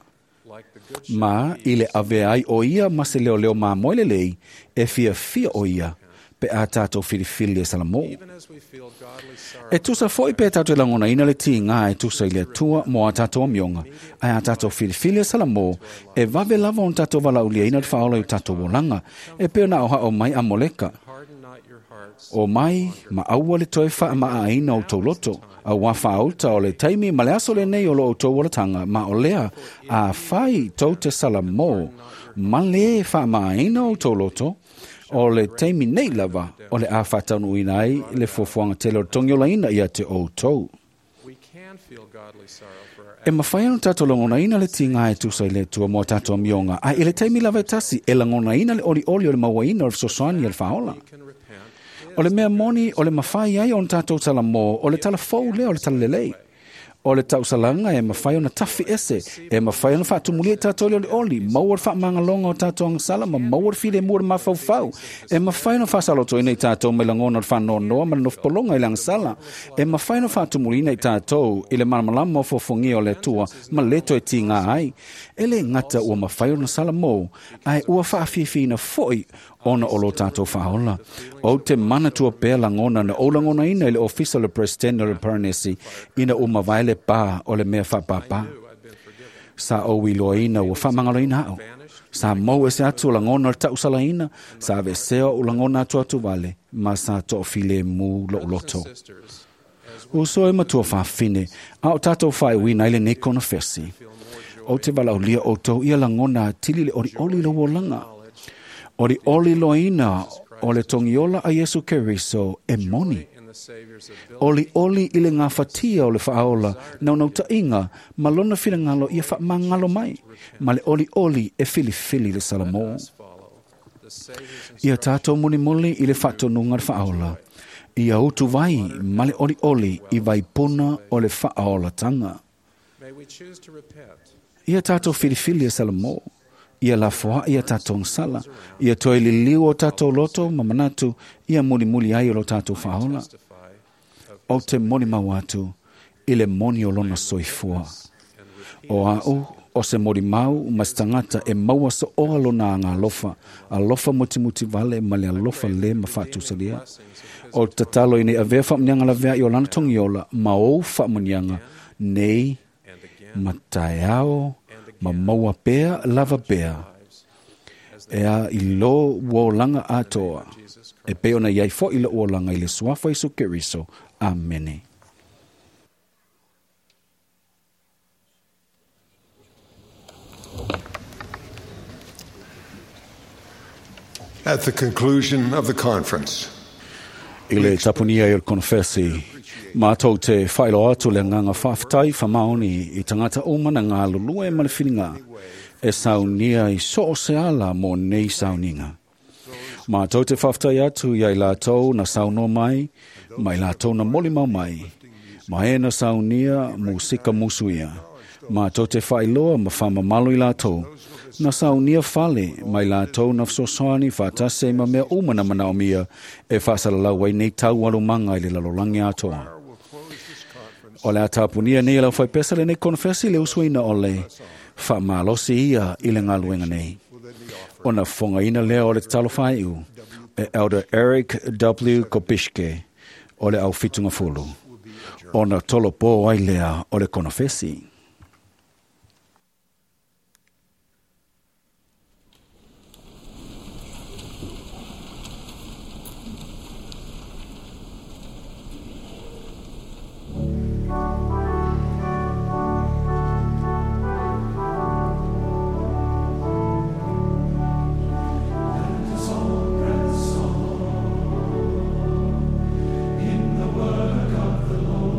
Ma i le avea ai o ia ma se leoleo mamoe lelei, e fiafia o ia pe a tatou filifili e salamo. E tusa foi pe tatou te lagonaina le tigā e tusa i le Atua mo a tatou amioga, ae a tatou filifili e salamo, e vave lava ona tatou valaauliaina le faaola i o tatou olaga, e pei ona aoaʻo mai a Moleka. O mai, ma aua le toe faamaa o outou loto, auā faauta o le taimi ma le aso lenei o lo outou olataga, ma o lea afai tou te salamo ma lē faamaaina o outou loto, o le taimi nei lava o le a faataunuuina ai le fuafuaga tele o le togiolaina ia te outou. E mafai ona tatou lagonaina le tigā e tusa i le Atua mo a tatou amioga, ae i le taimi lava e tasi e lagonaina le olioli o le mauaina o le fesoasoani a le faaola. O le mea moni o le mafai ai ona tatou talamo, o le tala fou lea o le talalelei. O le tausalaga e mafai ona tafi ese, e mafai ona faatumulia i tatou i le olioli, maua le faamagaloga o tatou agasala ma maua le filemu o le mafaufau. E mafai ona faasalotoina i tatou mai lagona o le faanoanoa ma le nofopologa i le agasala. E mafai ona faatumuliina i tatou i le malamalama o fofogia o le Atua ma le toe tigā ai. E lē gata ua mafai ona salamo, ae ua faafiafiaina foi ona o lo tatou faaola. Ou te manatua pea lagona na ou lagonaina i le ofisa o le Peresetene o le Paranesi ina ua mavae le pā o le mea faapāpā. Sa ou iloaina ua faamagaloina aʻu. Sa mou ese atu o lagona o le tausalaina, sa aveesea oʻu lagona atuatuvale, ma sa toafilemu loʻu loto. Uso e matua faafine, a o tatou faaiuina ai lenei konofesi. Ou te valaaulia outou ia lagona atili le olioli i lou olaga. Olioli loaina o le togiola a Iesu Keriso e moni. Olioli i le gafatia o le faaola naunautaiga ma lona finagalo ia faamagalo mai, ma le olioli e filifili le salamo. Ia tātou mulimuli i le faatonuga le faaola. Ia utuvai ma le olioli i vaipuna o le faaolataga. Ia tātou filifili e Salamo. Ia lafoaʻi a tatou gasala. Ia toe liliu o tatou loto ma manatu ia mulimuli ai o lo tatou faaola. O te molimau atu i le moni o lona soifua. O a'u o se molimau ma se tagata e maua so'oa lona agalofa, alofa mutimuti vale ma le alofa lē ma faatusalia. O le tatalo ina ia avea faamuniaga lavea'i o lana togiola ma ou faamuniaga nei ma taeao ma maua pea lava pea e a i lō ua olaga atoa e pei ona iai fo'i lo'u olaga i le suafa Iesu Keriso. Amene. At the conclusion of the conference, I le tapunia i o le konofesi, mātou te whailoa atu le nganga whawhitai whamaoni i tangata uma na ngā lulue ma le whiringa e saunia i so o se ala mō nei sauninga. Mātou te whawhitai atu i ai lātou na saunoa mai, mai lātou na molimau mai, ma e na saunia musika musuia. Mātou te whailoa ma whamamalo i lātou, na saunia fale mai lātou na fesoasoani faatasi ai ma mea uma na manaomia e faasalalau ai nei tau alomanga i le lalolagi atoa. O le a tapunia nei e lau faipesa lenei konofesi le usuina o le faamalosi ia i le galuega nei. Ona fofogaina lea o le tatalo faaiu e Elder Eric W. Kopishke o le aufitugafulu. Ona tolopō ai lea o le konofesi. In the work of the Lord.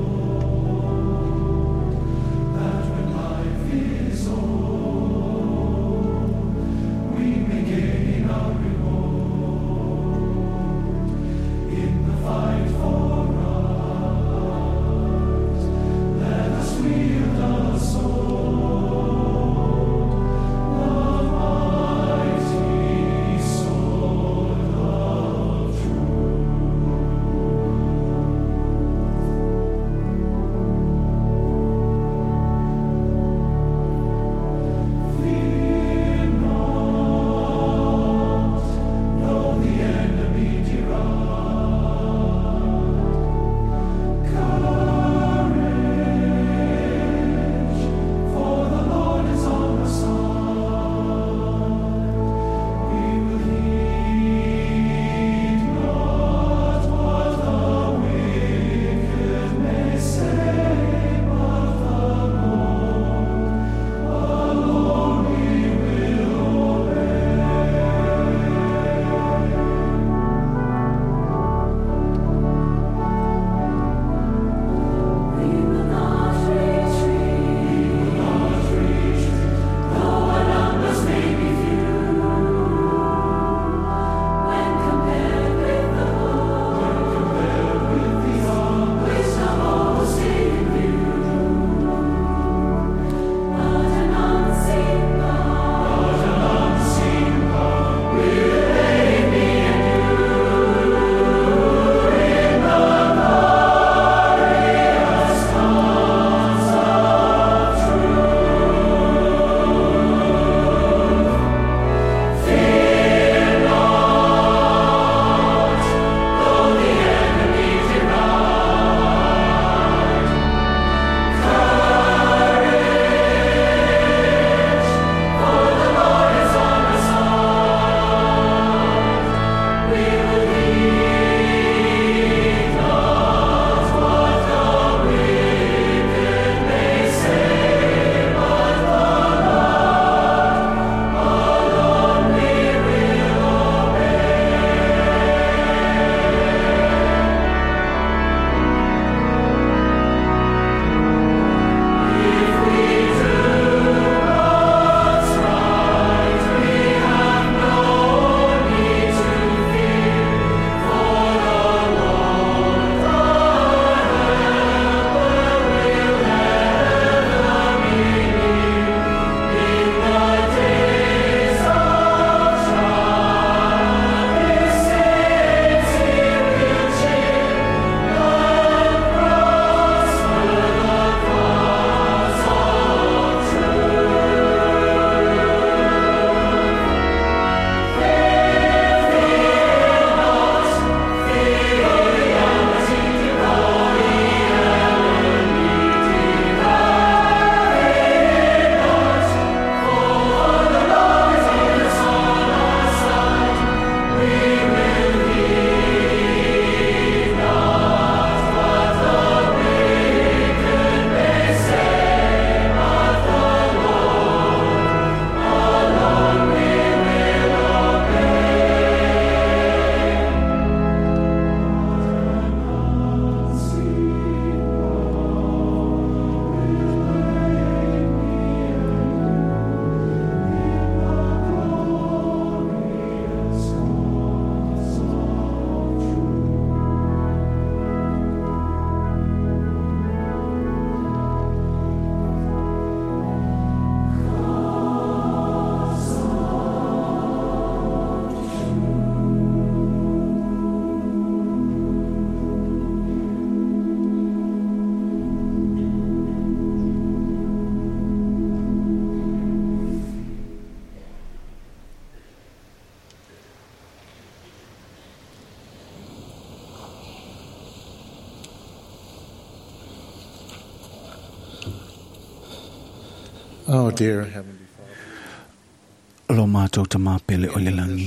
Oh, dear Heavenly Father. Lo mātou tamā pele o le langi.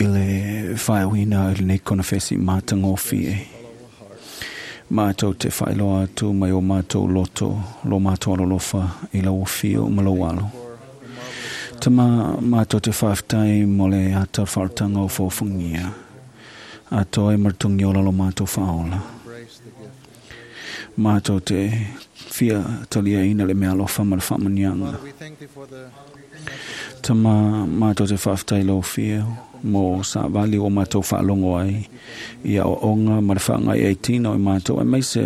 I le whaewina i lenei konafesi mātangōfi e. Mātou te whaeloa atu mai o mātou loto, lo mātou alolofa i lau fio ma lau alo. Tama mātou te whaaftai mo le ata wharatanga o fōfungia. A toi martungi ola lo mātou whaola. Mātou te fia talia ina le mea alofa ma le whaamanianga. Tama mātou te whaaftai lau fia mo sa vali o mātou whaalongo ai i a onga ma le whaangai ai tino i mātou e meise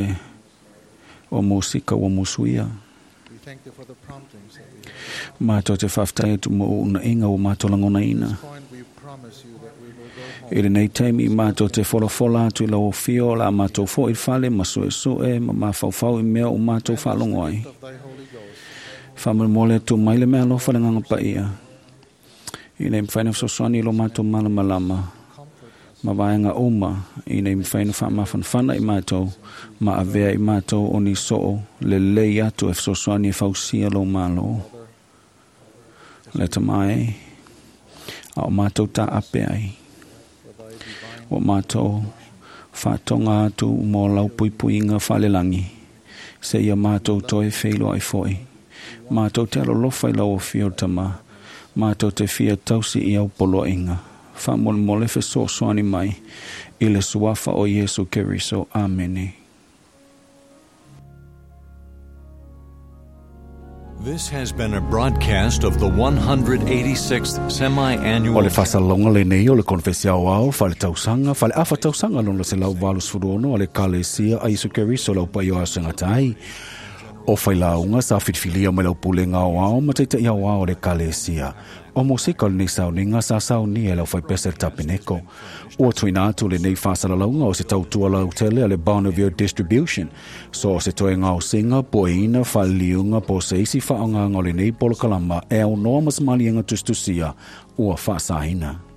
o musika o musuia. Mātou te whaaftai atu mo una inga o mātou langona ina. I lenei taimi mātou te folafola atu i lau fio la mātou fo i whale ma sue sue ma mafaufau i mea o mātou whaalongo ai. Whaamolmole atu mai le mea alofa le nganga paia. I nei mwhaina whasoswani lo mātou malamalama. Ma vaenga uma i nei mwhaina whaamafanfana i mātou. Ma avea i mātou o ni soo le lei atu e whasoswani e fausia lo malo. Le tamai a o mātou tā ape ai. O mātou whātonga atu mō lau puipuinga whalelangi. Se ia mātou toi wheiloa i foi. Mātou te alolofa i lau o fio tama. Mātou te fia tausi i au poloinga. Whaamolmole fesoasoani mai i le suafa o Iesu Keriso. Amene. This has been a broadcast of the 186th semi-annual O le fasalonga le nei o le konfesi au ao, whale tausanga, whale afa tausanga lona se lau valus furuono a le kalesia a Iesu Keriso lau pai o asengatai. O whailaunga sa whitfilia mai lau pulenga o ao ma teita i au ao le kalesia. O mosika o lenei sauninga sa saunia e lau whaipese le tapeneko. Ua tuina atu le nei whasalalaunga o se tautua lau tele a le Bonneville Distribution. So o se toe ngao singa, poeina, whaliliunga, po se isi whaanganga o lenei polokalama e au noa masamalienga tustusia ua whaasahina.